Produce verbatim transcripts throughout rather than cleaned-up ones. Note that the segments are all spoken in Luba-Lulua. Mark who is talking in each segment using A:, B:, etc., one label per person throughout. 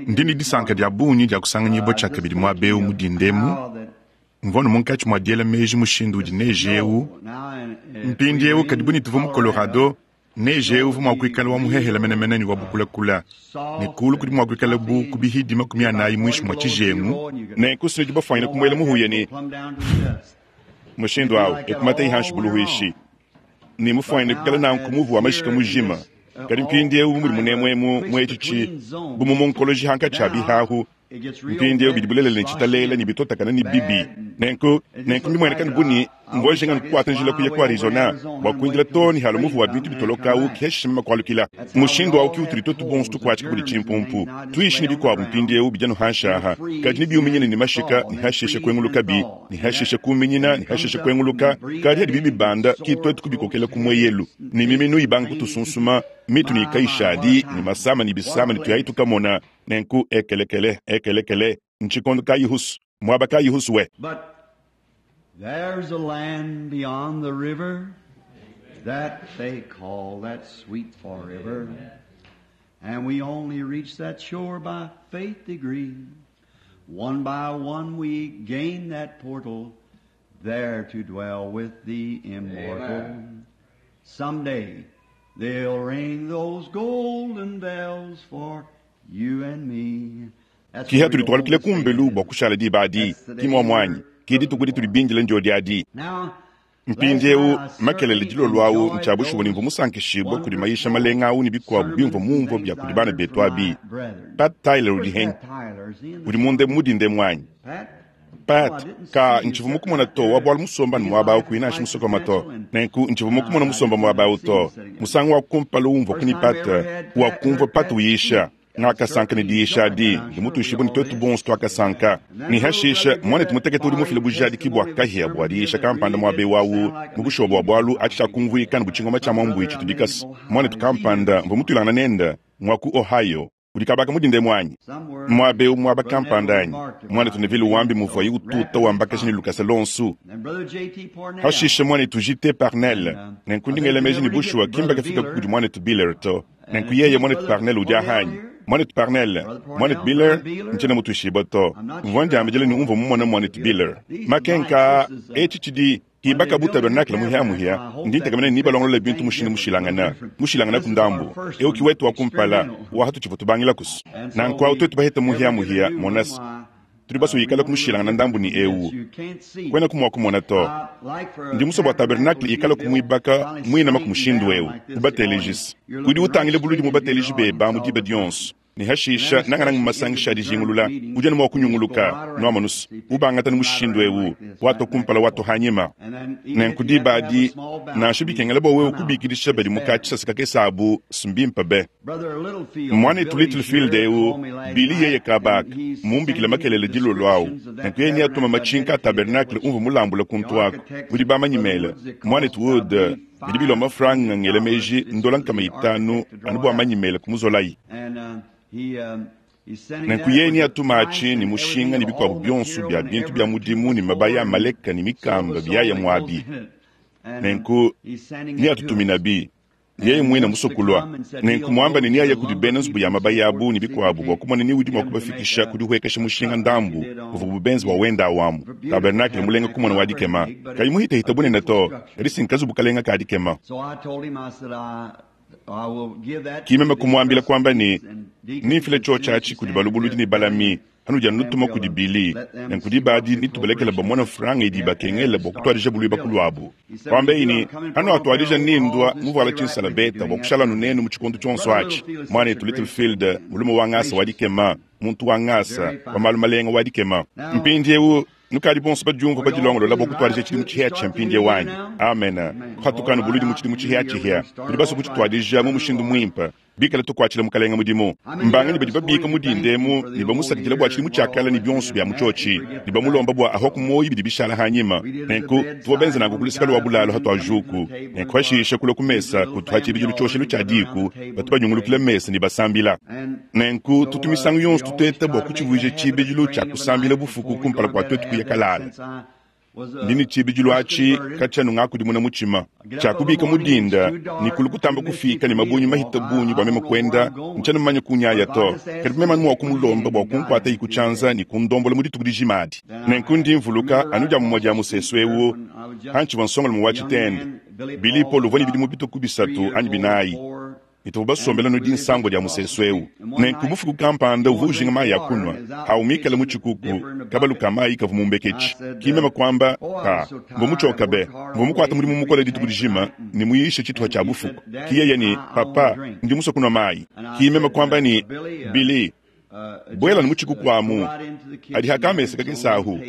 A: Ndi ne disanka dia bungi dia kusanganyibua tshiakabidi muaba eu mu dinda emu. Mvua anu munkatshi mua diela meji mushindu udi neje eu mpindieu, kadi bu ne tuvua mu Colorado, neje eu uvua mua kuikala wa muhehela menemene ne wa bukulakula, ne kulu kudi mua kuikala bu ku bihidi makumi anayi muinshi mua tshijengu. Nenku sinudi bafuanyine kumuela muhuya ne mushindu awu ekumata ihanshi buluhuishi ne mufuanyine kuikala nanku muvu wa mashika mujima. Kadi mpindieu bu mudi munemu emu mu etshi tshi bu mu munkoloji hankatshi a bihahu, mpindieu bidi bulelela ne tshitalela ne bitotakana ne bibi. Nenku nenku mbimueneka ne bu ne mvua njinga nkukuata njila kuya ku Arizona bua kuindila too ne halua muvu wa bintu bitoloka awu kiheshisha mema kualukila. Mushindu awu ki utudi twetu bonso tukuatshika kudi tshimpumpu tuishi ne bikuabu mpindieu bidi anu hanshi aha, kadi ne biuminyina ne mashika ne hashisha kuengulukabi ne hashisha kuminyina ne hashisha kuenguluka, kadi hadi bibibanda ki twetu kubikokela ku mueyelu ne miminu ibanga kutusunsuma mitu ne kayishadi ne masama ne bisama ne tuyayi tukamona. Nenku ekelekele ekelekele ntshikondo kayi husu muaba kayi husu we.
B: But there's a land beyond the river that they call that sweet forever. And we only reach that shore by faith degree. One by one we gain that portal, there to dwell with the immortal. Someday they'll ring those golden bells for you and me. That's
A: Kiha
B: where we
A: tudi
B: go home
A: tualukila
B: to stay
A: kumbelu bua
B: then.
A: kushala diba adi
B: That's the
A: ki
B: day
A: mua muanyi
B: we're
A: ki dituku
B: looking
A: ditudi
B: for.
A: bindile ndio diadi.
B: Now, last
A: Mpindieu
B: night I
A: makelele
B: certainly
A: dilolo awu
B: enjoyed
A: ntshia bushuwa ne
B: those
A: mvua musankishibua kudi mayisha
B: wonderful
A: malenga awu ne bikuabu bimvua
B: sermons and
A: mumvua
B: things
A: bia kudi
B: I
A: bana
B: heard
A: betu
B: from
A: abi.
B: my brethren.
A: Pat Tyler udi
B: Where's
A: henyi
B: Pat Tyler? Is he in
A: udi
B: the
A: munde mudinde muanyi.
B: Pat? Oh, I
A: Pat
B: didn't
A: ka
B: see you
A: ntshivua
B: sitting
A: mukumona
B: right
A: to wa
B: there.
A: bualu musomba ne
B: Because
A: muaba
B: I
A: awu
B: had to
A: kuina anshi
B: fight the
A: musokoma to.
B: pencil and
A: Nenku ntshivua
B: uh,
A: mukumona
B: I
A: musomba
B: didn't
A: muaba awu
B: see you
A: to.
B: sitting there.
A: Musangu wa kumpala umvua
B: First
A: kuni
B: time we
A: Pat
B: ever had
A: wa
B: Pat,
A: kumvua
B: heard
A: Pat
B: Pat
A: uyisha.
B: speak. I
A: Ngakasanka ne
B: certainly
A: diyisha
B: enjoyed
A: adi
B: that. I'm
A: ndi
B: sure we
A: mutuishibue ne
B: all
A: twetu
B: did.
A: bonso tuakasanka.
B: And that
A: Ne
B: little
A: hashisha
B: brother gave
A: mwanetu
B: that
A: mutekete udi
B: fiery
A: mufile bujadiki bua
B: testimony of a
A: kahia bua
B: sermon here
A: diyisha
B: that
A: kampanda
B: really
A: muaba
B: did
A: eu awu
B: sound like a
A: mu bushuwa bua
B: machine
A: bualu
B: gun.
A: atshiakumvuika ne butshingoma tshia
B: Some
A: mwambu
B: brother
A: itshi
B: I
A: tudi
B: met in
A: kasi
B: Ohio,
A: mwanetu
B: is he here
A: kampanda
B: this
A: mvua mutuilangana
B: morning?
A: nenda mwa ku Ohio udi kabaka mudinde mwanyi
B: Somewhere
A: muaba eu muaba
B: Brother
A: kampanda
B: Neville
A: anyi
B: remarked
A: mwanetu
B: about
A: Neville
B: him
A: wambi
B: being
A: muvuaye
B: so
A: ututa
B: rapidly
A: wambakashi ne
B: followed.
A: lukasa lonsu
B: And Brother J T Parnell.
A: hashisha mwanetu J T Parnell
B: And um,
A: nenku
B: I
A: ndi
B: think
A: ngela
B: we
A: meji ne
B: never did get
A: bushuwa
B: to
A: kimba
B: Brother
A: kafika kudi
B: Beeler.
A: mwanetu Biller to
B: And
A: nenku
B: is
A: yeye
B: this
A: mwanetu
B: Brother
A: Parnell udi
B: Parnell
A: ahanyi
B: here?
A: mwanetu Parnell
B: Brother
A: mwanetu
B: Parnell,
A: Biller
B: Brother Beeler?
A: ntshina mutuishibua to
B: I'm not
A: mvua
B: sure I
A: ndiambidile ne
B: saw
A: umvua mumona
B: Brother
A: mwanetu
B: Beeler.
A: Biller
B: These lights,
A: makenka
B: this is uh,
A: etshi tshidi
B: when they
A: hibaka bu
B: built the new
A: tabernakle muhia
B: tabernacle,
A: muhia
B: I hope
A: ndi
B: that
A: ntekamene
B: they
A: ni
B: fixed
A: balongolola
B: the
A: bintu
B: thing
A: mushindu
B: different, a little
A: mushilangana
B: different.
A: mushilangana
B: This
A: ku
B: is our
A: ndambu
B: first
A: eu ki
B: one,
A: wetu wa kumpala
B: experimental.
A: wa hatu tshivua tubangila kusu
B: And so
A: nanku awu
B: we,
A: twetu baheta muhia
B: ever get a
A: muhia
B: new one,
A: monasi
B: why,
A: tudi
B: uh, we
A: basuyikala
B: want a little
A: kumushilangana
B: different
A: ndambu ni
B: from this.
A: eu
B: You can't see.
A: kwena kumua kumona to
B: Uh, like for a
A: ndi musua bua
B: tabernacle
A: tabernakle
B: to be
A: ikala
B: built,
A: kumuibaka
B: finally
A: muinama ku
B: straightened
A: mushindu
B: down
A: eu
B: like this, the audience,
A: ubatelijisi
B: you're
A: udi
B: looking right
A: utangile buludi
B: straight into your
A: mubateleji
B: audience
A: beba mu
B: all
A: diba
B: the time.
A: dionso ne
B: And then
A: hashisha nangananga
B: especially
A: mu
B: in the
A: masangisha
B: discernment
A: adijingulula
B: meetings,
A: udi anu mua
B: you just go
A: kunyunguluka
B: right around.
A: nuamanusu
B: See, people
A: ubangata ne
B: right
A: mushindu
B: around
A: eu
B: like this,
A: wato
B: right back
A: kumpala
B: and
A: wato
B: forth.
A: hanyima
B: And then even
A: nenku
B: if you have
A: diba
B: to have a
A: adi
B: small
A: nansha
B: balcony,
A: bikengela bua wewe
B: come out.
A: kubikidisha
B: It's
A: badi
B: better.
A: mukatshisa kakesa abu simbimpa be
B: Brother Littlefield,
A: mwanetu
B: Billy's
A: Littlefield
B: here,
A: eu
B: called me last
A: Billy yeye
B: night, and
A: kabaka
B: he's
A: mumbikila
B: sending
A: makelele dilolo awu
B: descriptions of that
A: nenku yeye atuma
B: tabernacle I
A: machinka a
B: dedicated,
A: tabernakle
B: which
A: umvua mulambula
B: the
A: kuntu ako
B: architects,
A: udi bamanyi
B: Brother
A: mele
B: Woods, it
A: mwanetu
B: cost, I
A: Wood
B: believe,
A: bidi bilomba
B: five
A: franga
B: hundred
A: ngela
B: dollars
A: meji
B: just
A: ndola
B: for
A: nkama
B: the
A: itanu
B: architect to
A: anu
B: draw
A: bua
B: it up.
A: manyi mele kumuzolayi
B: And uh, he um, he's sending
A: nenku
B: that
A: yeye
B: with
A: ni
B: the
A: atuma
B: price
A: atshi ne
B: and
A: mushinga
B: everything
A: ne
B: of
A: bikuabu
B: all the
A: bionso
B: material
A: bia
B: and
A: bintu bia
B: every
A: mudimu ne
B: two
A: mabaya
B: four
A: a
B: and
A: maleka ne
B: so
A: mikamba
B: and so
A: biaya
B: that goes
A: muabi
B: in it. And uh,
A: nenku
B: he's sending
A: ni
B: it to
A: atutumina
B: us.
A: bi yeye
B: And
A: muina
B: wants to
A: musokulwa
B: come and said
A: nenku
B: he'll
A: muamba
B: go
A: ne
B: to
A: niaya
B: the
A: kudi
B: lumber
A: bena nzubu
B: people
A: ya
B: and so
A: mabaya
B: forth
A: abu
B: and
A: ne
B: see if he
A: bikuabu bua
B: can't
A: kumona ni udi
B: get
A: mua
B: them to make
A: kubafikisha
B: a
A: kudi huekesha mushinga
B: cut like he
A: ndambu
B: did
A: uvua
B: on
A: bubenzi bua
B: his
A: wenda awamu
B: beautiful
A: tabernakle mulenga
B: tabernacle,
A: kumona wa
B: not very
A: dikema
B: big, but
A: kayi
B: it's
A: muhitahita
B: a
A: bunene
B: beautiful
A: to
B: structure.
A: kadi sinkazu bukalenga ka dikema
B: So I told him, I said, I, I will give that to
A: kimeme
B: the
A: kumuambila kwamba ni
B: trustees and deacons
A: ninfile
B: as soon as
A: chochachi
B: you
A: kudi
B: send it
A: balubuludi
B: to
A: ne balami
B: them,
A: hanu dia
B: and
A: nutuma
B: we'll
A: kudi
B: uh,
A: bili
B: let them
A: nenku
B: see
A: diba
B: what
A: adi
B: the
A: nitubalekela
B: appropriation
A: bamona
B: is
A: franga idi
B: we have to have
A: bakengela
B: to
A: bua
B: start
A: kutuadija buluiba
B: building.
A: kuluabu
B: He said, when
A: kwamba
B: you do, I'm
A: ini
B: coming for
A: hanu
B: my pair
A: atuadija
B: of
A: nindwa
B: overalls and
A: muvuala
B: stay right with you
A: tshinsalabeta bua
B: doing that
A: kushala
B: thing.
A: nunenu mu tshikondo tshionso
B: Brother
A: atshi
B: Littlefield is such a
A: mwanetu
B: gracious
A: Littlefield
B: man,
A: mulume wa ngasa wa
B: gracious
A: dikema
B: man,
A: muntu wa ngasa
B: very
A: wa malu
B: fine.
A: malenga wa dikema
B: Now,
A: mpindieu nukadi bonso badiumva
B: are y'all
A: badilongolola bua
B: feeling right
A: kutuadija
B: up to
A: tshidimu
B: it to
A: tshihia tshia
B: start the new
A: mpindieu
B: year
A: wanyi
B: now?
A: amena
B: Amen. All
A: kuhatukanu
B: right
A: buludi mu
B: out
A: tshidimu
B: to the new
A: tshihia
B: year. We're
A: tshihia
B: going to start
A: tudi baso
B: off right.
A: kuchituadija mu
B: Serve the
A: mushindu
B: Lord.
A: muimpa bikala tukuatshila mukalenga mudimu
B: How many are
A: mbanganyi
B: up
A: badi
B: this
A: babika
B: morning to thank
A: mudindemu
B: Him for
A: ne
B: the old
A: bamusakidila bua
B: year
A: tshidimu
B: and what
A: tshiakala
B: all
A: ne
B: that
A: bionso
B: in
A: bia
B: it? And
A: mutshiotshi
B: you forget
A: ne
B: the
A: bamulomba
B: back.
A: bua ahwa
B: So
A: kumoyi bidi bishala hanyima
B: we did at the
A: nenku tuvua benza
B: bedside
A: nanku
B: when we
A: kulusika
B: got
A: lwa
B: up
A: bulalo
B: and
A: hatwa
B: come to the
A: juku
B: table
A: nenku
B: and our
A: hashisha kulua ku
B: usually
A: mesa
B: little
A: kutwa
B: family
A: tshibidilu
B: all
A: tshioshelu tshia
B: together around
A: diku
B: the table
A: batu
B: and
A: banyungulukila
B: prayed.
A: mesa ne basambila
B: And
A: nenku
B: so
A: tutu
B: uh,
A: misangu
B: we
A: yonso
B: always
A: tuteta
B: try
A: bua
B: to make a
A: kutshivuija
B: habit of
A: tshibidilu tshia
B: praying of a
A: kusambila
B: night
A: bufuku
B: before we go
A: kumpala
B: to
A: kua
B: bed.
A: twetu
B: I
A: kuya
B: have that
A: kalala
B: since I
A: Ndi ne tshibidilu atshi katshia nungakudimuna mutshima. Tshiakubika mu dinda ne kulu kutamba kufika ne mabunyi mahita bungi bua meme kuenda, ntshiena mumanye kunyaya to. Kadi meme anu mua kumulomba bua kunkuata yi ku tshianza ne kundombola mu dituku dijima adi. Nenku ndi mvuluka anu dia mumue dia musesu ewu pantshivua nsongalume wa tshitende. Billy Paul uvua ne bidimu bitue bisatu anyi binayi. Ne tuvua basombela anu dinsambo dia musesu ewu. Nenku bufuku kampanda uvua ujinga mayi a kunua, awu mikale mu tshikuku, kabalu ka mayi kavua mumbeketshi. Ki meme kuamba, ka, mvua mutshioka be, mvua mukuate mudimu mukole dituku dijima ne muyishe tshituha tshia bufuku. Ki yeye ne, papa, ndi musue kunua mayi. Ki meme kuamba ne, Billy, buela mu tshikuku amu, adi hakamesa kakese ahu.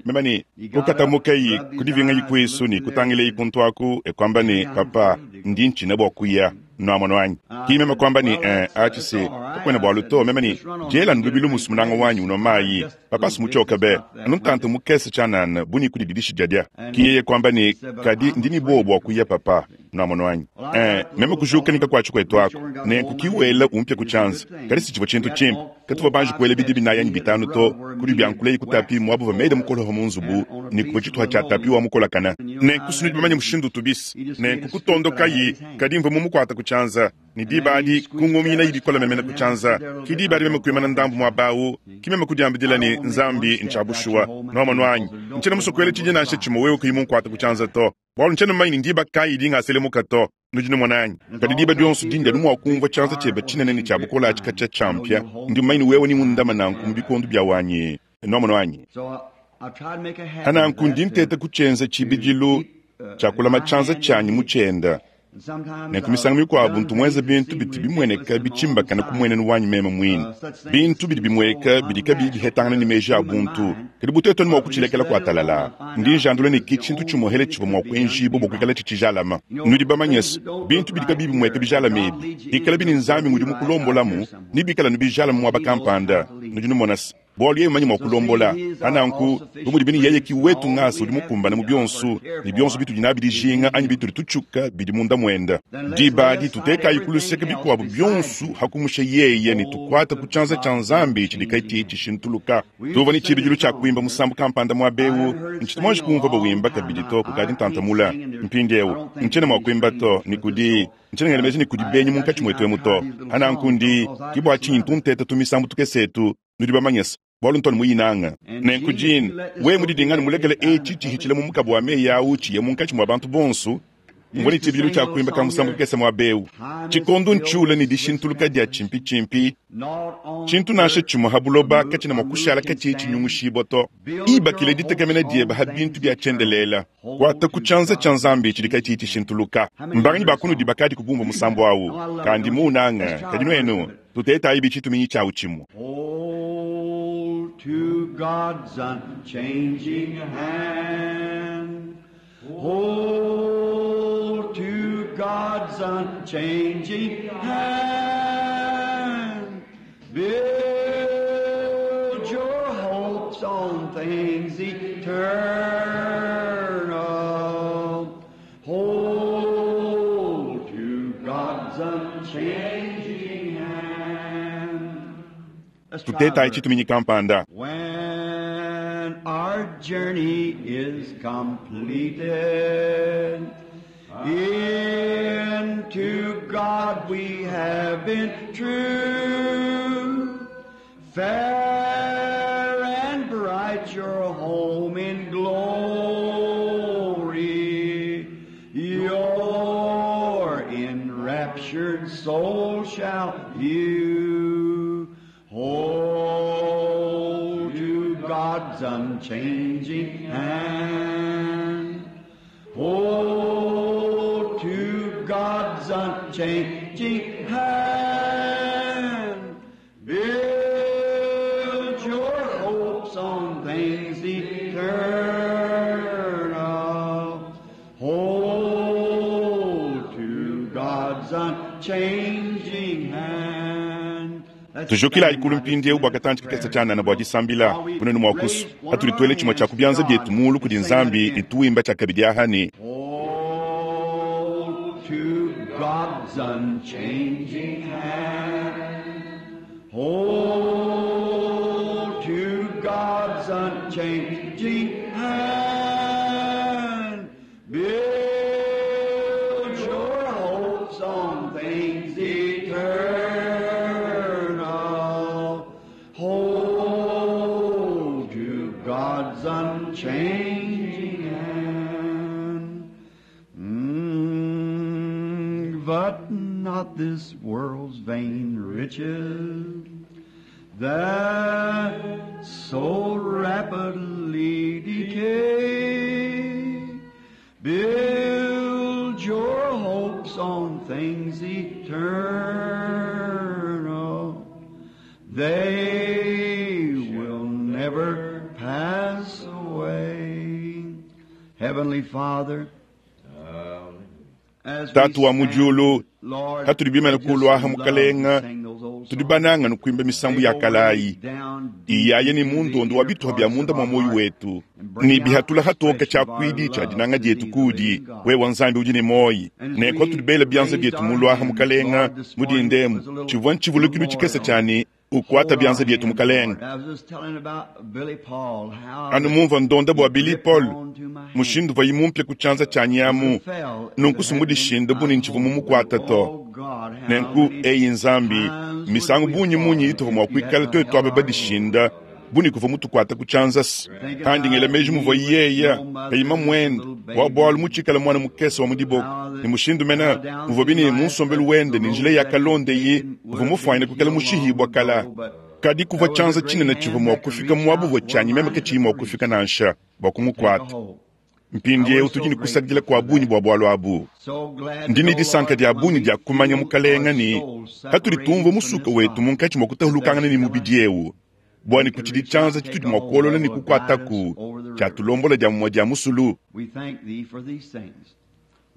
A: Meme ne, kukatamukayi kudivingayi kuisu ne kutangilayi kuntu aku, e kuamba ne, papa, ndi ntshina bua kuya. Nuamono anyi? Ki meme kuamba ne, eh, atshi se, kakuena bualu to. Meme ne, diela ndubilu musu munanga wanyi unua mayi. Papa sumutshioka be, anu ntante mukese tshianana buni kudididishi jadia. Ki yeye kuamba ne, kadi ndi ne buowa bua kuya papa. Nuamono anyi? Eh, meme kujuka ne kakuatshi kuetu aku. Nenku ki wela umpia ku tshianza. Kadi si tshivua tshintu tshimpe. Katuvua banji kuela bidi binayi anyi bitanu to, kudi biankuleyi ku tapi muabu va mede mukoloha mu nzubu, ne kuvua tshituha tshia tapi wa mukolakana. Nenku sunudi bamanye mushindu utubisi. Nenku kutondokayi, kadi mvua mumukuata ku tshianza. Ne diba adi kungumina ibikola memena ku tshianza. Ki diba adi meme kuimana ndambu muaba awu, ki meme kudiambidila ne, Nzambi ntshia bushuwa. Nuamono anyi? Ntshiena musue kuela tshidi nansha tshimue wewe kuyi munkuata ku tshianza to. Bualu ntshiena mumanye ne ndiba kayi dingaselemuka to. Nudi numona anyi? Kadi diba dionso dindi anu mua kumvua tshianza tshiebe tshinene ne tshia bukole atshi katshia tshiampia, ndi mumanye ne wewe ni mundama nanku mu bikondo bia wanyi. Nuamono anyi? Ananku ndi nteta kutshienza tshibidilu tshia kulama tshianza tshianyi mu tshienda. Nenku misangu mikuabu ntu muenza bintu bidi bimueneka bitshimbakana ku muenenu wanyi meme muine. Bintu bidi bimueka bidi kabiyi bihetangana ne meji a buntu. Kadi butetu anu mua kutshilekela kuatalala. Ndi njandula ne ki tshintu tshimuhele tshivua mua kuenjibua bua kuikala tshitshijalama. Nudi bamanye se, bintu bidi kabiyi bimueka bijalama ebi, bikala bini Nzambi ngudi mukulombolamu, ne bikala nu bijalama muaba kampanda. Nudi numona se, bualu yeye mumanye mua kulombola. Ananku, bu mudi bini yeye ki wetu ngasa udi mukumbane mu bionso, ne bionso bitudi nabi dijinga anyi bitudi tutshuka bidi munda muenda. Diba adi tutekayi ku luseke bikuabu bionso hakumusha yeye ne tukuata ku tshianza tshia Nzambi tshidi katshiyi tshishintuluka. Tuvua ne tshibidilu tshia kuimba musambu kampanda muaba ewu, ntshitu muanji kumvua bawimba kabidi to kukadi ntantamula. Mpindiewu, ntshiena mua kuimba to, ne kudi ntshiena ngela meji ne kudi benyi munkatshi muetu emu to. Ananku ndi, ki bua tshinyi ntunteta tumisambu tukese etu, nudi bamanye se, bualu ntwanu muyinanga. Nenku jini, wewe mudidingane mulekele etshi tshihitshila mu mukabo wa meyi awu tshiye munkatshi mua bantu bonso, mvua ne tshibidilu tshia kuimba ka musambu kakese muaba ewu. Tshikondo ntshiula ne dishintuluka dia tshimpi-tshimpi, tshintu nansha tshimue ha buloba katshiena mua kushala katshiyi tshinyungushibua to. Ibakile ditekemena diebe ha bintu bia tshiendelela. Kuata ku tshianza tshia Nzambi tshidi katshiyi tshishintuluka. Mbanganyi ba kunudi bakadi kubumva musambu awu, kandi muunanga, kadi nuenu tutetayi bitshituminyi tshiawu tshimue.
B: Hold to God's unchanging hand. Hold to God's unchanging hand. Build your hopes on things eternal. Hold to God's unchanging hand. Let's try
A: Tutetayi
B: a verse.
A: tshituminyi kampanda.
B: When our journey is completed, into God we have been true. Fair and bright your home in glory, your enraptured soul shall view. Hold to God's unchanging hand. Hold to God's unchanging hand. Build your hopes on things eternal. Hold to God's unchanging hand. Let's
A: Tujukilayi
B: stand
A: kulu
B: now
A: mpindiewu
B: just
A: bua
B: in
A: katantshi kakese
B: prayer.
A: tshianana bua disambila
B: While we
A: bunene mua kusu.
B: raise one of
A: Hatudi
B: our
A: tuele tshimue
B: hands
A: tshia
B: to
A: ku bianza
B: God
A: bietu mulu
B: and
A: kudi
B: sing that
A: Nzambi
B: again.
A: ne tuwimba tshia kabidi aha ne
B: Hold to God's unchanging hand. Hold to God's unchanging hand. not this world's vain riches that so rapidly decay. Build your hopes on things eternal. They will never pass away. Heavenly Father, as we
A: Tatu wa mu
B: stand,
A: diulu,
B: Lord,
A: hatudi bimene
B: we
A: kulwaha
B: just
A: mukalenga,
B: love to sing those old
A: tudi
B: songs.
A: bananga nukuimba misambu ya kalayi iyaye ni mundondo wa bituha bya munda mwa moyo wetu ni bihatula hatoka chakwidi cha dinanga dietu kudi wewa nzambi udi ne moyi nenko tudi bela byanza byetu mulwaha mukalenga mudindemu chivwa nchivulukilu chikese chani ukwata byanza byetu mukalenga anu mumva ndonda bwa Billy Paul mushindu vayi mumpya ku chanza cha nyamu nunku sumudishinda buni nchivu mumukwata to nenku eyi nzambi misangu bunyi munyi ituva mua kuikala twetu aba badishinda buni kuva mutukwata ku chanzasi kandi ngela meji muva yeya peyima mwenda wa bwalu muchikala mwana mukese wa mudiboko ni mushindu mena muva bini munsombelu wende ni njila ya kalonde yi uva mufwanyina kukala mushihibwa kala kadi kuva chanza chinene chiva mua kufika muabu chanyi meme kechiyi mua kufika nansha bua kumukwata mpindiewu tudi ni kusakidila kwa bunyi bua bwalu abu ndini disanka dia bunyi dia kumanya mukalenga ni hatudi tumva musuka wetu munkatshi mua kutahulukangana ni mubidi ewu bwani kuchidi chanza chitudi mua kuolola ni kukwataku chatulombola dia mumua dia musulu
B: We thank thee for these things.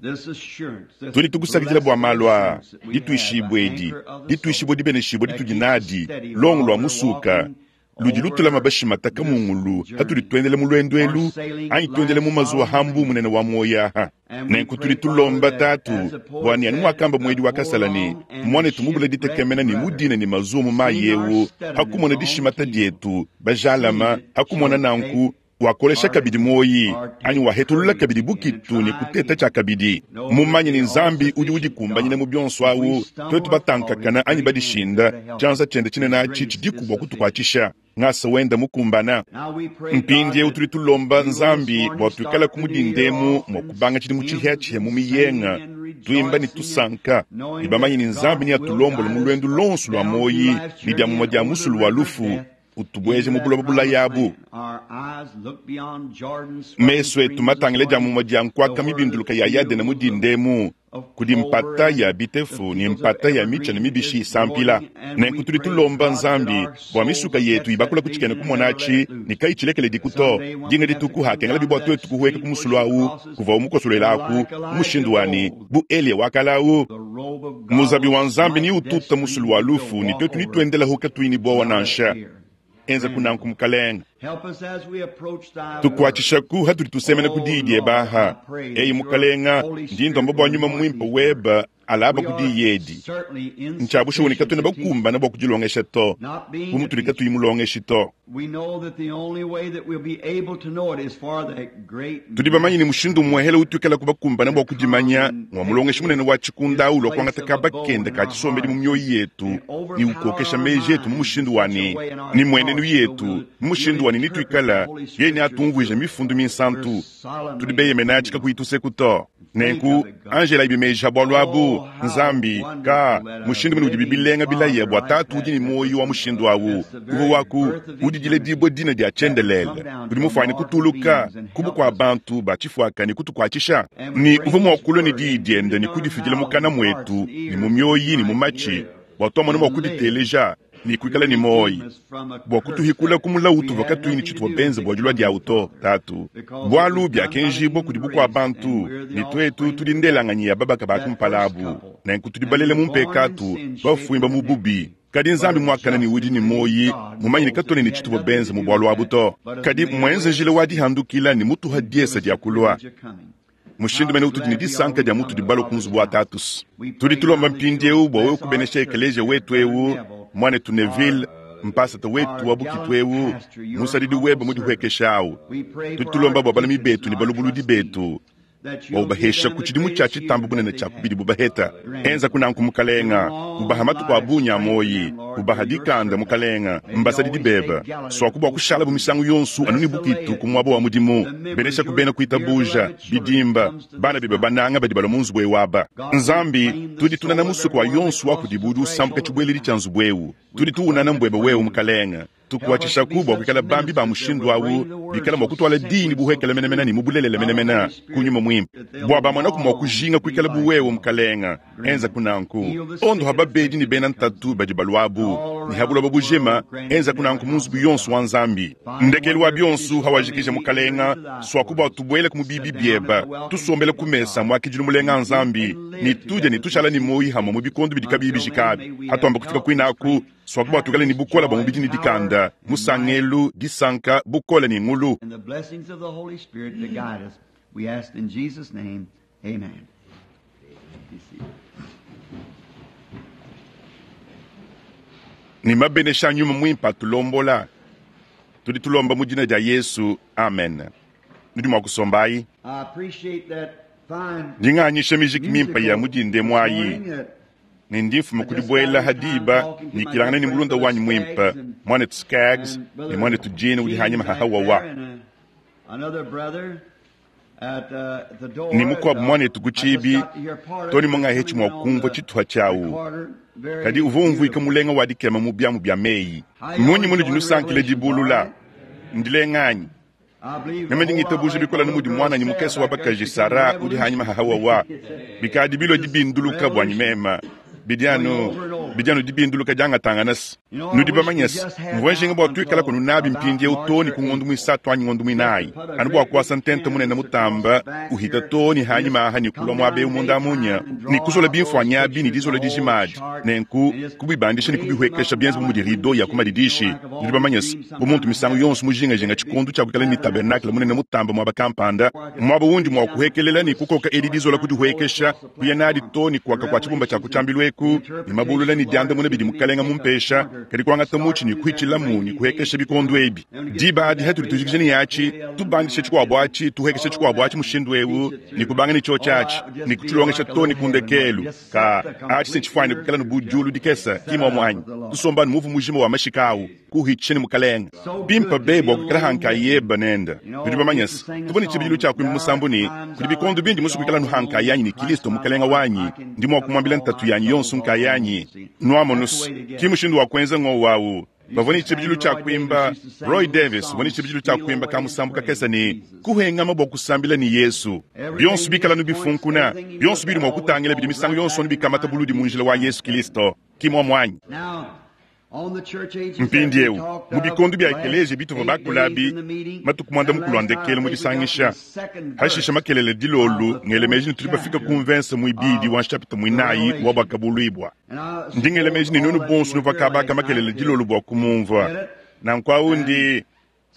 B: This assurance, this
A: tudi tukusakidila bua malu aa
B: blessed assurance that we have,
A: dituishibwe
B: the
A: edi
B: anchor of the
A: dituishibwe
B: soul,
A: dibeneshibwe
B: that
A: ditudi
B: keeps us
A: nadi
B: steady
A: longo
B: while
A: lwa
B: we're
A: musuka
B: walking
A: ludi lutulama
B: over
A: bashimata
B: this
A: kamungulu hatudi
B: journey,
A: tuendele mu lwendo
B: or
A: elu
B: sailing
A: anyi tuendele mu
B: life's
A: mazuwa
B: solemn
A: hambu munene wa moyaha
B: And we
A: nenku
B: pray,
A: tudi tulomba
B: Father, that
A: tatu
B: as the poet
A: bwani ani
B: said,
A: mwakamba mwedi
B: the
A: wa kasala ni
B: forlorn and
A: mwane tumubula
B: shipwrecked
A: ditekemena ni
B: brother,
A: mudine ni mazuwa mu mayi
B: seeing our
A: ewu
B: steadiness
A: hakumona
B: on
A: dishimata
B: keel,
A: dietu bajalama
B: seeing it
A: hakumona
B: shall
A: nanku
B: take
A: wakolesha
B: our,
A: kabidi moyi
B: or
A: anyi
B: take
A: wahetulula
B: courage
A: kabidi
B: again and
A: bukitu ni
B: try
A: kuteta
B: again.
A: cha kabidi
B: Know that
A: mumanye
B: the
A: ni nzambi udi
B: all-sufficient
A: udikumbanyina
B: God,
A: mu byonso
B: if we
A: awu
B: stumble
A: twetu
B: or fall, His
A: batankakana anyi
B: great hand is
A: badishinda
B: there to help us.
A: chanza chende chine
B: His
A: nachi
B: grace is
A: chidikubwa
B: sufficient.
A: kutukwachisha ng'asa wenda mukumbana
B: Now we pray, God,
A: mpindiewu
B: that
A: tuli tulomba
B: we will this
A: nzambi
B: morning
A: bua tuikala
B: start the new year
A: kumudindemu
B: off
A: mua
B: in
A: kubanga chidi mu
B: hymns
A: chihechihe mu
B: and singing
A: miyenga
B: and
A: tuimba ni
B: rejoicing and
A: tusanka ni
B: knowing
A: bamanyi
B: that
A: ni nzambi
B: God
A: ni
B: will
A: atulombola mu
B: guide us
A: lwendu lonso lwa
B: down through
A: moyi
B: life's
A: ni dia
B: journey
A: mumua
B: and
A: dia
B: over the
A: musulu wa
B: river of
A: lufu
B: death
A: utubweje
B: into
A: mu
B: that
A: buloba
B: promised
A: bulayabu
B: land. Our eyes look beyond Jordan's swelling
A: meso etu
B: streams this
A: matangile dia
B: morning
A: mumua dia
B: to
A: nkwaka
B: where the
A: mibinduluka ya yadena
B: fields of,
A: mudindemu
B: of
A: kudi
B: clover
A: mpata ya
B: and the
A: bitefu ni
B: fields of
A: mpata ya micha ni
B: evergreen
A: mibishi
B: is
A: isampila
B: growing. And we
A: nenku tudi
B: pray,
A: tulomba
B: God, that
A: nzambi
B: our
A: bua
B: souls
A: misuka
B: will
A: yetu
B: catch that
A: ibakula kuchikene
B: vision and never let
A: kumonachi
B: it loose.
A: nikaichilekele dikuto
B: Someday when we
A: dinga
B: have to
A: dituku
B: come
A: hakengela
B: down
A: bibwa
B: that
A: twetu kuhueka
B: stream where
A: kumusulu
B: she
A: awu
B: crosses,
A: kuva umukosolelaku
B: like Elijah
A: mushindu
B: of
A: wani
B: old,
A: bu eliya wakalawu
B: the robe of God
A: muzabi
B: will
A: wa nzambi ni
B: smite death's
A: ututa musulu wa
B: stream and
A: lufu
B: we'll
A: ni
B: walk
A: twetu
B: over it
A: nituendela tuini bowa
B: without a
A: nansha
B: fear.
A: enza
B: Grant it,
A: kunanku
B: Lord.
A: mukalenga
B: Help us as we approach thy word.
A: tukwachishaku hatuli tusemena
B: Oh
A: kudiyi
B: Lord, I
A: baha
B: pray
A: eyi
B: that your
A: mukalenga
B: Holy
A: ndi
B: Spirit
A: ndomba bua
B: will
A: nyuma
B: anoint
A: mwimpe
B: these words.
A: weba alaba
B: We are
A: kudiyi edi
B: certainly
A: nchabushuni
B: insufficient
A: katwena
B: to teach it,
A: bakumbana bua kudilongesha to
B: not being the
A: bumutuli
B: teacher.
A: katuyi mulongeshi to
B: We know that the only way that we'll be able to know it is for that great
A: tudi bamanyi ni
B: master
A: mushindu muhele utuikala kubakumbana
B: to
A: bua
B: come
A: kudimanya
B: and
A: ngwa
B: take
A: mulongeshi munene
B: his,
A: wa
B: his
A: chikunda ulo
B: place
A: kuangata
B: of
A: kaba
B: abode
A: kende
B: in
A: ka
B: our
A: chisombeli mu
B: hearts
A: mioyo yetu
B: and
A: ni
B: overpower
A: ukokesha
B: our
A: meji yetu mu
B: minds in
A: mushindu
B: such a
A: wani
B: way in our
A: ni mwenenu
B: thoughts so
A: yetu
B: we'll,
A: mu
B: we'll
A: mushindu wani
B: interpret the
A: nituikala
B: Holy
A: yeni
B: Scriptures
A: atumvuija
B: to us.
A: mifundu
B: We're
A: minsantu tudi
B: solemnly
A: beyemenachi
B: depending on it.
A: kakuituseku to
B: Think
A: nenku
B: of it, God.
A: angela ibimeja bwalu abu
B: Oh, how
A: nzambi ka
B: wonderful that a
A: mushindu mene udi
B: living
A: bibilenga bilaya
B: Father
A: bua
B: like
A: tatu
B: that,
A: udi ni
B: that
A: moyo
B: was
A: wa mushindu awu
B: that's the
A: uvu
B: very
A: waku
B: birth of
A: udidile
B: eternity
A: dibwe dina dia
B: that would
A: chendelele
B: come down
A: udi
B: to
A: mufwani
B: mortal
A: kutuluka
B: beings and
A: kubu
B: help
A: kwa
B: us.
A: bantu bachifuaka ni kutukwachisha
B: And would
A: ni
B: bring
A: uvu
B: His
A: mwakulwa ni
B: word
A: diyi
B: and put
A: diende
B: it
A: ni
B: in our
A: kudifidila
B: mouths
A: mukana
B: and hearts
A: mwetu
B: and
A: ni mu
B: ears that we
A: mioyi ni mu
B: might
A: machi
B: hear it
A: bua twamona mwa
B: and live
A: kuditeleja ni
B: to
A: kuikala ni moyi
B: redeem us from a
A: bua
B: curse
A: kutuhikula
B: that
A: kumula
B: we
A: utu
B: had
A: vakatuini
B: nothing to
A: chitwa
B: do with
A: benze bua dilua
B: becoming,
A: dia uto
B: Father,
A: tatu
B: because it
A: bwalu
B: was done by the
A: byakenjibwa
B: human
A: kudi bukua
B: race, and
A: bantu
B: we're the
A: ni twetu
B: offspring
A: tudi
B: of that,
A: ndelanganyi ya babaka
B: that first
A: bakumpalabu
B: couple.
A: nenku tudi
B: And
A: balele
B: we're
A: mu
B: born in
A: mpekatu
B: sin, shaped
A: bafuimba
B: in
A: mu bubi
B: iniquity.
A: kadi
B: But
A: nzambi
B: a
A: mwakana ni
B: just
A: udi ni
B: and living
A: moyi
B: God
A: mumanyine
B: knows that
A: katone
B: we
A: ni
B: had
A: chituvua
B: nothing
A: benze
B: to
A: mu
B: do
A: bwalu
B: with
A: abu
B: that,
A: to
B: but has
A: kadi
B: made a way
A: mwenze
B: of
A: njila wa
B: escape
A: dihandukila ni mutuha
B: and give
A: diesa
B: us
A: dia
B: the
A: kulwa
B: privilege of coming.
A: mushindu
B: How
A: mene utudi ni
B: glad we are
A: disanka
B: we
A: dia
B: come
A: mutu
B: to
A: dibalo
B: Father's
A: kunzubu wa
B: house.
A: tatus
B: We
A: tudi
B: pray
A: tulomba
B: now that you'll
A: mpindiewu bua wewe
B: bless our
A: kubenesha
B: church
A: ekelesia
B: here,
A: wetu
B: Brother
A: ewu
B: Neville,
A: mwanetu
B: our,
A: Neville mpasata wetu
B: our
A: wa bukitu
B: gallant
A: ewu
B: pastor, your
A: musadidi
B: humble
A: webe
B: servant.
A: mudihuekesha awu
B: We pray
A: tudi
B: for
A: tulomba
B: our
A: bua balami
B: deacons
A: betu
B: and
A: ni
B: our
A: balubuludi
B: trustees,
A: betu Bua ubahesha ku tshidimu tshia tshitamba bunene tshia ku bidibu baheta. Enza kunanku mukalenga, ubaha matuku a bungi a muoyi, ubaha dikanda mukalenga, mbasadidi beba. Swaku bua kushala bu misangu yonso anu ne bukitu ku muaba wa mudimu, benesha ku bena kuitabuja, bidimba, bana bebe bananga badi balua mu nzubu ewu aba. Nzambi, tudi tunana musuku wa yonso wa kudibu udi usambuka tshibueledi tshia nzubu ewu. Tudi tuwunana mbwebe wewe mukalenga. Tukuatshishaku bua kuikala bambi ba mushindu awu, bikala mua kutwala dini buhekela menemene ne mu bulelela menemene ku nyuma muimpe. Bua bamwanaku mua kujinga kuikala bu wewe mukalenga, enza kunanku. Ondo ha babedi ne bena ntatu badi baluabu, ne ha buloba bujima, enza kunanku mu nzubu yonso wa Nzambi. Ndekelu wa bionso hawajikija mukalenga, swaku bua tubuele ku mubibi bieba, tusombele ku mesa muakidilu mulenga Nzambi, ne tudie ne tushala ne moyi hamwe mu bikondo bidi kabiyi bijikabi. Hatuamba kufika kuinaku, swaku bua tuikale ne bukola bua mubidi ne dikanda, musangelu, disanka, bukola ne ngulu.
B: And the blessings of the Holy Spirit to guide us. We ask in Jesus' name, amen. Be seated.
A: Ne mabenesha nyuma muimpe atulombola. Tudi tulomba mu dina dia Yesu, amen. Nudi mua kusombayi.
B: I appreciate that fine
A: Ndinganyisha mijiki mimpe ya mudinde mwayi.
B: morning that
A: Ne ndi mfuma kudibuela hadiba nikilangana ne mulunda wanyi muimpe, mwanetu Skaggs ne mwanetu Jean udi hanyima hahawawa. Ne mukuabu mwanetu ku tshibi, toni mungahetshi mua kumvua tshituha tshiawu. Kadi uvua umvuika mulenga wa dikema mu biamu bia meyi. Munyi munudi nusankila dibulula? Ndilenganyi. Meme ndi ngitabuja bikola ne mudi mwananyi mukese wa bakaji Sara udi hanyima hahawawa. Bikadi bilo dibinduluka bwanyi mema. Bidiano, bidiano dibinduluka diangatanganasi. Nudi bamanyasi, mvua njinga bua tuikala kunu nabi mpindiewu too ne ku ngondu muisatu anyi ngondu muinayi. Anu bua kuasa ntente munene mutamba, uhita too ne hanyima aha ne kulua muaba ewu munda munya, ne kuzola bimfuanyi abi ne dizola dijimadi. Nenku, kubibandisha ne kubihwekesha bienze bu mudi rido ya ku madidishi. Nudi bamanyasi, bu muntu misangu yonso mujingajinga tshikondo tshia kuikala ne tabernakle munene mutamba muaba kampanda, muaba wundi mua kuhekelela ne kukoka edi dizola kudihwekesha, kuya nadi too ne kuaka kua tshibumba tshia kutshiambilu eku, ne mabulula ne diandamuna bidi mukalenga mumpesha, kadi kuangata mutshi ne kuhitshilamu ne kuhekesha bikondo ebi. Diba adi hatudi tujikija ne yatshi, tubandishe tshikuabu atshi, tuhekeshe tshikuabu atshi mushindu ewu, ne kubanga ne tshiotshi atshi, ne kutshilongesha too ne ku ndekelu. Ka atshi se tshifuane kuikala ne budiulu dikesa, ki muomu anyi? Tusomba ne muvu mujima wa mashika awu, kuhitshisha ne mukalenga. Bimpa be bua kuikala hankayeba nenda. Nudi bamanyasi, tuvua ne tshibidilu tshia kuimba musambu ne, kudi bikondo bindi musu kuikala nuhankayanyi ne Kristo mukalenga wanyi, ndi mua kumwambila ntatu yanyi yonso nkayanyi. Nuamonusu, ki mushindu wa kuenza ngowu awu. Bavua ne tshibidilu tshia kuimba Roy Davis uvua ne tshibidilu tshia kuimba ka musambu kakesa ne kuhengama bua kusambila ne Yesu. Bionso bikala nubifunkuna, bionso bidi mua kutangila bidi misangu yonso nubikamata buludi mu njila wa Yesu Kristo. Ki muomu anyi?
B: Now, on the church ages
A: Mpindiewu,
B: that we talked
A: mu
B: of,
A: bikondo bia
B: last
A: ekeleziya bituvua
B: eight
A: bakula
B: days
A: abi,
B: in the meeting,
A: matuku muanda
B: and
A: mukulu a
B: last night
A: ndekelu mu
B: I think we got to
A: disangisha.
B: the second
A: Hashisha
B: verse
A: makelele dilolu,
B: of the
A: ngele meji ne
B: fourth
A: tudi bafika
B: chapter
A: ku mvensa muibidi
B: of
A: wa nshapita muinayi wa bwakabuluibwa.
B: And I
A: Ndingele meji ne
B: suppose
A: nunu
B: all
A: bonso
B: that you
A: nuvua
B: were here
A: kabaka
B: last
A: makelele
B: night
A: dilolu bua kumumvua.
B: to get it.
A: Nanku awu ndi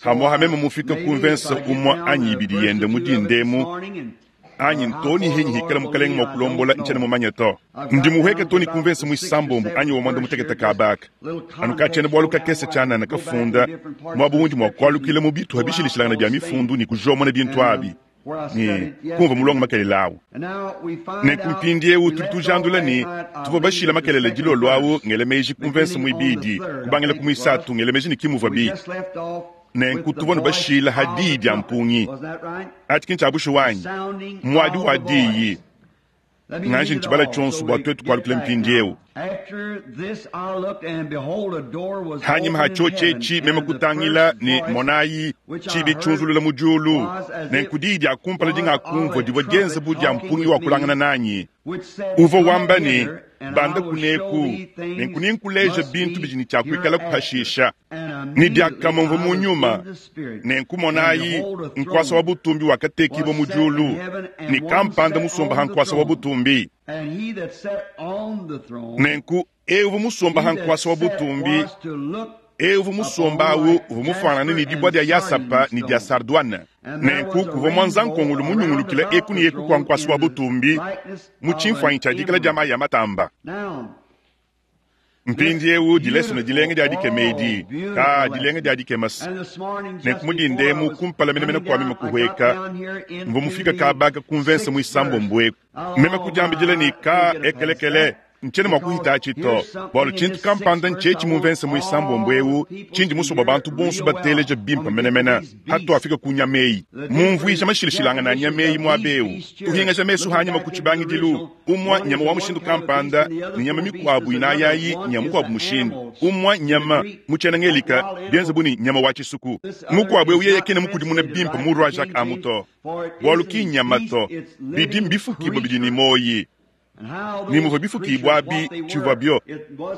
A: hamwa hameme mufika
B: Maybe
A: ku
B: if
A: mvensa
B: I get
A: umwa
B: down
A: anyi
B: to
A: ibidi
B: verse
A: yende
B: or
A: mu
B: two of it this
A: dindemu,
B: morning and,
A: anyi
B: uh, how
A: ntoni
B: far the
A: henyi
B: Lord
A: hikala
B: will
A: mukalenga
B: lead,
A: mua
B: I
A: kulombola
B: don't
A: nchena
B: know.
A: mumanya to.
B: I've
A: Ndi
B: got
A: muhweke
B: down to
A: toni
B: about
A: ku mvensa
B: the sixth or
A: muisambombo anyi wa
B: seventh
A: mwanda
B: verse here,
A: mutekete
B: just
A: kabaka.
B: little
A: Anu katshiena
B: context
A: bualu
B: so now
A: kakese
B: where I
A: tshianana
B: can go back in
A: kafunda,
B: different parts of
A: muaba
B: the
A: wundi mua
B: scriptures
A: kualukila
B: and
A: mu bituha
B: pull out
A: bishilishilangana bia
B: those things
A: mifundu ne kujomona bintu
B: and um,
A: abi.
B: where I
A: Ne
B: studied
A: kumva
B: yesterday.
A: mulongo makelele awu.
B: And now we find
A: Nenku
B: out
A: mpindiewu
B: we
A: tudi
B: left off
A: tujandula
B: last
A: ne
B: night, I
A: tuvua
B: believe,
A: bashila
B: at the
A: makelele
B: second
A: dilolu awu
B: verse,
A: ngele meji ku mvensa
B: beginning on the
A: muibidi,
B: third, I
A: kubangila
B: think
A: ku
B: it was.
A: muisatu ngele meji ne kimuvua
B: We
A: bi.
B: just left off
A: Nenku
B: with the
A: tuvua
B: voice
A: nubashila
B: of
A: hadiyi
B: the
A: dia
B: trumpet.
A: mpungi.
B: Wasn't that right?
A: Atshi ki ntshia wanyi,
B: Sounding
A: mwadi
B: of
A: wa
B: the
A: diyi.
B: voice. Let me
A: Nganji
B: read it
A: ntshibala
B: all
A: tshionso
B: so
A: bua
B: we
A: tuetu
B: get
A: kualukila
B: back
A: mpindiewu.
B: now. After this I looked, and behold, a door was
A: Hanyima ha
B: opened in heaven,
A: tshiotshi meme
B: and the
A: kutangila
B: first
A: ne
B: voice
A: monayi
B: which I
A: tshibi
B: heard
A: tshiunzulula mu diulu.
B: was as
A: Nenku
B: it
A: diyi dia kumpala
B: was
A: dingakumvua
B: of a
A: divua dienza
B: trumpet
A: bu dia
B: talking
A: mpungi
B: with
A: wa kulangana
B: me,
A: nanyi.
B: which said,
A: Uvua
B: Come
A: wamba ne,
B: hither, and I
A: banda
B: will show
A: kuneku,
B: thee
A: nenku
B: things
A: ninkuleja
B: must
A: bintu
B: be
A: bidi ne tshia kuikala
B: hereafter.
A: kuhashisha.
B: And
A: Ne
B: immediately
A: diakamumvua
B: I
A: mu
B: was in
A: nyuma.
B: the Spirit,
A: Nenku
B: and
A: monayi
B: behold, a
A: nkuasa wa
B: throne
A: butumbi wakatekibwa
B: was
A: mu
B: set in
A: diulu,
B: heaven,
A: ne
B: and one
A: kampanda
B: sat
A: musomba ha
B: on the
A: nkuasa wa
B: throne.
A: butumbi.
B: And he that sat on the throne,
A: Nenku ewu musomba
B: he
A: ha
B: that
A: nkuasa wa
B: sat
A: butumbi,
B: was to look
A: ewu musomba
B: upon
A: awu
B: like
A: uvua mufanane
B: jasper
A: ne dibua
B: and
A: dia yasapa
B: sardine
A: ne dia
B: stone.
A: sardwane.
B: And there
A: Nenku
B: was a
A: kuvua mwanza
B: rainbow
A: nkongolo
B: around
A: munyungulukila
B: about
A: eku ne
B: the
A: eku kua
B: throne
A: nkuasa wa
B: in the
A: butumbi
B: likeness
A: mu
B: of an
A: tshimfuanyi tshia dikala dia
B: emerald.
A: mayi a matamba.
B: Now,
A: Mpindieu dilesona dilenga dia dikema edi, ka dilenga dia dikema se. Nenku mu dinda emu kumpala menemene kua meme kuhueka, mvua mufika kabaka ku mvensa muisambombo eku. Meme kudiambidila ne ka ekelekele ntshiena mua kuhita atshi to, bualu tshintu kampanda ntshietshi mu mvensa muisambombo eu tshindi musue bua bantu bonso bateleja bimpe menemene hatuafika ku nyama eyi. Mumvuija mashilashilangana a nyama eyi muaba eu, tuhingaja mesu hanyima ku tshibangidilu, umua nyama wa mushindu kampanda ne nyama mikuabu inayi ayi nya mukuabu mushindu. Umua nyama mu tshiena ngelika bienze bu ne nyama wa tshisuku. Mukuabu eu yeye kena mukudimuna bimpe mu Roi Jacques amu to, bualu ki nyama to, bidi mbifukibua bidi ne moyi. Ni muvua bifukibua abi tshivua bio,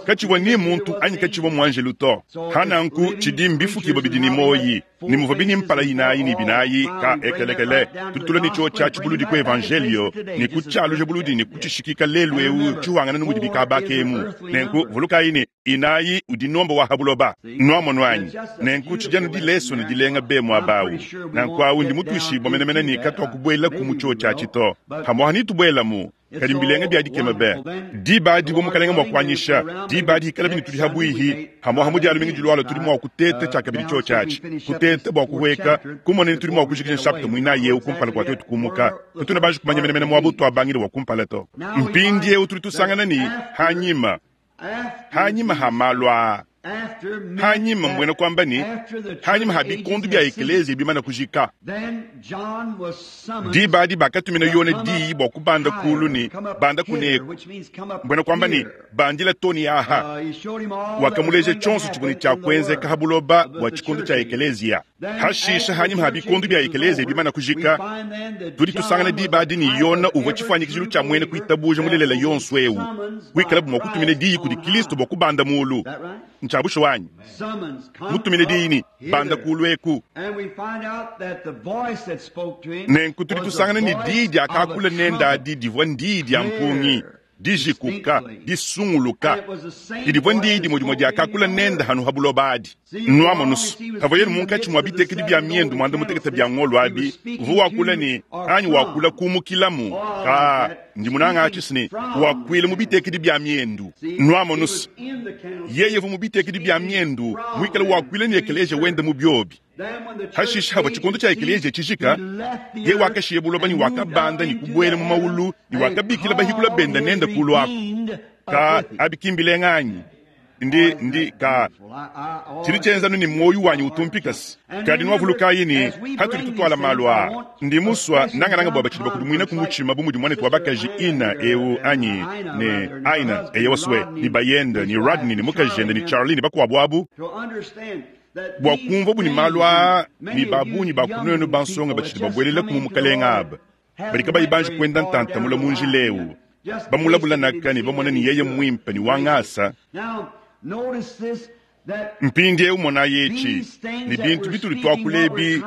A: katshivua ni muntu anyi katshivua muanjelu to. Hananku tshidi mbifukibua bidi ne moyi, ni muvua bini mpala inayi ni binayi ka ekelekele. Tutula ni tshio tshia tshibuludi ku evangelio, ni ku tshialuja buludi ni ku tshishikika lelu eu tshiwangana numudi bikabaka emu. Nenku vulukayi ne inayi udi nomba wa habuloba. Nuamono anyi? Nenku tshidi anu dileso ne dilenga be muaba awu. Nanku awu ndi mutuishibua menemene ne katuakubuela ku mu tshio tshia tshito. Pamuapa nitubuelamu. Kadi mbilenga bia dikema be. Diba adi bua mukalenga mua kuanyisha, diba adi hikala bini tudi habuihi, pamuapa mu dialumingu dilualua tudi mua kuteta tshiakabidi tshio tshiatshi. Kuteta bua kuhueka, kumona ne tudi mua kujikija nshapita muinayi eu kumpala kua tuetu kumuka. Kutuna banji kumanya menemene muaba utuabangile wa kumpala to. Mpindieu tudi tusangana ne hanyima, hanyima ha malu aa. Hanyima mbuena kuamba ne hanyima ha bikondu bia ekelezia bimana kujika. Diba adi bakatumina Yone diyi bua kubanda kulu ne banda kuneku, mbuena kuamba ne bandila toni aha. Wakamuleja tshionso tshivua ne tshia kuenzeka ha buloba bua tshikondo tshia ekelezia. Hashisha hanyima ha bikondu bia ekelezia bimana kujika, tudi tusangana diba adi ne Yona uvua tshifuanyikijilu tshia muena kuitabuja mulelela yonso eu, kuikalabu mua kutumina diyi kudi Kristo bua kubanda mulu. Ntshiabusha wanyi mutumine diyi ne banda kulu eku. Nenku tudi tusangana ne diyi diakakula nende adi divua ndiyi dia mpungi, dijikuka, disunguluka. Didivua ndiyi dimue dimue diakakula nende hanu ha buloba adi. Nuamonusu pavua yenu munkatshi mua bitekedi bia miendu muanda mutekete bia ngolo abi, uvua wakula ne anyi wakula kumukilamu. Ka ndi munanga atshi ne wakuila mu bitekedi bia miendu. Nuamonusu yeye uvua mu bitekedi bia miendu muikale wakuila ne ekelesia wende mu biobi. Hashisha hava tshikondo tshia ekelesia tshijika, ye wakashiya buloba ne wakabanda ne kubuela mu maulu ne wakabikila bahikula benda nende kulu aku. Ka abikimbilenga anyi? Ndi ndi ka tshidi tshienzanu ne muoyo wanyi utumpikasi. Kadi nuavulukayi ne hatudi tutuala malu aa, ndi musua nangananga bua batshidi bakudimwina ku mutshima bu mudi muanetu wa bakaji Ina eu anyi ne Aina eye wasue ne bayende ne Rodney ne mukajende ne Charlie ne bakuabu abu, bua kumvua bu ne malu aa ne babunyi ba kunenu bansonga batshidi babuelela ku mu mukalenga aba badi kabayi banji kuenda ntantamula mu njila eu, bamulabula naka ne bamona ne yeye muimpe ne wangasa. Mpindieu monayi etshi ne bintu bitudi tuakula ebi,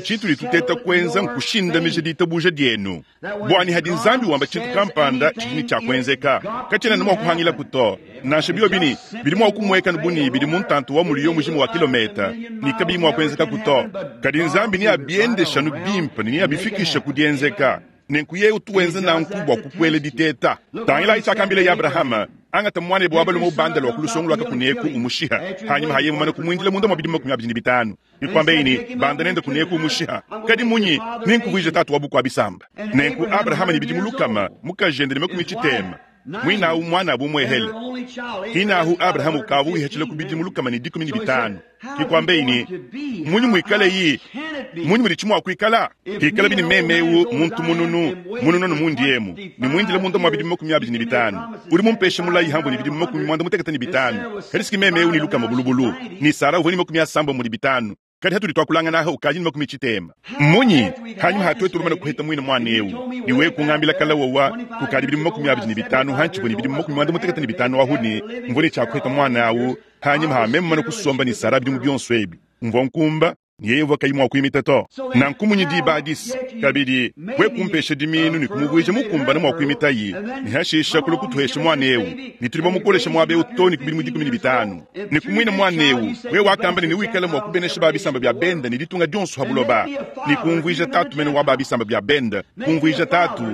A: tshitudi tuteta kuenza nkushindamija ditabuja dienu. Buani hadi Nzambi wamba tshintu kampanda tshidi ne tshia kuenzeka, katshiena ne mua kuhangilaku to. Nansha biobi ne bidi mua kumueka bu ne bidi mu ntantu wa muliyo mujima wa kilometa ne kabiyi mua kuenzekaku to. Kadi Nzambi neabiendeshanu bimpe ne neabifikishe ku dienzeka. Nenku yeye utuenza nanku bua kukuela diteta. Tangilayi tshiakambila ya Abrahama, angata muanebe wa balume ubanda lua ku lusongo lua kakuneku umushiha. Hanyima haye mumane kumuindila munda mua bidimu makumi abidi ne bitanu. Nikwambe ne banda nende kuneku umushiha. Kadi munyi ninkuvuija tatu wa bukua bisamba. Nenku Abrahama ne bidimu lukama mukajende ne makumi tshitema. Mwinawu mwana abu mwehele. Hinahu Abrahamu ukavu wihachila ku bidimu lukama ne dikumi ne bitanu. Kikwambe ne munyi muikale yi, munyi mudi tshimua kuikala? Hikala bini meme eu muntu mununu, mununu no mundi emu. Ni muindile munda mua bidimu makumi abidi ne bitanu. Udi mumpeshe mulayi hambu ne bidimu makumi muanda mutekete ne bitanu. Kadi siki meme eu ni lukama bulubulu. Ni Sara uvua ne makumi asamba mudi bitanu. Kadi hatudi tuakulangana aha ukaji ne makumi tshitema. Munyi hanyuma hatuetu lumana kuheta mwina mwana eu. Niwe kungambila kala wawa kukadi bidimu makumi abidi ne bitanu hanchibwe ne bidimu makumi muanda mutekete ne bitanu ahu ne mvua ne tshia kuheta mwana awu. Hanyuma ha meme mana kusomba ne Sara bidimu bionso ebi. Mvua nkumba Ne yeye uvua kayi mua kuimita to. Nanku munyi diba adi kabidi, we kumpesha dimiinu ne kumuvuija mukumbane mua kuimitayi, ne hashisha kulua kutuhesha muana eu, ne tudi bamukolesha muaba eu too ne ku bidimu dikumi ne bitanu. Ne kumuina muana eu, we wakamba ne newikale mua kubenesha ba bisamba bia benda ne ditunga dionso ha buloba, ne kumvuija tatu mene wa ba bisamba bia benda, kumvuija tatu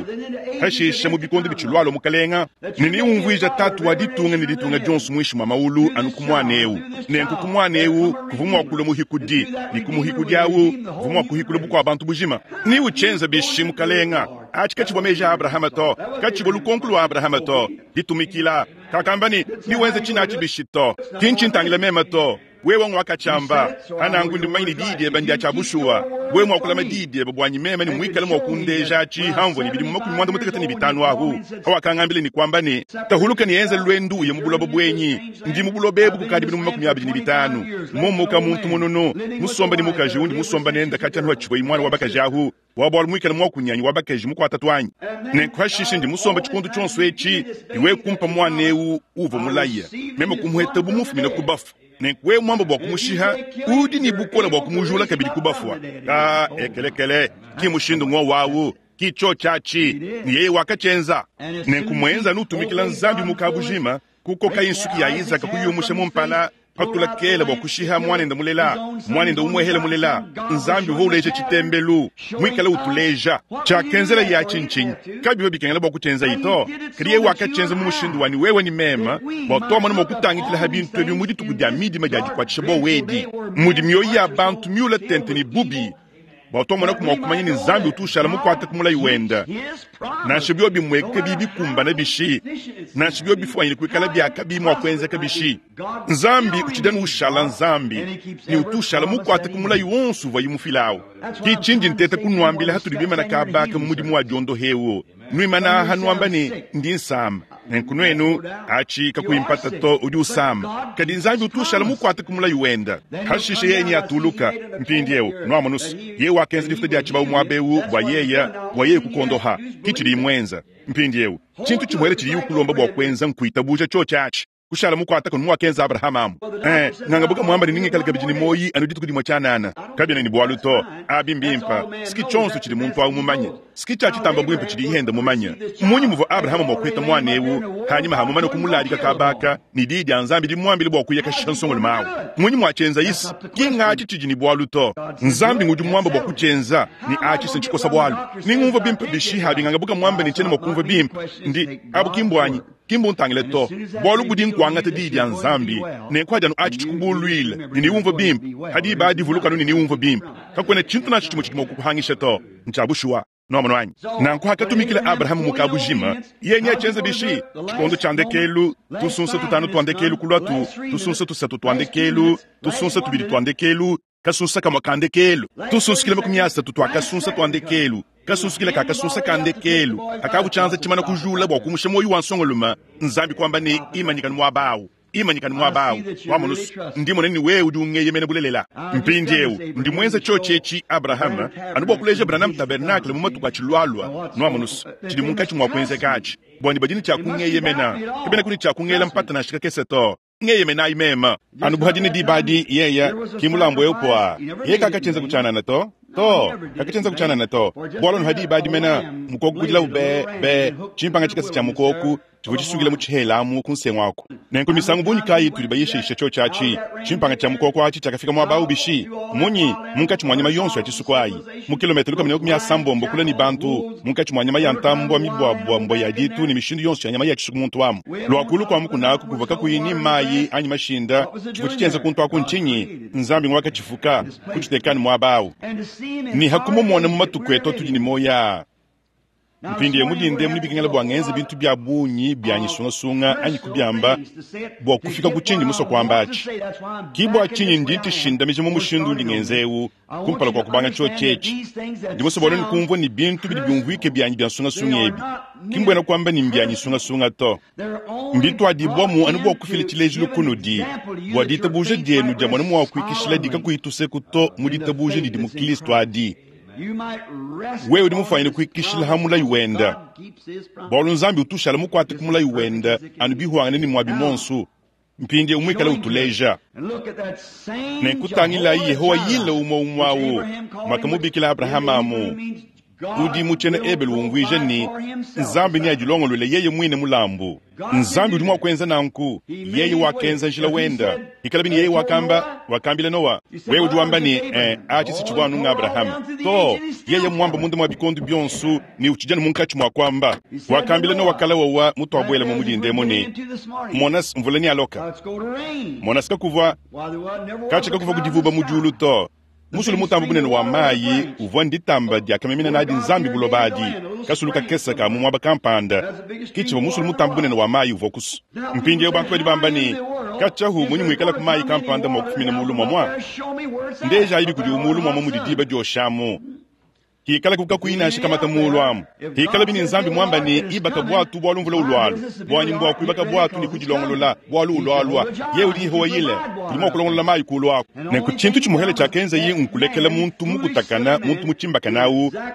A: hashisha mu bikondo bitshilualua mukalenga, ne niumvuija tatu wa ditunga ne ditunga dionso muinshi mua maulu anu ku muana eu. Nenku ku muana eu kuvua mua kulua muhikudi, ne ku muhikudi awu kuvua mua kuhikula bukua bantu bujima. Ni uchenza bishi mukalenga, achi kachibwa meji a Abrahama to, kachibwa lukonko lwa Abrahama to, ditumikila kakamba ni niwenze china achi bishi to, kinchintangila mema to. Wewe ngwakachamba anangu ndi manyini didi bandia cha bushuwa, wewe mwakulama didi bwanyi mema ni mwikale mwakundeja achi hamvo ni bidimu makumi mwanda mutekete ni bitanu ahu hawakangambile ni kwamba ni tahuluka ni enze lwendu uye mubulobo bwenyi ndi mubulobo ebu kukadi bidimu makumi abiri ni bitanu momoka muntu munono musomba ni mukaji undi musomba nenda kati anu hachibwe imwana wabakaji ahu wabwala mwikale mwakunyanyi wabakaji mukwata twanyi nenkuhashishe ndi musomba chikondo chonso echi iwe kumpa mwana eu uvo mulaya mema kumuheta bumufumina kubafu. Nenkuwe mwamba bwa kumushiha udi ni bukola bwa kumujula kabidi kubafwa. Ah, ekelekele ki mushindu ngwa wawu ki cho chachi ni yeye wakachenza. Nenkumwenza nutumikila nzambi mukabujima kukoka insuki ya Isaka kuyumusha mumpala patula kela bwa kushiha mwanenda mulela mwanenda umwehela mulela nzambi uva uleja chitembelu mwikala utuleja chakenzela ya chinchinyi kabiwa bikengela bwa kuchenza ito kadi wakachenza mu mushindu wani wewe ni mema bwa tomana mwa kutangitila ha bintu ebi mu dituku dia midima dia dikwatshisha bo wedi mudi mioyo ya bantu miula tente ni bubi bwa tomana kumwa kumanya ni nzambi utushala mukwata kumulayi wenda nansha byo bimweka bibi kumbana bishi nansha byo bifwanyile kuikala byaka bimwa kwenzeka bishi nzambi uchidani ushala nzambi ni utushala mukwata kumulayi wonso uva yimufilawo kichindi nteta kunwambila hatuli bimana kabaka mu mudimu wa diondo hewo nwimana hanuamba ni ndi nsamba nenkunwenu achi kakuimpata to udi usamba kadi nzambi utushala mukwata kumulayi wenda hashishe yenyi atuluka mpindi eu nwamunusu ye wakenza difuta dia chibawu mwabewu bwa yeya bwa yeye kukondoha kichili imwenza mpindi eu chintu chimwere chili ukulomba bwa kwenza nkuitabuja cho chachi kushala mukwata kunu mwakenza Abrahamu amu eh ngangabuka mwamba ni ningekala kabidi ni moyi anu dituku dimwe chanana kabina ni bwalu to abimbimpa siki chonso chili muntu awu mumanye siki chachitamba bwimpe chili ihenda mumanye munyi muvo Abrahamu mwakweta mwana ewu hanyuma hamumane kumulalika kabaka ni didi anzambi limwambile bwa kuyeka shansongolo mawu munyi mwachenza isi kingachi chiji ni bwalu to nzambi ngudi mwamba bwa kuchenza ni achi senchikosa bwalu ningumva bimpe bishiha bingangabuka mwamba ni chene mwakumva bimpe ndi abukimbwanyi kimbu ntangile to bwalu budi nkwangata didi ya nzambi nenkwajanu achi chikubulwile niniwumva bimpe hadi ibadi vulukanu niniwumva bimpe kakwena chintu nacho chimwe chidimo kukuhangisha to nchabushuwa nomono wanyi nanku hakatumikila Abrahamu mukabujima yenye achenza bishi chikondo chandekelu tusunsa tutano twandekelu kulwatu tusunsa tusatu twandekelu tusunsa tubili twandekelu kasunsa kamwa kandekelu tusunsikile makumi asatu twakasunsa twandekelu kasunsikile kakasunsa kandekelu akabuchanza chimana kujula bwa kumusha moyo wa nsongoluma nzambi kwamba ni imanyikani mwabawu imanyikani mwabawu wamunusu ndimone ni wewe udi ungeyemene bulelela mpindi eu ndi mwenza chochechi Abrahama anu bwa kuleja Branham Tabernacle mu matuku achilwalwa nwamunusu chili munkachi mwa kwenzekachi bwani badini cha kungeyemena kebena kuni cha kungela mpata na shika kese to ngeyemena imema anu buhadini dibadi yeya kimulambo eupoa ye kakachenza kuchanana to to kakachenza kuchanana to bwalo nhadi ibadi mena mukoku kujila ube be chimpanga chikasi cha mukoku chivuchisukila muchihelamu kunsengwako nenku misangu bunyi kayi tuli bayishisha cho chachi chimpanga cha mukoko achi chakafika mwabawu bishi munyi munkachi mwa nyama yonso ya chisuku ayi mu kilometero kamene makumi asambombo kula ni bantu munkachi mwa nyama ya ntambwa mibwabwa mbwa ya ditu ni mishindu yonso ya nyama ya chisuku muntu amu lwakulu kwamu kunaku kuva kakuyi ni mayi anyi mashinda chivu chichenza kuntu aku nchinyi nzambi ngwakachifuka kuchitekani mwabawu ni hakumumona mu matuku etu atudi ni moya mpindi mulinde mulibikengela bwa ngenze bintu bya bunyi bya nyisungasunga anyi kubyamba bwa kufika kuchindi muso kwamba achi kibwa chinyi ndi ntishindamije mu mushindu ndi ngenzewu kumpala kwa kubanga cho chechi ndimuso bona nikumvwa ni bintu bidi byumvwike byanyi bya nsungasunga ebi kimbwena kwamba ni mbya nyisungasunga to mbitwadibwamu anu bwa kufila chilejilu kunudi bwa ditabuja dyenu dya mwana mwakwikishila dikakuhituseku to mu ditabuja didi mu Kristu adi wewe udi mufanyile kuikishila hamulayi wenda bwalu nzambi utushala mukwate kumulayi wenda anu bihwangane ni mwabi monsu Mpindieu muikale utuleja. Nenkutangilayi Yehowa yile umue umue awu mwakamubikila Abrahamu udi mu tshiena Ebelu umvuija ne, Nzambi neadilongolole yeye muine mulambu. Nzambi udi mua kuenza nanku. Yeye wakenza njila wenda. Ikalabi ne yeye wakamba, wakambila Noa, wewe udi wamba ne, eh, atshi si tshivua anu nga Abrahama to. Yeye mwamba munda mwa bikondo bionso ne utshijana munkatshi mwa kuamba. Wakambila Noa kala wawa mutuabuela mu mudindemo ne, monas mvula ni aloka. Monas kakuvua katshi kakuvua kudivuba mu diulu to. Musulu mutambo bunene wa mayi uvua nditamba diakamemena nadi Nzambi buloba adi kasulu kakesa ka mu muaba kampanda kitshivua musulu mutambo bunene wa mayi uvua kusu. Mpindieu bantu badi bamba ne katshia-hu munyi muikala ku mayi kampanda mua kufumina mulu mwamwa ndeja ayibi kudi umulu mwamwa mudi diba dioshamu hikala kukakuinasha kamata mulu amu hikala bini Nzambi mwamba ne ibaka bwatu bwalu mvula ulwalu bwanyi mbwa kuibaka bwatu ni kudilongolola bwalu ulwalwa ye udi Yehowa yile udi mua kulongolola mayi kulu ako nenku tshintu tshimuhele tshiakenza ye nkulekela muntu mukutakana muntu mutshimbakana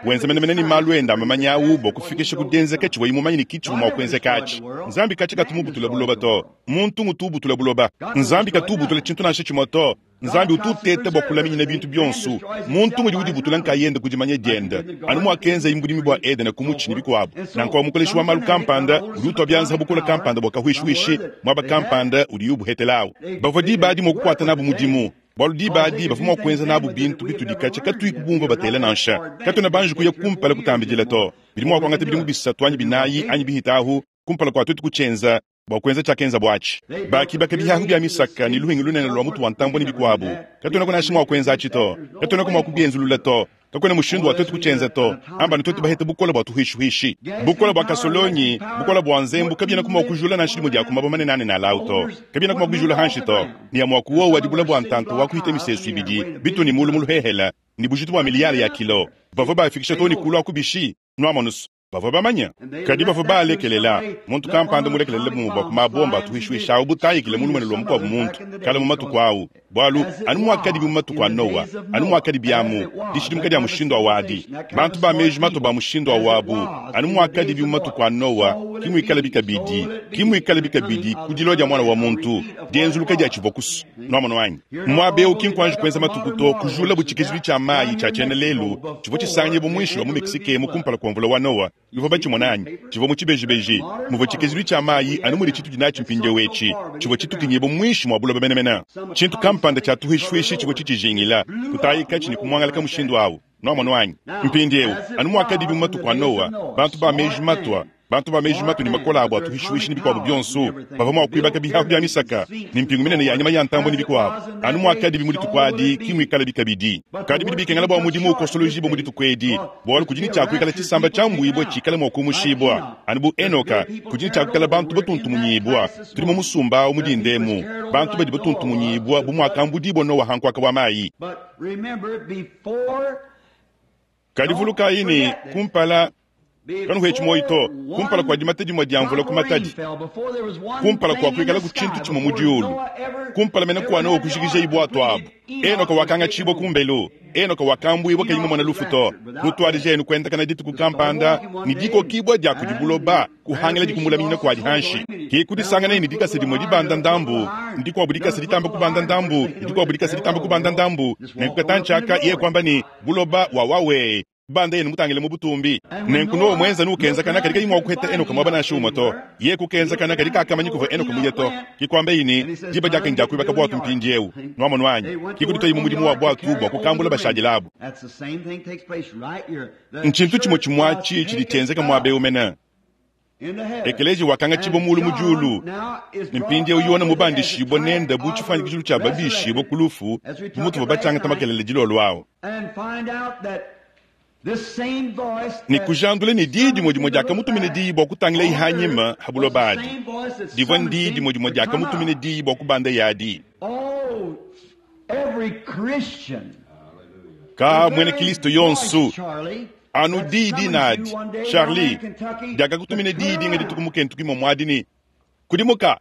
A: wenza menemene ni malu enda amamanya awu bua kufikisha kudenzeka tshiwa imumanye ni kitshi mua kuenzeka atshi Nzambi katshi katumubutula buloba to muntu ngutubutula buloba Nzambi katubutula tshintu nansha tshimue to Nzambi ututeta bua kulaminyina bintu bionso muntu ngudi udibutula nkayenda kudimanya dienda anu mwakenza imbudimi bua Edena kumutshi ni bikuabu nanku mukoleshi wa malu kampanda udi utwa byanza bukola kampanda bua kahwishwishi mwaba kampanda udi yubuhetelawu bavua diba adi mua kukwata nabu mudimu bwalu diba adi bavua mua kuenza nabu bintu bitudi katshi katuyi kubumva batela nansha katuna banji kuya kumpala kutambidila to bidi mua kuangata bidimu bisatu anyi binayi anyi bihitahu kumpala kua tuetu kutshienza bua kuenza tshiakenza bwatshi bakibaka bihahu bya misaka ni luhingi lunene lwa mutu wa ntambua ni bikuabu katuna kunasha mua kuenza atshi to katuna mua kubienzulula to kakwena mushindu wa tuetu kutshienza to amba ni tuetu baheta bukola bua tuhishihishi bukola bua kasolonyi bukola bua nzembu kabiena kuma kujula nansha limue dia kumaba manene na lau to kabiena kuma kubijula hanshi to ni ya mua kuwowa dibula bua ntantu wa kuhita misesu ibidi bitu ni mulu muluhehela ni bujitu bua miliyari ya kilo bavua bafikisha to ni kulu akubishi nuamonusu bavua bamanya kadi bavua balekelela muntu kampanda mulekelele bumue bua kumabomba atuhishuishawu butayikile mulumene lwa mukuabu muntu kala mu matuku awu bwalu anu mwakadi mu matuku a Noa anu mwakadi byamu dishidimuka dia mushindu awadi bantu ba meji mato ba mushindu awabu anu mwakadi mu matuku a Noa kimuikala bikabidi kimuikala bikabidi kudilo dia mwana wa muntu dienzuluka dia tshivua kusu nuamono wanyi mwabeu kinkwanji kuenza matuku to kujula butshikizilu tshia mayi tshia tshiena lelu tshivua tshisanganye bumwishi wa mu Mexique mu kumpala kua mvula wa Noa bivua batshimonanyi tshivua mu tshibejibeji muvua tshikizilu tshia mayi anu mudi tshitu dinatshi mpindieu etshi tshivua tshitukinyibua mwishi mua buloba menemene tshintu kampanda tshia tuhishuishi tshivua tshitshijingila kutayika tshini kumwangalaka mushindu awu nuamono wanyi mpindieu anu mwakadibi mu matuku a Noa bantu ba meji matwa bantu ba meji matu ni makola abo atuhishuishi ni bikuabu bionso bavua mua kuibaka bihahu bya misaka ni mpingu minene ya nyama ya ntambo ni bikuabu anu mwakadi mu dituku adi kimuikala bikabidi kadi bidi bikengela bua mudimu ukosoloji bua mu dituku edi bualu kudi ni tshia kuikala tshisamba tshia mbuibua tshikala mua kumushibua anu bu Enoka kudi ni tshia kuikala bantu batuntumunyibua tudi mu musumba awu mudindemu bantu badi batuntumunyibua bu muakambudibua Noa hankuaka wa mayi kadi vulukayi ni kumpala kanuhetshi moyi to kumpala kua dimata dimue dia mvula ku matadi kumpala kua kuikala ku tshintu tshimue mu diulu kumpala mene kua Noa kujikija ibwatu abu Enoka wakangatshibua kumbelu Enoka wakambuibua kayi mumona lufu to mutwadija enu kuendakana dituku kampanda ni dikokibua dia kudi buloba kuhangila dikumulaminyina kua dihanshi kikudisangana ni dikasa dimue dibanda ndambu ndikuabu dikasa ditamba kubanda ndambu ndikuabu dikasa ditamba kubanda ndambu nenkukatanchaka iye kwamba ni buloba wawawe banda yenu mutangile mu butumbi nenku Noa mwenza nukenza kana kadi kayimwa kuheta Enoka mwaba nansha umwe to ye kukenza kana kadi kakamanyi kuva Enoka muye to kikwamba ini diba diake ndiakuibaka bwatu mpindiewu nuamono wanyi kikuditoyi mu mudimu wa bwatu bua kukambula bashadilabu nchintu chimwe chimwachi chidi tshienzeka muaba mena ekeleji wakanga tshibwa mulu mu diulu ni mpindiewu yona mubandishibwa nenda bu tshifuanyikishilu tshia babishibwa kulufu bu mutu va batshiangata makelele dilolo awu ni kujandula ni diyi dimue dimue diakamutumina diyi bua kutangila ihanyima ha buloba adi divua ndiyi dimue dimue diakamutumina diyi bua kubanda yadi ka mwene Kristo yonsu anu diyi dinadi Charlie diakakutumina diyi dinga dituku mukentu kimwe mwadi ni kudimuka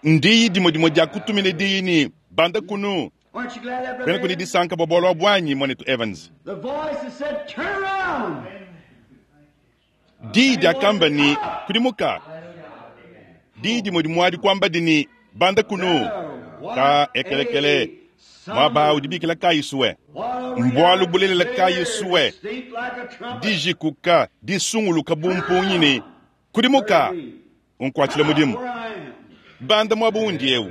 A: ndiyi dimue dimue diakutumina diyi ni banda kunu kwena kuni disanka bua bualu bwanyi mwanetu Evans diyi diakamba ni kudimuka Diyi dimue dimue adi kuambadi ne, Banda kunu. Ka ekelekele, muaba udi bikila kayi suwe. Mbualu bulelela kayi suwe. Dijikuka, disunguluka bu mpungi ne kudimuka, unkuatshile mudimu. Banda muaba undi eu.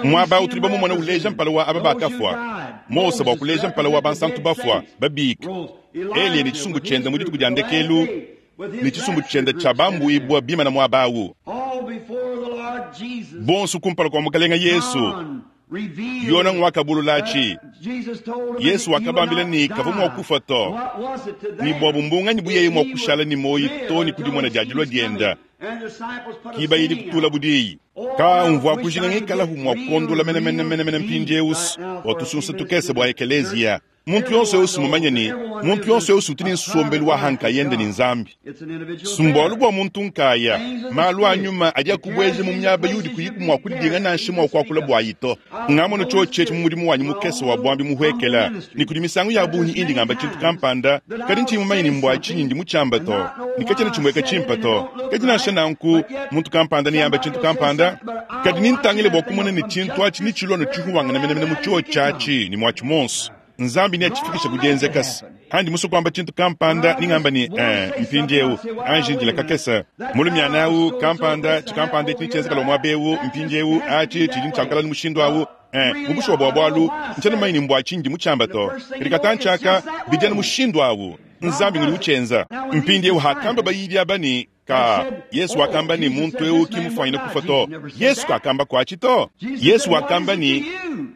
A: Muaba utudi bamumona uleja mpala wa aba bakafua. Mose bua kuleja mpala wa bansantu bafua, babika. Eliya ne tshisumbu tshiende mu dituku dia ndekelu, ne tshisumbu tshiende tshia bambuibua bimana muaba awu. Bonso kumpala kua Mukalenga Yesu. Yona ngwakabulula-tshi. Yesu wakabambila ne kavua mua kufa to. Ne bua bumbunganyi buyeye mua kushala ne muoyo to ne kudimona dia dilua dienda. Kiba idi kutula budiyi. Ka umvua kujinga ngikalahu mua kukondola menemene menemene mpindiewu bua tusunsa tukese bua ekeleziya. Muntu yonso eu mumanye ne muntu yonso eu utu ne nsombelu wa hankayende ne Nzambi. Sumbualu bua muntu nkaya, malu a nyuma adi akubueja mu miaba yudi kuyiku mua kudinga nansha mua kuakula bua yito. Ngamono tshiotshi mu mudimu wanyi mukese wa bwambi muhwekela, ne kudi misangu ya bungi indi ngamba tshintu kampanda, kadi ntshiyi mumanye ne mbua tshinyi ndi mutshiamba to, ne katshiena tshimueka tshimpe to. Kadi nansha nanku, muntu kampanda neyambe tshintu kampanda, kadi nintangile bua kumona ne tshintu atshi ne tshilua ne tshihuwangana menemene mu tshiotshi atshi ne muatshi monso. Nzambi neatshifikishe ku dienzekasa. Andi musu kuamba tshintu kampanda ningamba ne eh, mpindiewu anji ndila kakese mulumiana awu kampanda tshikampanda etshi netshienzekala muaba ewu mpindiewu atshi tshidi ntshiakala ne mushindu awu eh, mu bushuwa bua bualu ntshiena mumanye ne mbua tshindi mutshiamba to kadi katantshi aka bidi anu mushindu awu Nzambi ngudi utshienza. Mpindiewu hakamba bayidi aba ne ka Yesu wakamba ne muntu eu ki mufuanyine kufa to. Yesu kakamba kuatshi to. Yesu wakamba ne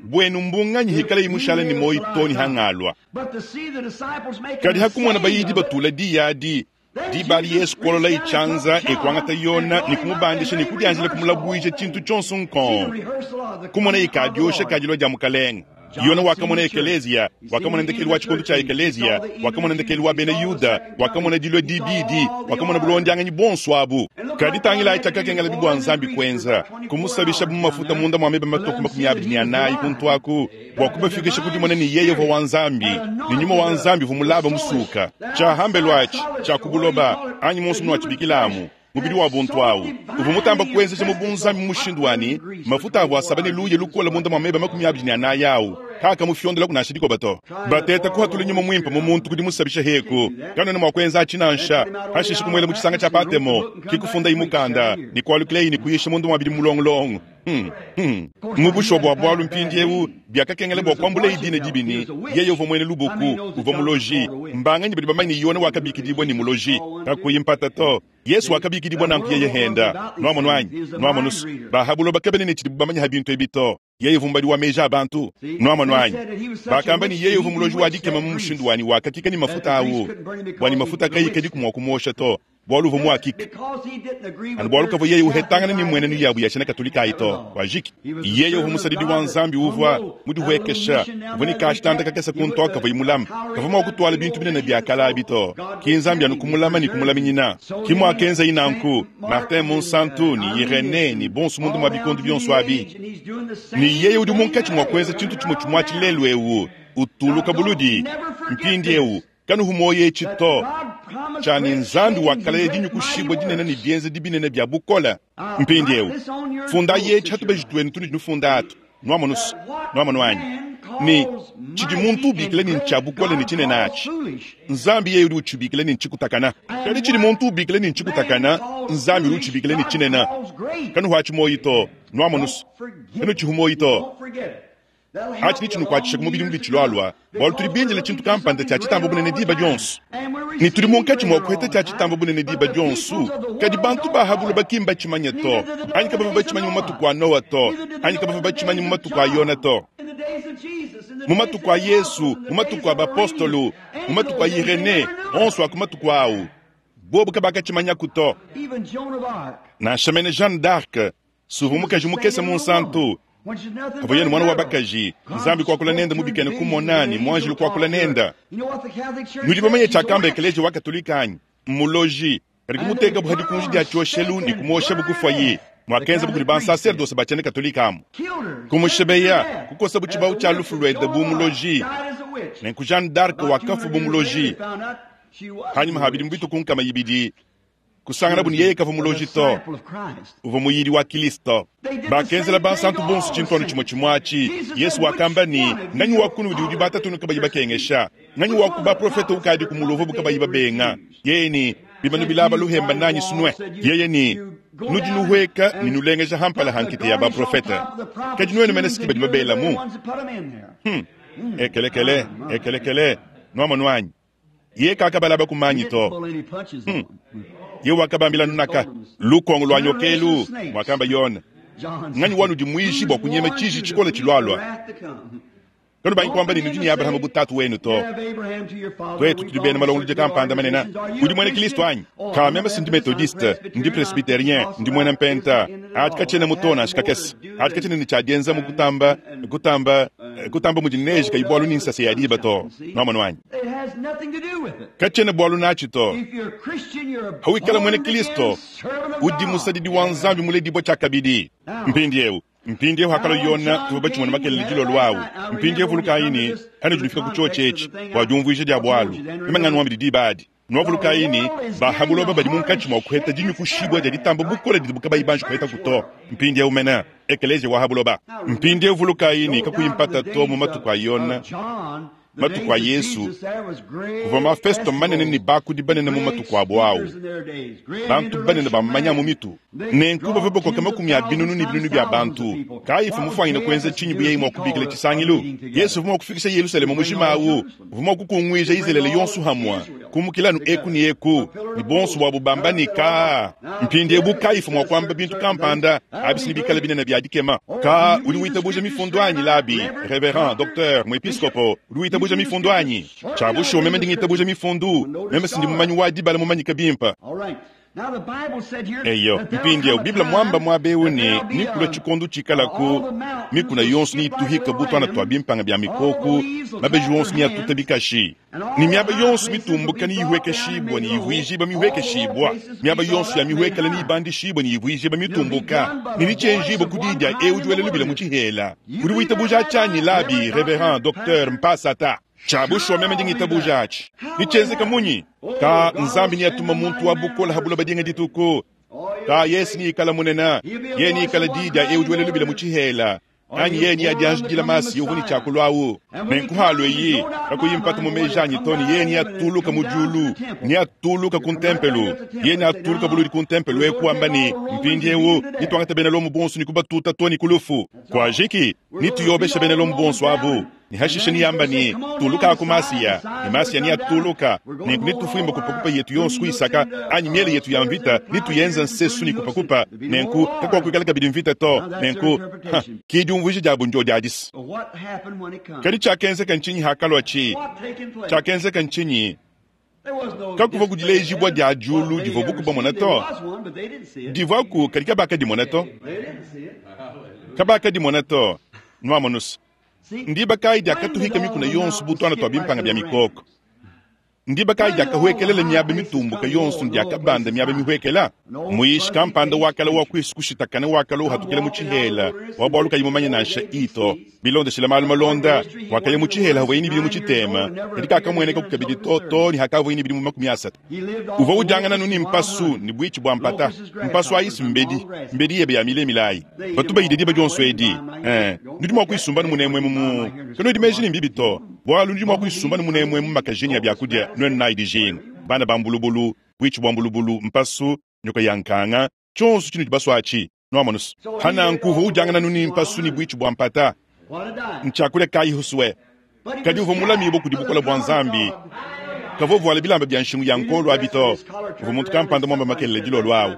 A: bwenu mbunganyi hikala imushala ne moyi to ni hangalwa. Kadi hakumona bayidi batula diyadi dibali Yesu kolola ichanza ekwangata yona ni kumubandisha ni kudianjila kumulabuija tshintu tshonso nkon. Kumona ikadiosha kadilwa dia mukalenga. Yona wakamona ekelezia, wakamona ndekelu wa tshikondo tshia ekelezia, wakamona ndekelu wa bena Yuda, wakamona dilua dibidi, wakamona bulondianganyi bonso abu. Kadi tangila tshiakakengela bibwa Nzambi kwenza, kumusabisha bu mafuta munda mwa meba matoku makumi abidi ne anayi kuntu aku, bua kubafikisha kudimona ne yeye uvua wa Nzambi, ne nyuma wa Nzambi uvua mulaba musuka. Tshia hambelu atshi, tshia kubuloba, anyi monso munuatshibikilamu. Mubidi wa buntu awu uvua mutamba kuenzesha mu bunzambi mushindu wani mafuta avua asaba ne luya lukola munda mwa meba makumi abidi ne anayi awu kaka mufyondela kunansha dikoba to. Bateta kuhatula nyuma mwimpe mu muntu kudi musabisha heku kanona mua kuenza atshi nansha hashishe kumuela mu tshisanga tshia Patemo kikufunda imukanda ne kualukileyi ne kuyisha mundu mwa bidi mulongolongo. Hmm, hmm. Mu bushuwa bua bualu mpindiewu biakakengela bua kuambula idina dibini yeye uvua muena lubuku uvua muloji mbanganyi badi bamanye ne Yona wakabikidibwa ne muloji kakuyi mpata to. Yesu wakabikidibwa nanku yeye henda nwamono anyi nwamono bahabulo bakabene ne tshidi bamanya ha bintu ebi to. Yeye vumbali wa meja abantu nwamono anyi bakamba ni yeye uvua muloji wa dikema mu mushindu wani wakakika ni mafuta awu wani mafuta kayi kadi kumwa kumosha to bualu uvua muakika anu bualu kavua yeye uhetangana ni mwenenu yabu ya tshena katolika ayi to wajiki yeye uvua musadidi wa Nzambi uvua mudihuekesha uvua ne kashitanda kakese kuntu kavua imulama kavua mua kutwala bintu binene bia kala abi to ki Nzambi anu kumulama ni kumulaminyina ki muakenza inanku Martin Monsanto ni Irene ni bonso mundu mwa bikondo bionso abi ni yeye udi munkatshi mua kuenza tshintu tshimue tshimue atshi lelu eu utuluka buludi mpindiewu kanuhu moyo etshi to tshani Nzambi wakalaya dinyukushibwa dinene ne bienza dibinene bia bukola mpindiewu funda yetshi hatubeji twenu tuni nufunda atu nwamono nwamono anyi ni tshidi muntu ubikila ni ntshia bukola ne tshinene atshi Nzambi yeye udi utshibikila ni ntshikutakana kadi tshidi muntu ubikila ni ntshikutakana Nzambi udi utshibikila ni tshinene kanuhu atshi moyi to nwamono kanu tshihu moyi to atshi ni tshinukuatshisha ku mubidi mubi tshilwalwa bualu tudi bindile tshintu kampanda tshia tshitamba bunene diba dionso ni tudi munkatshi mua kuheta tshia tshitamba bunene diba dionso kadi bantu bahabulu bakimba tshimanya to anyi kabava batshimanya mu matuku a Noa to anyi kabava batshimanya mu matuku a Yona to mu matuku a Yesu mu matuku a bapostolo mu matuku a Irene onso aku matuku awu bobu kabakatshimanya ku to nansha mene Jeanne d'Arc suvu mukaji mukese Monsanto kavua yeye mwana wa bakaji Nzambi kwakula nenda mubikene kumona ni mwanjili kwakula nenda nudi bamanye tshiakamba ekeleziya wa katolika anyi muloji kadi kumuteka buhadi kunji dia tshioshelu ni kumosha bukufayi mwakenza bukudi bansaserdose batshiena katolika amu kumushebeya kukosa butshibawu tshia lufu luende bu muloji nenku Jeanne d'Arc wakafu bu muloji hanyuma habidi mu bituku nkama ibidi Kusanganabu ne yeye kavua muloji to, uvua muyidi wa Kilisto. Bakenzela bansantu bonso tshintu anu tshimue tshimue atshi. Yesu wakamba ne, nganyi wa kunudi udi batatunu kabayi bakengesha? Nganyi wa ku baprofete ukadi ku mulovo kabayi babenga? Yeye ne bimanu bilaba luhemba nanyi sunwe. Yeye ne nudi nuhweka ne nulengeja hampala hankite ya baprofete. Kadi nuenu mene siki badi babelamu. Hmm. Ekelekele, ekelekele, nuamonu anyi. Ye kakabalaba kumanyi to. Hmm. Ye wakabambila nunaka lukongo lwa nyokelu mwakamba Yona. Nganyi wanu dimwishi bwa kunyema chiji chikole chilwalwa. Kanu bangi kwamba ni nudi ni Abrahamu butatu wenu to. Twetu tudi bena malongo luje kampanda manena. Udi mwene Kristo anyi? Ka meme sindi methodiste, ndi presbyterien, ndi mwene mpenta. Ati kachene mutona shikakese. Ati kachene ni chadienza mukutamba, kutamba, kutamba mujineji kaibwalu ni nsase ya diba to. Nwamonu anyi? Kachene bwalu nachi to. Hawikala mwene Kristo, udi musadidi wa nzambi muledibwa chakabidi. Mpindi eu. Mpindi eu hakalo Yona tuba chimona makelele jilo lwawu. Mpindi eu vulukaini hano julifika ku choche echi wa jumvuisha dia bwalu. Imangano wa mididi badi. Nwavulukaini bahabuloba badi munkachi mwa kuheta jinyu kushibwa dia ditamba bukole dibuka bayibanji kuheta kuto. Mpindi eu mena ekeleje wa habuloba. Mpindi eu vulukaini kakuyimpata to mu matuku a Yona. Matuku a Yesu kuva mafesto manene ni bakudi banene mu matuku abo awo. Bantu banene bamanya mu mitu. Nenku bava bakoka makumi a binunu ni binunu bya bantu. Kaifu mufwanyina kwenza chinyi buyeyi mwa kubikila chisangilu. Yesu vuma kufikisha Yerusalemu mujima awo. Vuma kukungwija Israeli yonsu hamwa. Kumukilanu eku ni eku. Ni bonsu wa bubamba ni ka. Mpindi ebu kaifu mwa kwamba bintu kampanda. Abisi bikala binene bya dikema. Ka uli witabuja mifundo anyi labi. Reverend, docteur, mwepiskopo. Uli witabuja mifundo anyi. Chabusho meme ndingitabuja mifundu. Meme sindi mumanyi wa dibala mumanyi kabimpa. Eyo, mpindi eu, Biblia mwamba mwabeuni nikula chikondo chikalaku mikuna yonso ni ituhika butwana twa bimpanga bya mikoku mabeji yonso ni atuta bikashi ni miaba yonso mitumbuka ni ihwekeshibwa ni ihwijiba mihwekeshibwa miaba yonso ya mihwekela ni ibandishibwa ni ihwijiba mitumbuka ni nichenjibo kudidya eu juwele lubila muchihela uri witabuja chanyi labi reverend docteur mpasata Chabushwa meme ndingitabuja achi. Nichezeka munyi. Ka nzambi ni atuma muntu wa bukola habula badinga dituku. Ka Yesu ni ikala munena. Ye ni ikala dida e ujuwele lubila muchihela. Anyi ye ni adianjidila masi yohuni chakulwawu. Nenkuhalo yi. Kakuyimpata mumejanyi toni ye ni atuluka mujulu. Ni atuluka kuntempelu. Ye ni atuluka buluri kuntempelu ekuamba ni mpindi ewu. Nitwangata bena lomu bonsu ni kubatuta toni kulufu. Kwa jiki nituyobesha bena lomu bonsu abu. Ni hashishe ni yamba ni tuluka akumasiya ni masiya ni atuluka ni nitufuimba kupakupa yetu yonsu kuisaka anyi miele yetu ya mvita nituyenza nsesu ni kupakupa nenku kakwa kuikala kabidi mvita to nenku kidiumvuije jabu njo diadisi kadi chakenzeka nchinyi hakalwa chi chakenzeka nchinyi kakuva kudilejibwa dia julu divo bukuba mona to divaku kadi kabaka dimona to kabaka dimona to nwamonusa Ndiba kai diakatuhika mikuna yonsu butwana twa bimpanga bya mikoko. Ndiba kai diakahuekelele miaba mitumbuka yonsu diakabanda miaba mihuekela. Muishi kampanda wakala wa kwisukushitakana wakala uhatukela muchihela. Wabwaluka yimumanya nansha ito. Bilondeshela malu malonda. Wakaya muchihela hawaini bili muchitema. Kadika akamweneka kukabidi toto ni hakavoini bili mu makumi asatu. Uva ujangana nuni mpasu ni bwichi bwa mpata. Mpasu ayisi mbedi. Mbedi yebe ya mile milayi. Batuba yidedi bajonso edi. Eh, nudi mwa kuisumba munemwe mumu. Kano dimeji ni mbibi to. Bwalu nudi mwa kuisumba munemwe mu makajeni ya byakudia nwenu na idijinga. Bana bambulubulu, bwichi bwa mbulubulu, mpasu, nyoka ya nkanga, chonso chinu chibaswachi. Nwamonus. Hana nkuvu ujangana nuni mpasu ni bwichi bwa mpata. Nchakule kai huswe. Kadi uvo mulami boku dibukola bwa nzambi. Kavo voala bilamba bya nshingu ya nkolo abito. Uvo muntu kampanda mwamba makelele dilo lwawu.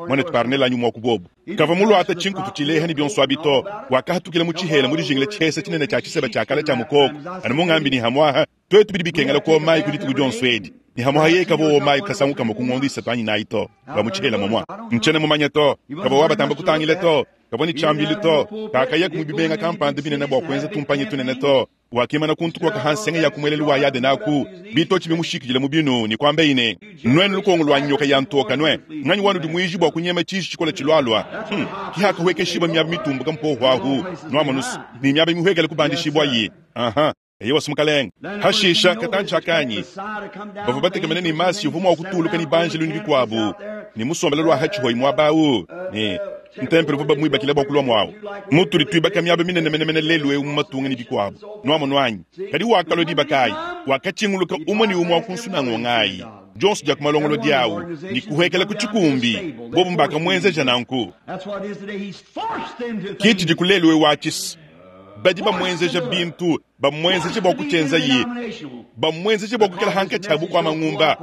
A: Mwana tuparnela anyu mwaku bobu. Kavo mulu ata chinku tuchileha ni byonso abito. Wakahatukila muchihela muri jingile chesa chinene cha chiseba cha kala cha mukoko. Anu mungambi ni hamwaha. Twetu bidi bikengela ko mai kudituku jonso edi. Ni hamwaha ye kavo mai kasanguka mukungondi satani na ito. Ba muchihela mwamwa. Nchene mumanya to. Kavo wabatamba kutangile to. Kavo ni chambili to. Kakaya kumubibenga kampanda binene bwa kwenza tumpanye tunene to. Wakimana kuntu kwa kahansenga ya kumwelelu wa yade naku. Bito chibi mushikijile mubinu ni kwambe ine. Nwenu lukongo lwa nyoka ya ntoka nwe. Nganyi wanu dimwiji bwa kunyema chishi chikola chilwalwa. Hmm. Kihaka huweke shiba miabi mitumbuka mpohu wahu. Nwamonus. Ni miabi mihuekele kubandi shibwa yi. Aha. Eyowa mukalenge. Hashisha katantshi akanyi bavua batekemene ne masi uvua mua kutuluka ne banjelu ne bikuabu ne musombela lwa hatshihoyi muaba awu ne ntempelo uvua bamuibakila bua kulua muawu mutudi tuibaka miaba minene menemene lelu eu mu matunga ne bikuabu nuamono anyi. Kadi wakalua diba kayi? Wakatshinguluka umue ne umue wa ku nsunangonga dionso dia kumalongolo diawu ne kuhekela ku tshikumbi bobu mbakamuenzeja nanku. Ke tshidi ku lelu eu watshisa badi bamuenzeja bintu bamuenzeje bua kutshienza ye bamuenzeje bua kukela hankatshi abu kwa mangumba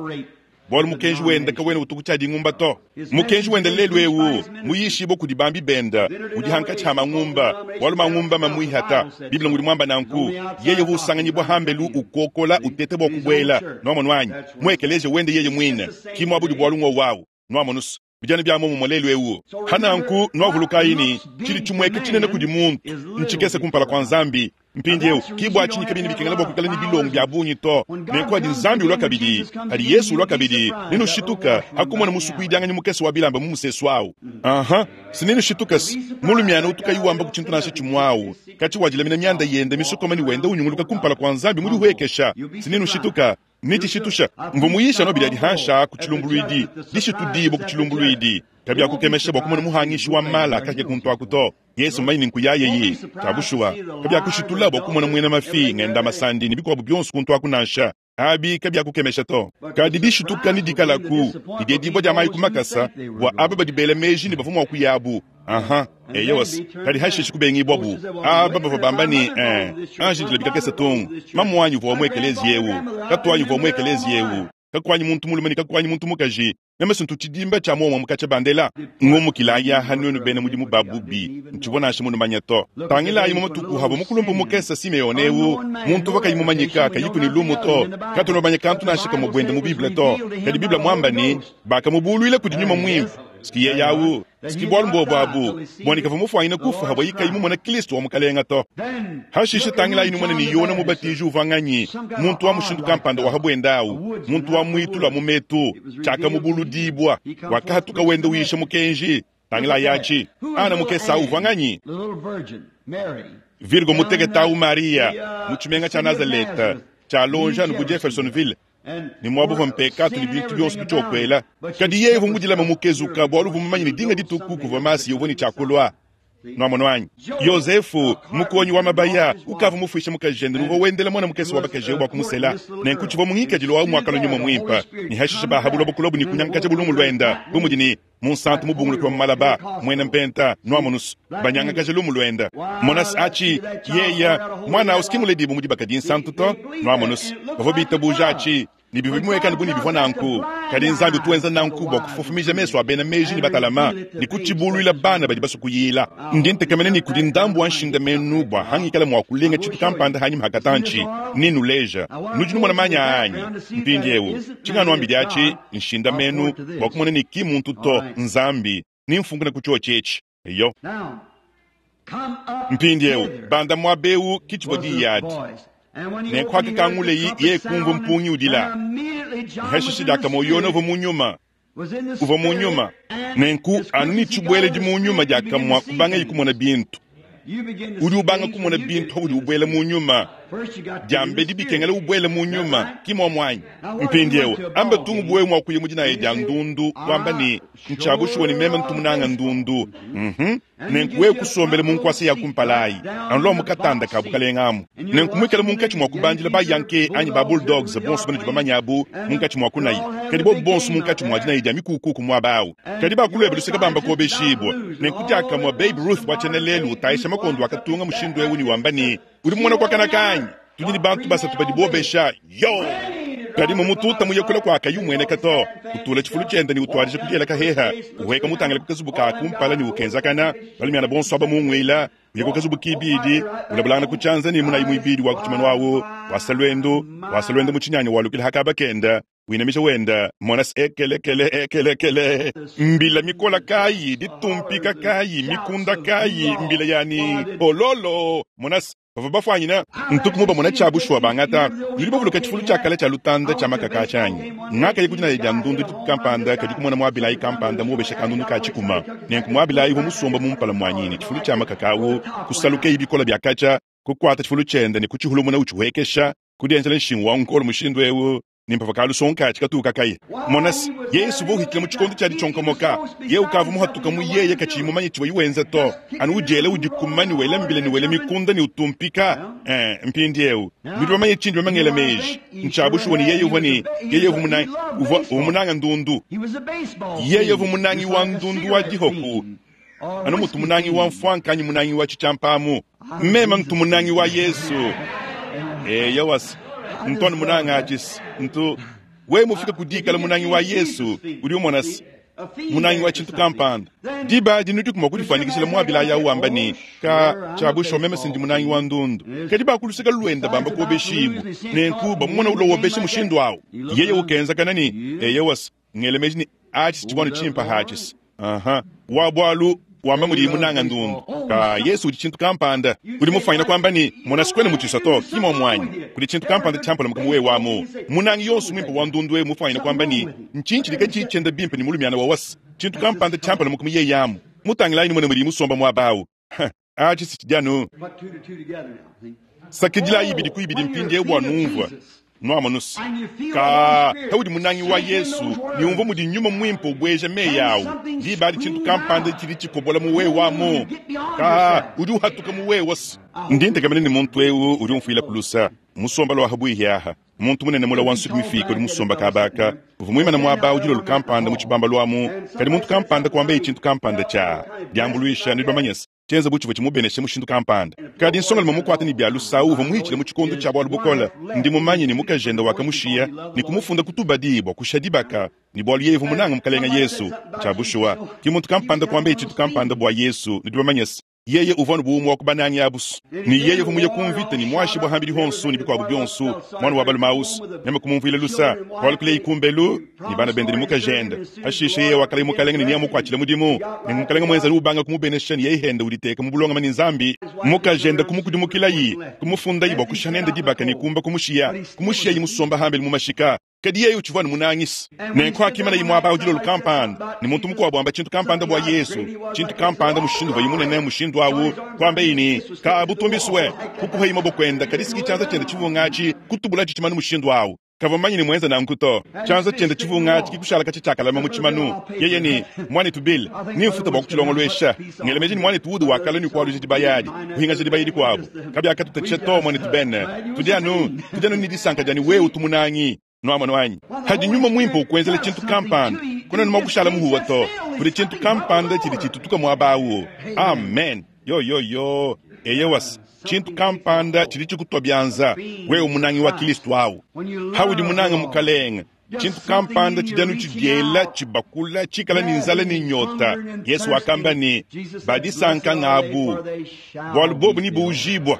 A: bwalu mukenji wenda kawena utuku tshia dingumba to. Mukenji wenda lelu eu muyishibo kudi bambi benda udi hankatshi ha mangumba bwalu mangumba mamuihata. Biblia ngudi mwamba nanku yeye husanganyibwa hambelu ukokola utete bua kubwela nwamonu anyi mwekeleje wende yeye mwine kimwabudi bwalu ngwa wawu nwamonusu bijana bya momo lelu eu hananku nwavulukayi chili chimweke chinene kudi muntu nchikese kumpala kwa nzambi. Mpindieu kibwa chinyi kabini bikengela bwa kuikala ni bilongo bya bunyi to nenku adi nzambi ulwa kabidi adi Yesu ulwa kabidi ninushituka hakumona musuku idianganyi mukese wa bilamba mu musesu awu. Aha sininushituka mulumiana utukayiwamba ku chintu nasha chimwawu kachi wajilamina myanda yende misukoma ni wenda unyunguluka kumpala kwa nzambi muli huekesha sininushituka nitishitusha mvumuyisha no biladi hansha ku chilumbuluidi dishitudibo ku chilumbuluidi kabya kukemesha bwa kumona muhangishi wa mala kake kuntu akuto Yesu maini nkuyaye tabushwa kabya kushitula bwa kumona mwena mafi ngenda masandi ni bikwabu byonso kuntu akunansha abi kabya kukemesha to kadi dishituka ni dikalaku idedibwa dya mayi kumakasa bwa aba badibele meji ni bavumwa kuyabu. Aha eyowas kadi hashishi kubengibwa bu aba bava bamba ni eh anji dilabika kesa tongo mamwanyi vwa mwekelezi yewu katwanyi vwa mwekelezi yewu kakwanyi muntu mulume ni kakwanyi muntu mukaji meme sintu chidimba cha mwa mukacha bandela ngomukilaya hanwenu bene mudimu babubi nchibona shi munu to tangilayi mu matuku habo mukulumbu mukesa Simeone ewu muntu vakayi mumanyika kayiku ni lumu to katono banya kantu nashika mu bwende mu Biblia to kadi Biblia mwamba ni bakamubulwile kudi nyuma mwimvu sikiye yawu sikibwalu mbobo abu bonika vumufwanyina kufa habo yikayi mumona Kristo wa mukalenga to. Hashisha tangilayi numona ni Yona mubatiji uvanganyi muntu wa mushindu kampanda wa habwendawu muntu wa mwitula mumetu chaka mubuludibwa wakahatuka wenda uyisha mukenji tangilayi achi ana mukesa uvanganyi Virgo muteketawu Maria muchimenga cha Nazareta cha lonja nuku Jeffersonville ni mwabu mpeka tuli bintu byonso bichokwela kadi yevu mudilama mukezuka bwalu vumumanya ni dinga dituku kuva masi yovoni chakulwa nwamono wanyi Yosefu mukonyi wa mabaya ukava mufwisha mukajende nuvo wendela mwana mukesi wa bakaje bwa kumusela nenkuchiva muhikajilo wa mwakalo nyuma mwimpa ni hashisha bahabulwa bukulobu ni kunyankacha bulumu lwenda bumudi ni munsantu mubunguluki wa malaba mwena mpenta nwamonus banyangakaja lumu lwenda monas achi yeya mwana usikimuledibu mudi bakadi nsantu to nwamonus bavo bitabuja achi ni bivu bimwekana buni bivwa nanku kadi nzambi tuenza nanku bwa kufufumija meso abena meji ni batalama ni kuchibulwila bana badi basukuyila ndi ntekamene ni kudi ndambu wa nshinda menu bwa hangikala mwa kulenga chitu kampanda hanyi mhakatanchi ninuleja nudi numona manya anyi mpindiewu chingano ambidi achi nshinda menu bwa kumona ni ki muntu to nzambi ni mfunguna kucho chechi eyo mpindiewu banda mwabeu kichibodi yadi nenkwaka kangule ye kumva mpungi udila hashishi daka moyona uva munyuma uva munyuma nenku anu ni chibwele di munyuma diakamwa kubanga yikumona bintu udi ubanga kumona bintu udi ubwele munyuma diambe dibikengela ubwele munyuma kimwa mwanyi mpindiewu amba tungu bwe mwa kuye mudina ye dia ndundu wamba ni nchabushuwa ni meme ntumunanga ndundu mhm nenku we kusombele munkwasa ya kumpalayi anlo mukatanda kabukalengamu nenku mwikala munkachi mwa kubandila ba yanke anyi ba bulldogs bonso bana dibamanyabu munkachi mwa kunayi kadi bo bonso munkachi mwa dina ye mikukuku mwa bawu kadi bakulwebe luseka bamba kobeshibwa nenku diakamwa Babe Ruth wachenelelu utaisha makondo akatunga mushindu ewu ni wamba ni uri mwana kwa kana kanyi tudi ni bantu basatu badi bobesha yo kadi mumututa muyekula kwa kayu mwene kato kutula chifulu chenda ni utwalije kudyela kaheha uheka mutangala kukazubuka kumpala ni ukenzakana balimiana bonso aba mungwila uyeko kazubu kibidi ulabulana kuchanza ni munayi muibidi wa kuchimanu wawu wasalwendo wasalwendo muchinyanya walukila hakaba kenda winamisha wenda monas ekelekele ekelekele mbila mikola kayi ditumpika kayi mikunda kayi mbila yani ololo monas bava bafwanyina ntuku mona chabushwa bangata yuli bavuluka chifulu chakala cha lutanda cha makaka chanyi ngaka yikudina ya ndundu kampanda kadi kumona mwabilayi kampanda mubesha kandundu ka chikuma nenku mwabilayi vo musomba mumpala mwanyini chifulu cha makaka awo kusaluke ibikola bya kacha Kukwata tshifulu tshiende ne kutshihulumuna utshihuekesha, kudienzela nshingu wa nkolo mushindu eu, ne mpava kalusonka katuka kaye. Mona se, Yesu uvua uhitshila mu tshikondo tshia ditshionkomoka. Ye ukavua muhatuka mu yeye katshiyi mumanye tshivua yiwenza to. Anu udiela udikuma ne wela mbila ne wela mikunda ne utumpika. Eh, mpindiewu nudi bamanye tshindi bamangela meji. Ntshiabushuwa ne yeye uvua ne yeye uvua munangi, uvua, uvua munanga ndundu.
B: He was a baseball
A: Yeye
B: fiend,
A: uvua munangi
B: just
A: wa
B: like a
A: ndundu wa
B: cigarette
A: dihoku.
B: fiend or
A: Anu mutu
B: whiskey
A: munangi wa
B: fiend.
A: mfwanka anyi munangi wa tshitshiampamu. Mema ntu munangi wa Yesu. Eya wasi ntwani munanga achisi ntu we mufika kudikala munangi wa Yesu udi umona se munangi wa tshintu kampanda. Diba adi nudi kuma kudifanikishila muabila ya uwamba ni ka tshiabusho meme sindi munangi wa ndundu. Kadi bakuluseka lwenda bamba kuobeshibu. Nenku bamumona ulo wobesha mushindu awu. Yeye ukenza kana ni eya wasi ngelemeji ni achisi tshibwanu tshimpa hachisi. Aha. Wa bwalu wamba mudi munanga ndundu. Ka Yesu udi tshintu kampanda. Udi mufanyina kwamba ni mona sikwene mutshisa to kimo mwanyi. Kudi tshintu kampanda tshiampala mukamu we wamu. Munangi yonso mwimpe wa ndundu we mufanyina kwamba ni nchinchi lika chenda bimpe ni mulumiana wa wasi. Tshintu kampanda tshiampala mukamu ye yamu. Mutangilayi ni mwene mudi musomba mwabawu. Ha, achi sichijanu.
B: Put two to two together now. See?
A: Sakidila ibidi ku ibidi mpindiewu bwa numvwa. Nwamonusi. Ka haudi munangi wa Yesu ni umva mudi nyuma mwimpe ubweja meyi yawu. Diba adi tshintu kampanda tshidi tshikobola mu wewe wamu. Ka udi uhatuka mu wewe wasi. Ndi ntekamene ni muntu ewu udi umfuila kulusa. Musomba lwa habuihi aha. Muntu munene mula wa nsuku mifika udi musomba kabaka. Uvu muimana mwaba udi lolu kampanda mu tshibamba lwamu. Kadi muntu kampanda kwamba tshintu kampanda tsha. Diambuluisha nudi bamanyese. Tshienza bu tshivua tshimubeneshe mushindu kampanda. Kadi nsonga luma mukwate ni bya lusawu uvua muhitshile mu tshikondo tshia bwalu bukola. Ndi mumanye ni mukajenda wakamushiya ni kumufunda kutubadi bwa kusha dibaka. Ni bwalu yeye uvua munanga mukalenga Yesu. Tshia bushuwa. Ki muntu kampanda kwamba tshintu kampanda bwa Yesu nudi bamanyese. Yeye uvua ne buumu wa kubanangi abusu. Ni yeye uvua muye kumvita ni mwashi bwa hambili honsu ni bikwabu byonsu. Mwana wa balume ausu. Meme kumumvuila lusa. Bwalu kule ikumbelu ni bana bende ni mukajenda. Hashishe yeye wakala mukalenga ni niyamukwatshile mudimu. Ni mukalenga mwenza ni ubanga kumubenesha ni yeye henda uditeka mu bulonga mani nzambi. Mukajenda kumukudimukilayi, kumufundayi bwa kushanenda dibaka ni kumba kumushiya. Kumushiya yimusomba hambili mu mashika. Kadi yeye utshivua ni munangisi. Nenku akimana yimwaba udi lolu kampanda. Ni muntu mukuabu amba tshintu kampanda bwa Yesu. Tshintu kampanda mushindu wa yimunene mushindu awu. Kwamba yini, ka butumbiswe. Kukuha yima bokwenda, kadi siki tshianza tshiende tshivungachi, kutubula tshimanu mushindu awu. Kava manyi ni mwenza na nkuto. Tshianza tshiende tshivungachi kikushala kachi tshakalama mu tshimanu. Yeye ni mwana tubile. Ni mfuta bwa kutshilongolwesha. Ngelemeji ni mwana tuudu wakala ni kwalu jidibayadi. Kuhinga jidibayadi kwabu. Kabya akatuta tsheto mwana tubene. Tudianu, tudianu ni disanka jani wewe utumunangi. Nwama nwanyi. Hadi nyuma mwimpo ukwenzela tshintu kampanda. Kuna numa kushala muhuwa to. Kuli tshintu kampanda tshidi tshitutuka mwabawu. Amen. Yo yo yo. Eye wasi. Tshintu kampanda tshidi tshikutwa byanza. Wewe munangi wa Kristu awu. Haudi munanga mukalenga. Tshintu kampanda tshidanu tshidiela tshibakula tshikala ni nzala ni nyota. Yesu wakamba ni badisanka ngabu. Bwalu bobu ni buujibwa.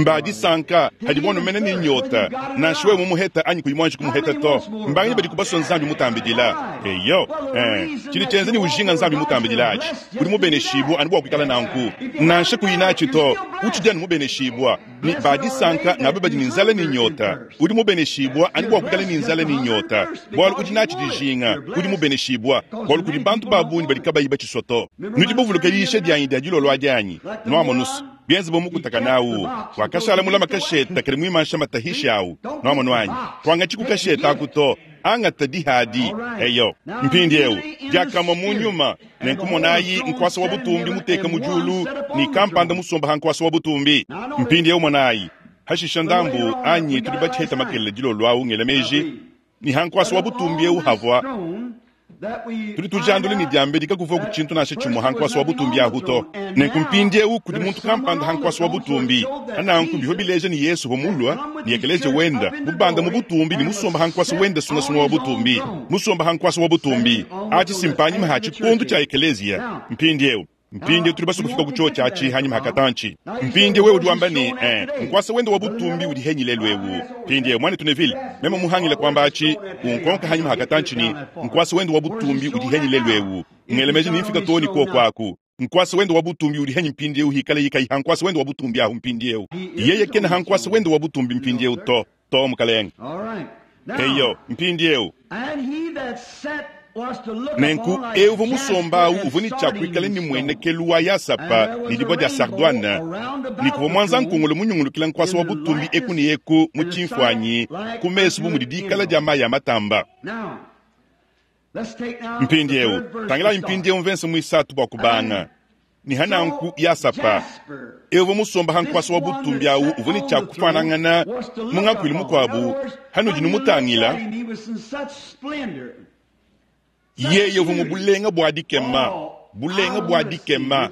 A: Mbadisanka hadi bono mene ni nyota. Nansha wewe mumuheta anyi kuyimwanji kumuheta to. Mbangi badi kubaswa nzambi mutambidila. Eyo. Eh. Tshidi tshienza ni ujinga nzambi mutambidila achi. Udi mubeneshibwa anu bwa kuikala nanku. Nansha kuyinachi to. Utshidi anu mubeneshibwa. Ni badisanka ngabe badi ni nzala ni nyota. Udi mubeneshibwa anu bwa kuikala ni nzala ni nyota. Bwalu udi nachi dijinga. Udi mubeneshibwa. Bwalu kudi bantu babunyi badi kabayi batshisoto. Nudi buvuluka yisha dyanyi dya dilolwa dyanyi. Nwamonusu. Bienze bo mukutaka nawu. Wakashala mulama kasheta kali mwimansha matahisha awu. Nwamonwanyi. Twanga chikukasheta akuto. Anga tadihadi. Eyo. Mpindi ewu. Diakama mu nyuma. Nenkumonayi nkwasa wa butumbi muteka mujulu. Ni kampanda musomba hankwasa wa butumbi. Mpindi ewu monayi. Hashisha ndambu anyi tudi batsheta makelele dilolwa awu ngelemeji. Ni hankwasa wa butumbi ewu havwa. Tudi tujandule ni diambe dikakuva ku tshintu nansha tshimue hankwasa wa butumbi ahu to. Nenku mpindi ewu kudi muntu kampanda hankwasa wa butumbi. Ananku biho bileja ni Yesu homulwa ni ekeleje wenda mubanda mu butumbi ni musomba hankwasa wenda sungasunga wa butumbi. Musomba hankwasa wa butumbi. Achi simpanyi maha tshikundu tsha ekelezia. Mpindi ewu. Mpindi tuli basu kufika kucho chachi hanyuma hakatanchi. Mpindi wewe udi wamba ni eh nkwasa wenda wa butumbi udi henyile lwewu. Mpindi mwana tunevile mema muhangila kwamba achi unkonka hanyuma hakatanchi ni nkwasa wenda wa butumbi udi henyile lwewu. Ngelemeje ni mfika toni kwa kwaku. Nkwasa wenda wa butumbi udi henyi mpindi eu hikale yikai hankwasa wenda wa butumbi ahu mpindi eu. Yeye kena hankwasa wenda wa butumbi mpindi eu to to mukalenga.
B: All right. Now,
A: Eyo mpindi eu.
B: and he that sat
A: Nenku eu musomba awu uvua ne tshia kuikala ne muenekelu wa yasapa ne dibue dia sardoine, ne kuvua muanza nkongolo munyungulukila nkuasa wa butumbi eku ne eku mu tshimfuanyi ku mesu bu mudi dikala dia mayi a matamba. Mpindieu tangilayi mpindieu mvense muisatu bua kubanga ne hananku yasapa eu musomba ha nkuasa wa butumbi awu uvua ne tshia kufanangana mu ngakuilu mukuabu hanudi numutangila yeye uvua mu bulenga bua dikema bulenga bua dikema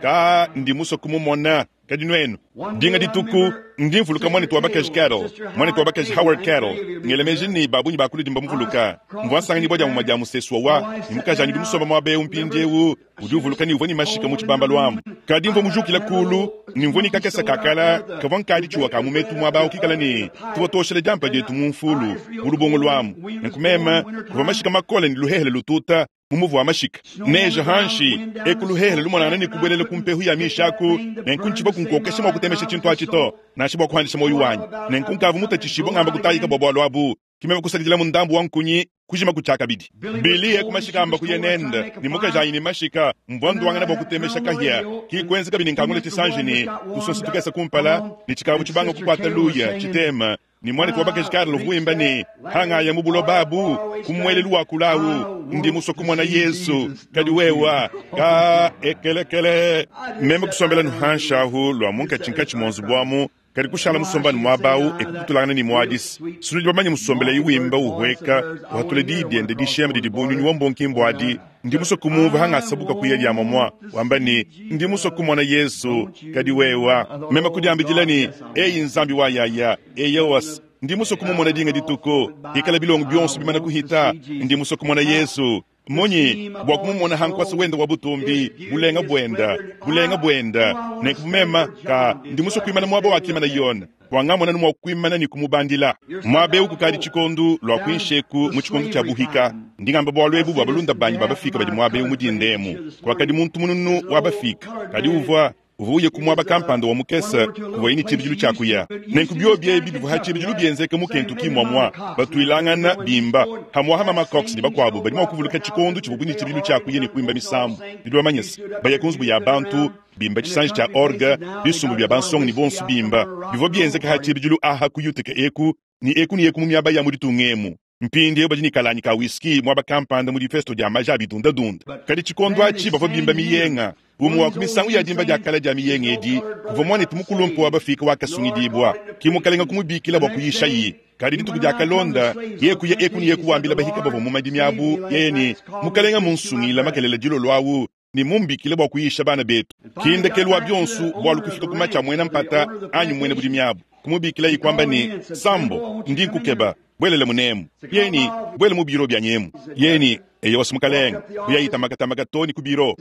A: ka ndi musue kumumona kadi nuenu dinga dituku ndi mvuluka mwanetu wa bakaji Carol mwanetu wa bakaji Howard Carol ngelemeji ni babunyi bakuludi mbamuvuluka mvua nsanganyibua dia muma dia musesu wa ni mukaji anyi musomba muaba eu mpindiewu udi uvuluka ni uvua ni mashika mu tshibamba lwamu kadi mvua mujukila kulu ni mvua ni kakesa kakala kavua nkadi tshiwa ka mumetu muaba awu kikala ni tuvua toshela diampa dietu mu mfulu mu lubongo lwamu nenku meme kuvua mashika makole ni luhehele lututa mumuvu wa mashika neja hanshi ekuluhehele lumonana ni kubwelela kumpehu ya mishaku nenku ntshiba kunkokesha mua kutemesha tshintu atshi to nansha bua kuhandisha moyo wanyi nenku nkavu mutatshishibo ngamba kutayika bua bualu abu kimeme kusakidila mundambu wa nkunyi kujima kutshiakabidi bili eku mashika amba kuyenenda ni mukaji anyi ni mashika mvua nduangana bua kutemesha kahia kikwenza kabidi nkangula tshisanji ni kusonsa tukesa kumpala ni tshikavu tshibanga kukwata luya tshitema ni mwanetu wa bakaji Carol vuimba ni hangaya mu buloba abu kumwelelu wa kulawu ndi musue kumona Yesu kadi wewa ka ekelekele meme kusombela nuhanshahu lwa munkatshinkatshi monzu bwamu kadi kushala musombani muabawu ekukutulangana ni muadisi sunudi bamanye musombela iwimba uhweka uhatula didiende dishema didi bunyunyi wa mbonkimbu adi ndi musue kumumva hangasabuka kuya lyama mwa wamba ni ndi musue kumona Yesu kadi wewa meme kudiambidila ni eyi nzambi wa yaya eyewas ndi musue kumumona dinga dituku ikala bilongo bionso bimana kuhita ndi musue kumona Yesu munyi bua kumumona hankwasa wenda wa butumbi bulenga bwenda bulenga bwenda nenku mema ka ndi musue kuimana muaba wakimana yona wangamona ni mua kuimana ni kumubandila muaba eu kukadi tshikondu lua kuinsheku mu tshikondu tshia buhika ndingamba bualu ebu bua balunda banyi babafika badi muaba eu mudindemu kuakadi muntu mununu wabafika kadi uvua uvuye kumwaba kampanda wa mukesa kuva ini tshibidilu tshiakuya nenku bio ebi bivua ha tshibidilu bienzeka mu Kentucky mwamwa batuilangana bimba hamwaha mama Cox ni bakuabu badi mua kuvuluka tshikondu tshivua ni tshibidilu tshiakuya ni kuimba misambu bidi bamanyisa baya ku nzubu ya bantu bimba tshisanji tshia orgue bisumbu bia bansonga ni bonso bimba bivua bienzeka ha tshibidilu aha kuyuteka eku ni eku ni eku mu miaba ya muditunga emu mpindi badi ni kalanyi ka whisky mwaba kampanda mu difesto dia maja abidundadunda kadi tshikondo atshi bavua bimba miyenga umwe wa kumisangu ya dimba dia kala dia miyenga edi kuvua mwanetu mukulumpu wa bafika wakasungidibwa kimukalenga kumubikila bua kuyisha yi kadi dituku dia kalonda ye kuya eku ni yeku wambila bahika bavua mu madimi abu yeye ni mukalenga munsungila makelela dilolo awu ni mumbikile bua kuyisha bana betu kindekelu wa bionso bualu kufika kuma tshia mwena mpata anyi mwene budimi abu kumubikila yikwamba ni sambo ndi nkukeba bwelele munemu yeni bwele mu biro bya nyemu yeni eyo wasimukalenga kuyayitamakamaka toni ku biro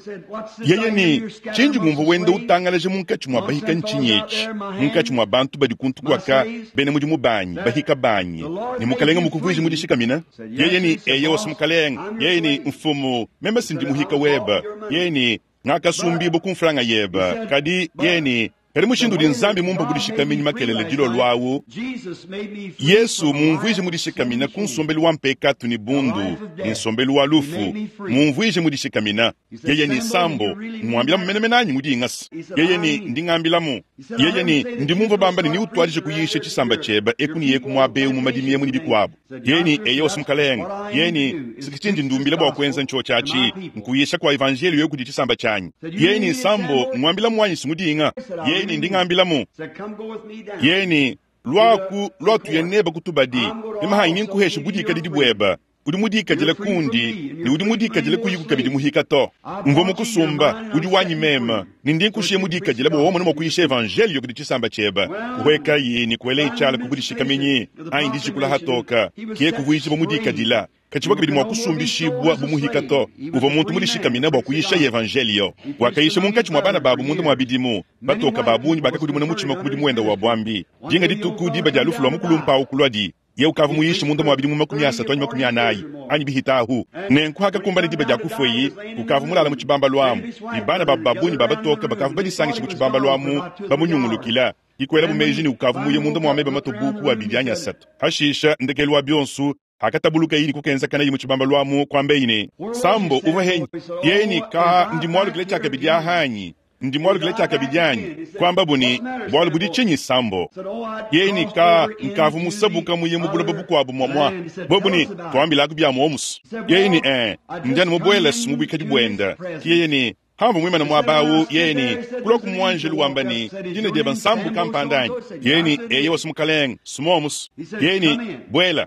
A: yeye ni tshinji ngumvu wenda utangalaje munkatshi mwa bahika ntshinyetshi munkatshi mwa bantu badi kuntu kwaka bene mudimu banyi bahika banyi ni mukalenga mukuvuije mudishikamina yeye ni eyo wasimukalenga yeye ni mfumu meme sindi muhika weba yeye ni ngakasumbibo kumfulanga yeba kadi yeye ni kadi mushindu udi nzambi mumpa kudishikaminyi makelele dilolo awu Yesu mumvuije mudishikamina ku nsombelu wa mpekatu ni bundu ni nsombelu wa lufu mumvuije mudishikamina yeye ni sambo mwambilamu menemene anyi mudingasa yeye ni ndingambilamu yeye ni ndimumva bamba ni niutwalije kuyisha tshisamba tshieba eku ni yeku muaba eu mu madimi emu ni bikuabu yeye ni eye wasimukalenga yeye ni sikitshindi ndumbila bua kuenza ntsho tshiatshi nkuyisha kua evanjeliyo yeku di tshisamba tshianyi yeye ni sambo mwambilamu wanyi simudinga yeye ni ndingambilamu yeye ni lwaku lwatuye neba kutubadi memahanyi ninkuhesha budikadidi bweba udi mudikadile kundi ni udi mudikadile kuyiku kabidi muhika to mvua mukusumba udi wanyi mema ni ndi nkushiye mudikadile bua womona mua kuyisha evanjeliyo kudi tshisamba tshieba kuhwekayi ni kuela itshala kubudishikaminyi anyi ndijikula hatoka kiye kuvuijiba mudikadila katshiba kabidi mua kusumbishibwa bumuhika to uvua muntu mudishikamina bua kuyisha evanjeliyo wakayisha munkatshi mua bana babu munda mua bidimu batoka babunyi bakakudimuna mutshima ku mudimu wenda wa bwambi dinga dituku diba dia lufu lua mukulumpa awu kulwadi ye ukava muyisha munda mua bidimu makumi asatu anyi makumi anayi anyi bihitahu nenku hakakumbana diba dia kufweyi ukava mulala mu tshibamba lwamu ni bana babu babunyi babatoka bakava badisangisha mu tshibamba lwamu bamunyungulukila ikwela bumeji ni ukavu muye munda mua meba matobuku abidi anyi asatu hashisha ndekelu wa bionso Hakatabuluka ili kukenzakana yi mu tshibamba lwamu kwambeyi ne Sambo uvua henyi yeye ni ka ndi mwalukile tshiakabidi ahanyi ndi mwalukile tshiakabidi anyi kwamba buni bwalu budi tshinyi Sambo yeye ni ka nkavu musabuka muye mu buloba bukuabu mwamwa bobuni twambilaku bya muomusu yeye ni eh ndiani mubwela simu bwikadi bwenda yeye ni hambo mwimana mwabawu yeye ni kuloku mwanjelu wamba ni dina dyeba nsambu kampandanyi yeye ni eye wasumukalenga simomusu yeye ni bwela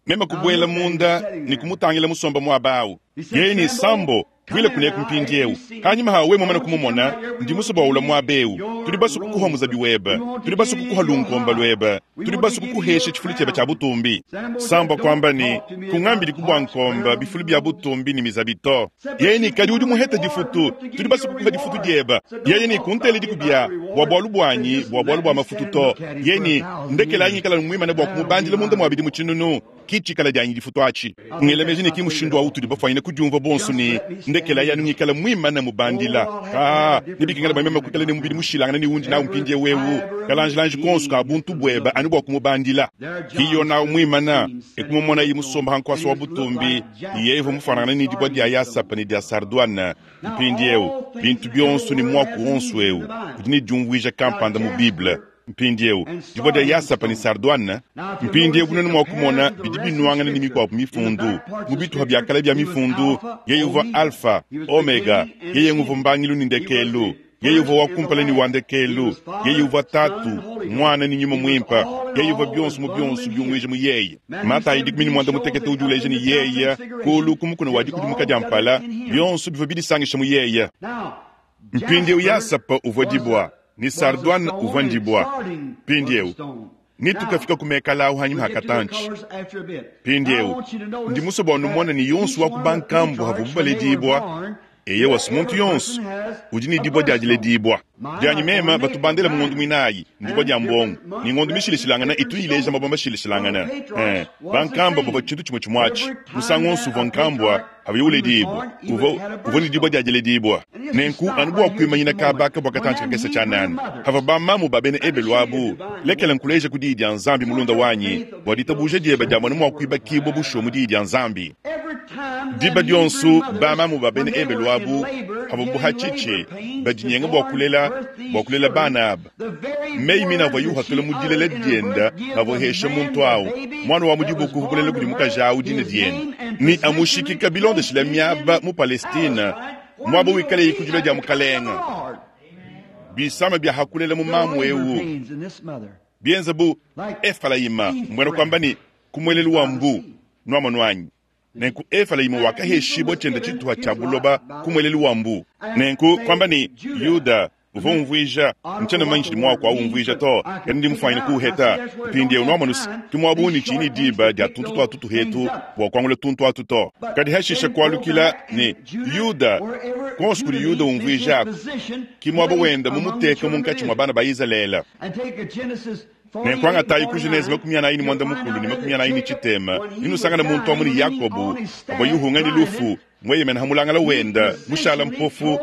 A: mema kubwela munda ni kumutangila musomba mwabawu yeye ni Sambo bwile kuneku mpindiewu kanyuma hawe mwamana kumumona ndi musoba ula mwabewu tuli basu kukuha muzabi weba tuli basu kukuha lunkomba lweba tuli basu kukuhesha chifulu cheba cha butumbi Sambo kwamba ni kung'ambili kubwa nkomba bifulu bya butumbi ni mizabi to yeye ni kadi udi muheta difutu tuli basu kukuha difutu dyeba yeye ni kuntele dikubya bwa bwalu bwanyi bwa bwalu bwa mafutu to yeye ni ndekela anyikala mwimana bwa kumubandila munda mwabidi muchinunu kichikala dyanyi difutu achi ngelemeji ni kimushindu wa utuli bafwanyine kudyumva bonso ni ndekela yanu ngikala mwimana mubandila ah nibikingala bamema kukala ne mubili mushilangana ni wundi nawu mpindie wewu kalanjilanji konso ka buntu bweba anu bwa kumubandila hiyo nawu mwimana ekumumona yi musomba hankwasa wa butumbi yevo mufanana ni dibwa dya yasapa ni dya sardwana mpindiewu bintu byonso ni mwaku onso ewu udi ni dyumvuija kampanda mu Bible mpindiewu dibwa dya yasapa ni sardwana mpindiewu bunene mwakumona bidi binuangana ni mikwapu mifundu mu bituha bya kale bya mifundu yeye uvua alfa omega yeye nguvu mbangilu ni ndekelu yeye uvua wakumpala ni wandekelu yeye uvua tatu mwana ni nyuma mwimpa yeye uvua byonso mu byonso byumwije mu yeye Matayi dikumi ni mwanda mutekete udi uleja ni yeye kulu kumukuna wa dikudimuka dya mpala byonso bivua bidisangisha mu yeye mpindiewu yasapa uvua dibwa ni sardwana uvua ndibwa mpindiewu nitukafika kumekala ahu hanyuma hakatanchi mpindiewu ndi musoba wanumona ni yonso wa kubankambu havu bubaledibwa eye wasi muntu yonso udi ni dibwa dyajiledibwa dyanyi mema batubandela mungondu mwinayi ndibwa dya mbongo ni ngondo mishilishilangana itu ileja mabwa mashilishilangana eh bankamba baba chintu chimwe chimwachi musango onso uvua nkambwa abuye uledibwa uvo uvo ni dibwa dyajiledibwa nenku anu bwa kwimanyina kabaka bwa katanchi kakesa chanani hava bamamu babene ebelu abu lekela nkuleja ku diyi dya nzambi mulunda wanyi bwa ditabuja dyeba dya mwana mwa kwibakibwa busho mu diyi dya nzambi diba dyonso bamamu babene ebelu abu hava buhachiche badinyenga bwa kulela bwa kulela bana aba meyi mina avua yuhatula mu dilela dienda avohesha muntu awu mwana wa mudibuku hukulela kudi mukaji awu dina dienda ni amushikika bilondeshila miaba mu Palestina mwaba wikale ikudila dia mukalenga bisama bya hakulela mu mamu ewu bienza bu Efraima mbwena kwamba ni kumwelelu wa mbu nwama nwanyi nenku Efraima wakaheshibwa chenda chituha cha buloba kumwelelu wa mbu nenku kwamba ni Yuda uvua umvuija nchana manyi mwako au umvuija to kadi ndi mufanyine kuheta mpindiewu nwamanusi kimwabuni chini diba dia tuntu twa tutu hetu bua kuangula tuntu atu to kadi hashisha kualukila ni Yuda konso kudi Yuda umvuija aku kimwaba wenda mumuteka munkatshi mwa bana ba Izalele nenkuangatayi ku Genese makumi anayi ni mwanda mukulu ni makumi anayi ni chitema ninusangana muntu amu ni Yakobu avua yuhunga ni lufu mweyemena hamulangala wenda mushala mpofu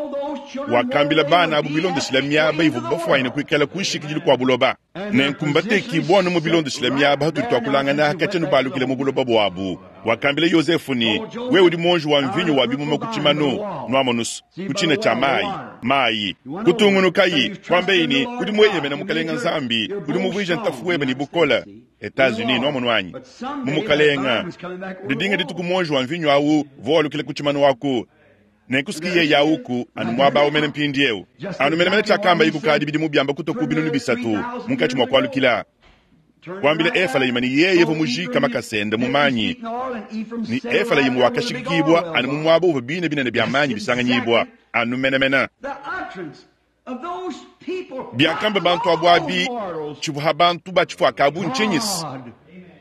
A: wakambila bana abu bilondeshila miaba ivu bafwanyine kuikala kuishikidili kua buloba nenkumbateki bwana mu bilondeshila miaba hatuli twakulangana hakachenu balukile mu buloba bwabu wakambila Yosefu ni we udi monji wa mvinyo wa bimuma kuchimano nwamanusu kuchina cha mayi mayi kutungunukayi kwambeini kudi mweyemena mukalenga nzambi kudi muvuija ntafu weba ni bukola Etats-Unis nwamonu anyi mumukalenga didinga dituku monji wa mvinyo awu voalukile kuchimano waku nenkusikiye yauku anu mwaba umene mpindiewu anu menemene chakamba ikukadi bidi mubyamba kutoku binunu bisatu munkatshi mwa kualukila kwambila Efraima ni yeye vo mujika makasenda mumanyi ni Efraimu wakashikibwa anu mumwaba uva bine binene bya manyi bisanganyibwa anu menemene byakamba bantu abwabi chivuha bantu bachifwaka abu nchinyisi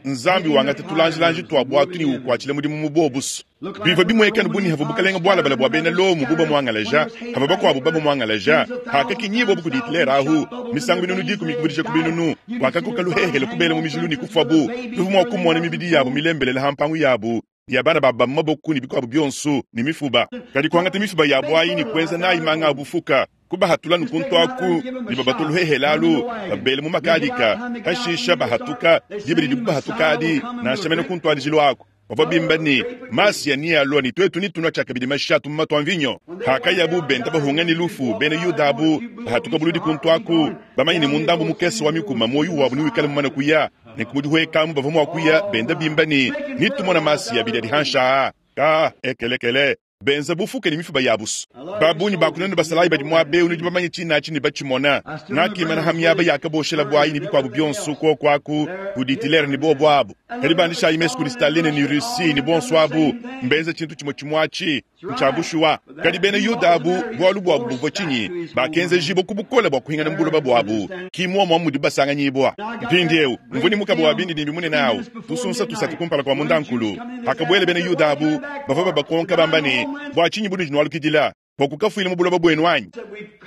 A: nzambi wangata tulanjilanji twa bwatu ni ukwachile mudimu mubobusu biva bimwekani buni hava bukalenga bwalabala bwa bena lomu buba mwangalaja hava bakwabu baba mwangalaja hakakinyibo bukudi Hitler ahu misango binunu dikumi kubudisha kubinunu wakakoka luhehele kubela mu mijilu ni kufa bu bivu mwa kumona mibidi yabo milembelele hampangu yabo ya bana baba maboku ni bikwabu byonso ni mifuba kadi kuangata mifuba yabo ayi ni kwenza nayi manga abufuka Kubahatula nukuntu aku ne babatuluhehela alu babele mu makadika hashisha bahatuka dibidi dibu bahatukadi nansha mene kuntuadijilo aku bavua bimba ne masiya ni alua ni twetu ni tunua tshiakabidi mashatu mu matu a mvinyo hakayabu benda bahunga ni lufu bena yuda abu bahatuka buludi kuntu aku bamanye ne mundambu mukese wa mikuma moyo wabu ni wikale mumane kuya ne kumudihuekamu bavua mua kuya benda bimba ni nitumona masiya bidi adi hanshaa ka ekelekele benza bufuke ni mifuba yabusu babunyi bakunene basalayi badi muabe nudi bamanye tshinachi ne batshimona ngakimana hamyaba yakaboshela bwayi ni bikwabu byonso kokwaku kuditilere ni bobo abu kadi bandishayi mesu kudi Staline ni Russie ni bonso abu mbenza tshintu tshimwe tshimwachi ntshabushuwa kadi bena yuda abu bwalu bwabu buvua tshinyi bakenza jibo kubukola bwa kuhingana mbuloba bwabu kimwomwa mudi basanganyibwa mpindiewu mvuni mukabo wa bindi nimbi munene awu tusunsa tusatu kumpala kwa mundankulu hakabwele bena yuda abu bavua babakonka bamba ne bwa tshinyi bunudi nwalukidila bwa kukafuila mu buloba bwenu anyi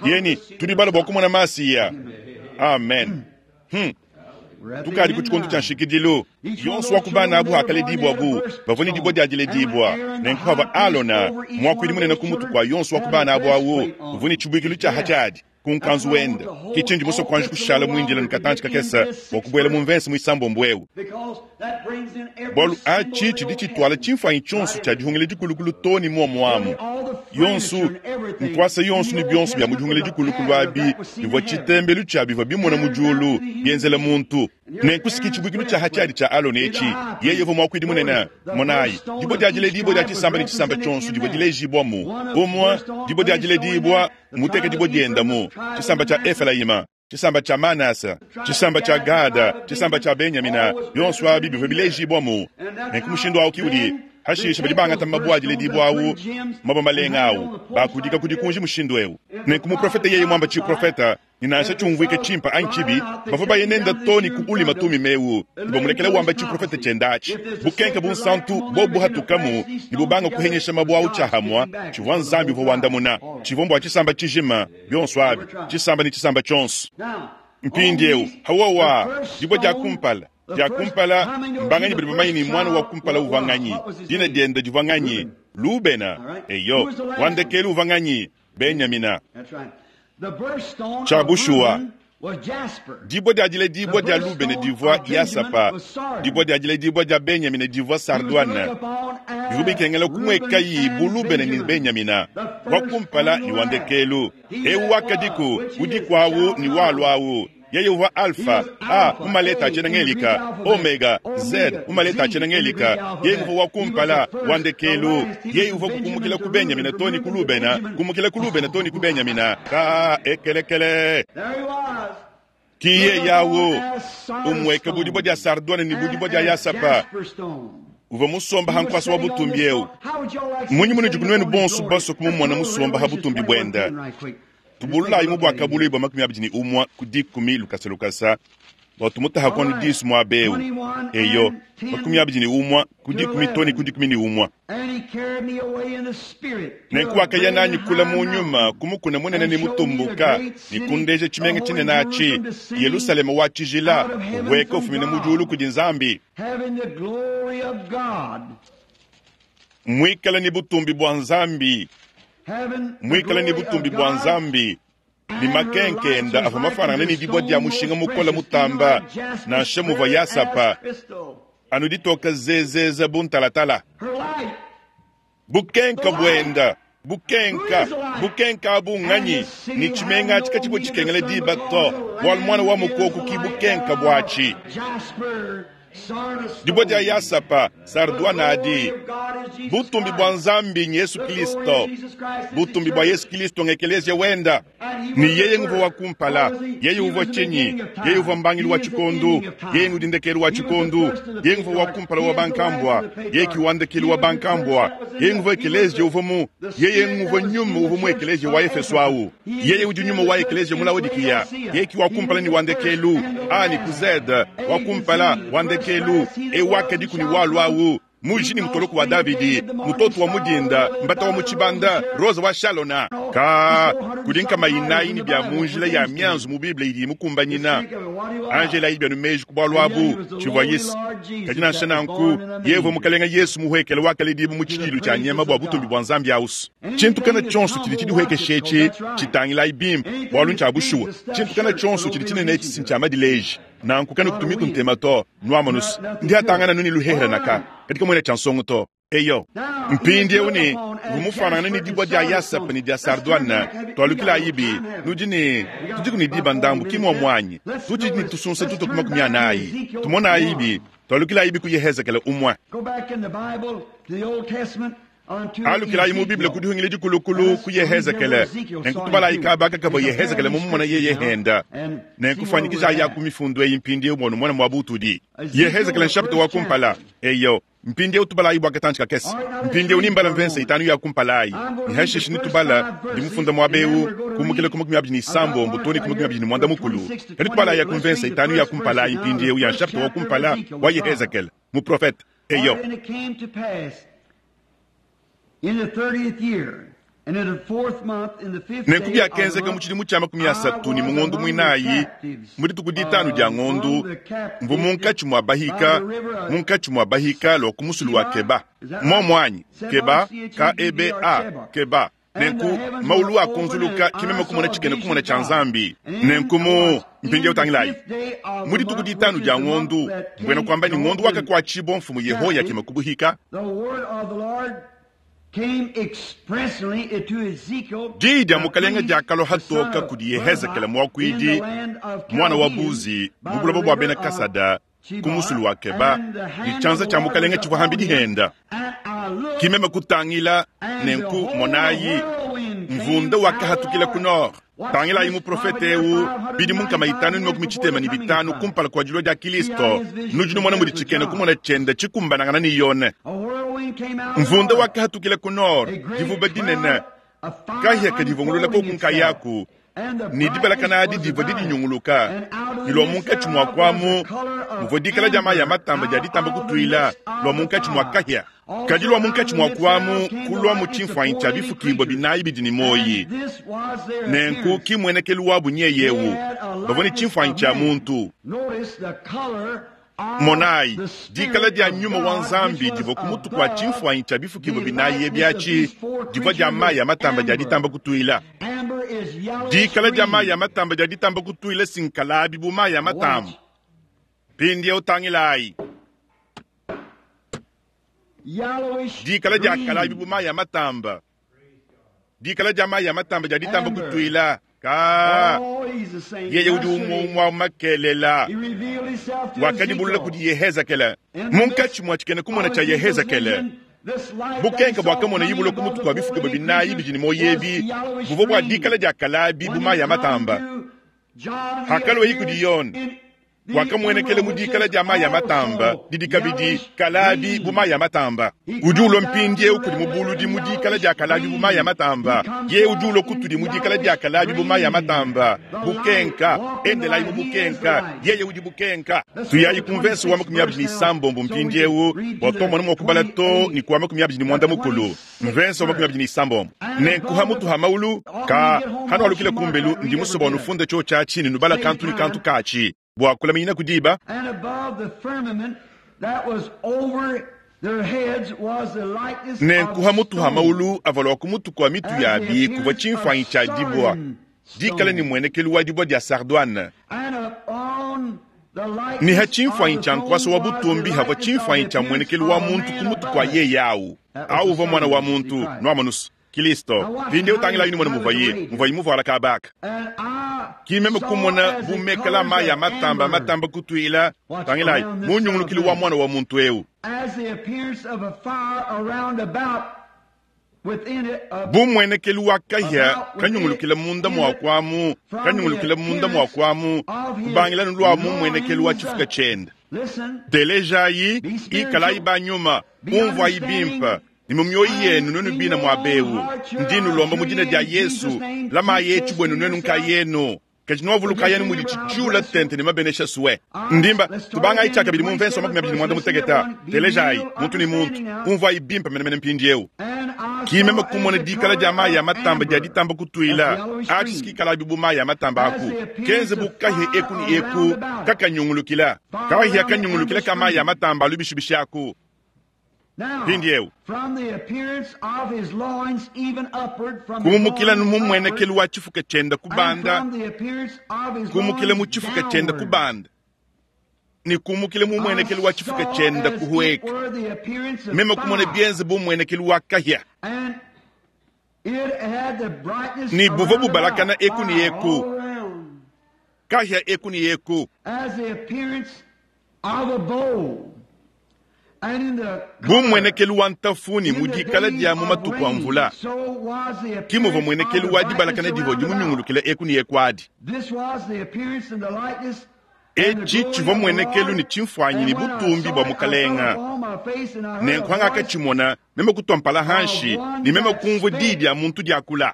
A: yeni tudi bala bwa kumona masiya amen hmm. Tukadi ku tshikondo tshia nshikidilu yonso wa kubana abu hakaledibwa bu bavua ne dibua diadiledibwa nenku hava alona muakuidi munene ku mutu kua yonso wa kubana abu awu uvua ne tshibuikilu tshia hatshiadi ku nkanzu wenda ke tshindi muso kuanji kushala muindila nkatanshi kakesa bua kubuela mu mvensi muisambombo ewu bwalu atshi tshidi tshitwala tshimfanyi tshionso tshia dihungila dikulukulu to ni muomuamu yonso nkwasa yonso ni byonso bya mudihungila dikulukulu abi bivua tshitembelu tshia bivua bimona mu diulu bienzela muntu nenkusiki tshibuikilu tshia hatshiadi tshia alone etshi yeye uvua muakuidi munene monayi dibua diadile dibua dia tshisamba ne tshisamba tshionso dibua dilejibwamu umwa dibua diadile dibua muteke dibua diendamu tshisamba tshia Efelayima tshisamba tshia Manasa tshisamba tshia Gada tshisamba tshia Benyamina byonso abi bivua bilejibwamu nenku mushindu awu kiudi hashisha badi bangata mabua adiledibwa awu mabua malenga awu bakudika kudi kunji mushindu ewu nenku muprofeta yeye mwamba tshiprofeta ninansha tshiumvuike tshimpa anyi tshibi bavua bayenenda to ni kuulima tumi mewu nibamulekela wamba tshiprofeta tshiendatshi bukenke bunsantu bobu buhatukamu nibubanga kuhenyesha mabua awu tshiahamwa tshivua nzambi uvua wandamuna tshivua mbua tshisamba tshijima byonso abi tshisamba ni tshisamba tshionso mpindiewu hawowa dibua dia kumpala dia kumpala mbanganyi badi bamanyi ni mwana wa kumpala uvua nganyi dina dienda divua nganyi lubena eyo wandekelu uvua nganyi benyamina Tshabushuwa dibua diadile dibua dia lubene divua yasapa dibua diadile dibua dia benyamina divua sardwana bivua bikengela kumwekayi bu lubene ni benyamina wa kumpala ni wandekelu ewu wakadiku udikwawu ni walwawu yeye uvua alfa a umaleta atshiena omega z umaleta atshiena yeye uvua wa kumpala wandekelu yeye uvua kukumukila ku benyamina toni ku lubena kumukila ku lubena toni ku benyamina ka ekelekele kiye yawu umweka budibua dia sardwane ni budibua dia yasapa uvua musomba hankwasa wa butumbi ewu munyi munu dikunwenu bonso baso kumumona musomba ha butumbi bwenda tubululayi mu bwaka buluyi bwa makumi abidi ni umwa ku dikumi lukasa lukasa bua tumutaha kwanu disu mua bewu eyo makumi abidi ni umwa ku dikumi toni ku dikumi ni umwa nenku wakaya nanyi kula mu nyuma kumukuna munene ni mutumbuka ni kundeja tshimenga tshinene atshi yerusalema wa tshijila weka ufumina mu diulu kudi nzambi mwikala ni butumbi bwa nzambi mwikala ni butumbi bwa nzambi ni makenkenda avua mafanangana ni dibua dia mushinga mukola mutamba nansha muvua yasapa anu ditoka zezeza buntalatala bukenka bwenda bukenka bukenka abu nganyi ni tshimenga atshi katshibua tshikengela diba to bwalu mwana wa mukoku ki bukenka bwatshi dibua dia yasapa sardwana adi butumbi bwa nzambi ni yesu kristo butumbi bwa yesu kristo ng'ekelezia wenda ni yeye nguvua wa kumpala yeye uvua tshinyi yeye uvua mbangilu wa tshikondu yeye ngudi ndekelu wa tshikondu yeye nguvua wa kumpala wa bankambwa yeye ki wa ndekelu wa bankambwa yeye nguvua ekelezia uvua mu yeye nguvua nyuma uvua mu ekelezia wa efeso awu yeye udi nyuma wa ekelezia mu laodikiya yeye ki wa kumpala ni wa ndekelu a ni ku z wa kumpala wa ndekelu e wakadiku ni walu awu Muji ni mutoloku wa Davidi, mutoto wa mudinda, mbata wa muchibanda, roza wa Shalona. Ka kudi nkama inayi ni bya munjila ya mianzu mu Bible idi mukumbanyina. Angela ibya numeji ku bwalu abu chivwa Yesu. Kadi nansha nanku yevwe mukalenga Yesu muhwekele wakaledibu mu tshidilu tshia nyama bwa butumbi bwa Nzambi ausu. Tshintu kana tshonso tshidi tshidihwekeshe tshitangila ibimpe bwalu ntshia bushuwa. Tshintu kana tshonso tshidi tshinene tshisi ntshia madileji. Nanku kana kutumiku ntema to nwamanus ndiatangana nuni luhehera naka katika mwene cha nsongo to eyo mpindiewu ne vumufanana ni dibwa dia yasapa ni dia sardwana twalukila ayibi nudi ne tudiku ni diba ndambu kimwa mwanyi tutidi ni tusunsa tuto kuma kumya nayi tumona ayibi twalukila ayibi ku Yehezekele umwe alukila mu Biblia kudihungile dikulukulu ku Yehezekele nenkutubala ikabaka kabo Yehezekele mumumona yeye henda nenkufanyikisha ya ku mifundu eyi mpindiewu mwono mwana mwa butudi Yehezekele nshapita wa kumpala eyo mpindiewu tubalayi bwa katanji kakese mpindiewu nimbala mvense itanu ya kumpalayi nihashishi nitubala ndimufunda mwabewu kumukile kumakumi abiri ni sambombo toni kumakumi abiri ni mwanda mukulu kadi tubalayi ya kumvense itanu ya kumpalayi mpindiewu ya nshapita wa kumpala wa Yehezekele muprofete eyo nenku byakenzeka mu tshidimu tshia makumi asatu ni mungondu mwinayi mu dituku ditanu dia ngondu mvu munkatshi mua bahika munkatshi mua bahika lwa ku musulu wa Keba momwanyi Keba K E B A Keba nenku maulu akunzuluka kimeme kumona tshikene kumona tshia Nzambi nenku mu mpindieu tangilayi mu dituku ditanu dia ngondu mbwena kwamba ni ngondu wakakuatshibwa mfumu Yehoyakima kubuhika. Diyi dia mukalenga diakalo hatoka kudi Yehezekele mwakuidi mwana wa Buzi mu buloba bwa bena Kasada ku musulu wa Keba ni tshianza tshia mukalenga tshivua hambi dihenda kimeme kutangila nenku monayi mvunda wakahatukila ku nord tangilayi muprofete ewu bidi munkama itanu ni makumi tshitema ni bitanu kumpala kua dilua dia Kristo nudi numona mudi tshikene kumona tshienda tshikumbanangana ni yone mvunda wakahatukila ku nord divuba dinene kahia kadivungulula koku nkayaku ni dibalakana adi divua didinyunguluka ni lua munkatshi mua kuamu muvua dikala dia mayi a matamba dia ditamba kutuila lua munkatshi mua kahia kadi lua munkatshi mua kuamu kulua mu tshimfuanyi tshia bifukibwa binayi bidi ni moyi nenku kimwenekelu wabu nyeyewu bavua ni tshimfuanyi tshia muntu. Monayi dikala dia nyuma wa Nzambi divua ku mutu kua tshimfuanyi tshia bifukibwa binayi ebyatshi divua dia mayi a matamba dia ditamba kutuila. Dikala dia mayi a matamba dia ditamba kutuila sinkalabi bu mayi a matamba. Pindiewu utangilayi dikala dia kalabi bu mayi a matamba dikala dia mayi a matamba dia ditamba kutuila. Ka yeye udi umwe makelela wakadibulula kudi Yehezekele munkatshi mua tshikene kumona tshia Yehezekele bukenka bwakamona yibula ku mutu kwa bifukibwa binayi bidi ni moyebi buvua bua dikala dia kalabi bu mayi a matamba hakalua kudi Yone wakamwenekele mu dikala dia mayi a matamba didi kabidi kalabi bu mayi a matamba udi ulua mpindiewu kudi mubuludi mu dikala dia kalabi bu mayi a matamba ye udi ulua kutudi mu dikala dia kalabi bu mayi a matamba bukenka endelayi mu bukenka yeye udi bukenka tuyayi ku mvense wa makumi abiri ni sambombo mpindiewu bua tomona mua kubala to ni kuwa makumi abiri ni mwanda mukulu mvense wa makumi abiri ni sambombo nenkuha mutu ha maulu ka hano alukile kumbelu ndi musoba onufunda cho tshia ni nubala kantu ni kantu kachi bua kulamina kudiba. Nenkuha mutu ha maulu avalwa ku mutu kua mitu yabi kuvua tshimfuanyi tshia dibwa dikala ni mwenekelu wa dibwa dia sardwane ni ha tshimfuanyi tshia nkuasa wa butumbi havua tshimfuanyi tshia mwenekelu wa muntu ku mutu kua yeye awu awu uvua mwana wa muntu nuamanusu Kristo pindiewu tangila yini mwana muvaye muvayi muvuala kabaka kimeme kumona bumekela mayi a matamba matamba kutuila tangilayi munyungulukili wa mwana wa muntu ewu bumwenekelu wa kahia kanyungulukila munda mua kuamu kanyungulukila munda mua kuamu kubangila nulua mumwenekelu wa tshifuka tshienda telejayi ikalayi banyuma umvuayi bimpa ni mu mioyo yenu nwenu bina mwa bewu ndinu lomba mu dina dia Yesu lama yetu bwenu nwenu nka yenu Kadi nwavuluka yani mudi tshiula tente ne mabenesha suwe. Ndimba tubangayi tshiakabidi mu mvenso makumi abidi ne muanda mutekete. Telejayi muntu ne muntu umvuayi bimpe menemene mpindiewu. Kimeme kumona dikala dia mayi ya matamba dia ditamba kutuila atshisikikalabi bu mayi ya matamba aku kenze bu kahia eku ne eku kakanyungulukila kahia kanyungulukila ka mayi ya matamba alubishibishi aku. Mpindiewu kumukila mumwenekelu wa tshifuka tshienda kubanda, kumukila mu tshifuka tshienda kubanda, ne kumukila mumwenekelu wa tshifuka tshienda kuhueka. Meme kumona bienze bu mwenekelu wa kahia ni buvua bubalakana eku ne eku, kahia eku ne eku, bu mwenekelu wa ntafuni mu dikala dia mu matuku a mvula. Kimuvua mwenekelu wa dibalakana divua dimunyungulukila eku ne eku adi. Etshi tshivua mwenekelu ne tshimfuanyi ne butumbi bua mukalenga. Nenku ngakatshimona meme kutua mpala hanshi ne meme kumvua diyi dia muntu diakula.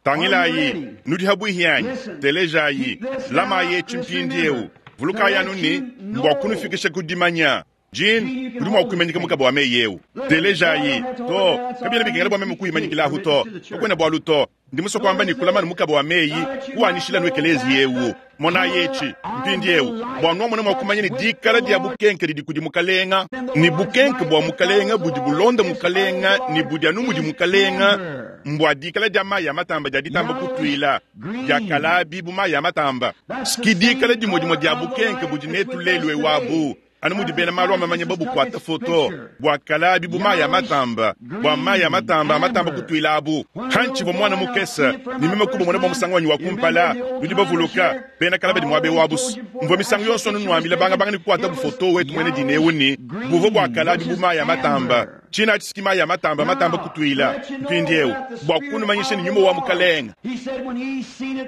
A: Tangilayi nudi habwihi yanyi, telejayi, lamayi etshi mpindiewu. Vulukayi anu ne mbua kunufikisha ku dimanya. Jean, udi mua kuimanyika mukaba wa meyi ewu. Telejayi to kabiena bikengela bua meme kuimanyikila ahu to kakuena bualu to. Ndi musue kuamba ne kulamanu mukaba wa meyi kuwanishila nu ekelezi ewu. Monayi etshi mpindiewu bua nuamona mua kumanya ne dikala dia bukenke didi kudi mukalenga, ne bukenke bua mukalenga budi bulonda mukalenga, ne budi anu mudi mukalenga. Mbua dikala dia mayi ya matamba dia ditamba kutuila dia kalabi bu mayi ya matamba. Ski dikala dimue dimue dia bukenke budi netu lelu ewabu. Anu mudi bena malu amamanya babukuata foto bua kalabi bu mayi ya matamba, bua mayi ya matamba amatamba kutuila abu. Hantshivua mwana mukese ne meme kubumona bua musangu wanyi wa kumpala. Nudi bavuluka bena kalaba di muabe wabusu. Mvua misangu yonso anu nuambila banga banga ne kukuata bufoto wetu mwene dine ewu ne buvua bua kalabi bu mayi ya matamba. Tshina tshisiki mayi ya matamba matamba kutuila mpindiewu bua kunumanyisha ne nyuma wa mukalenga.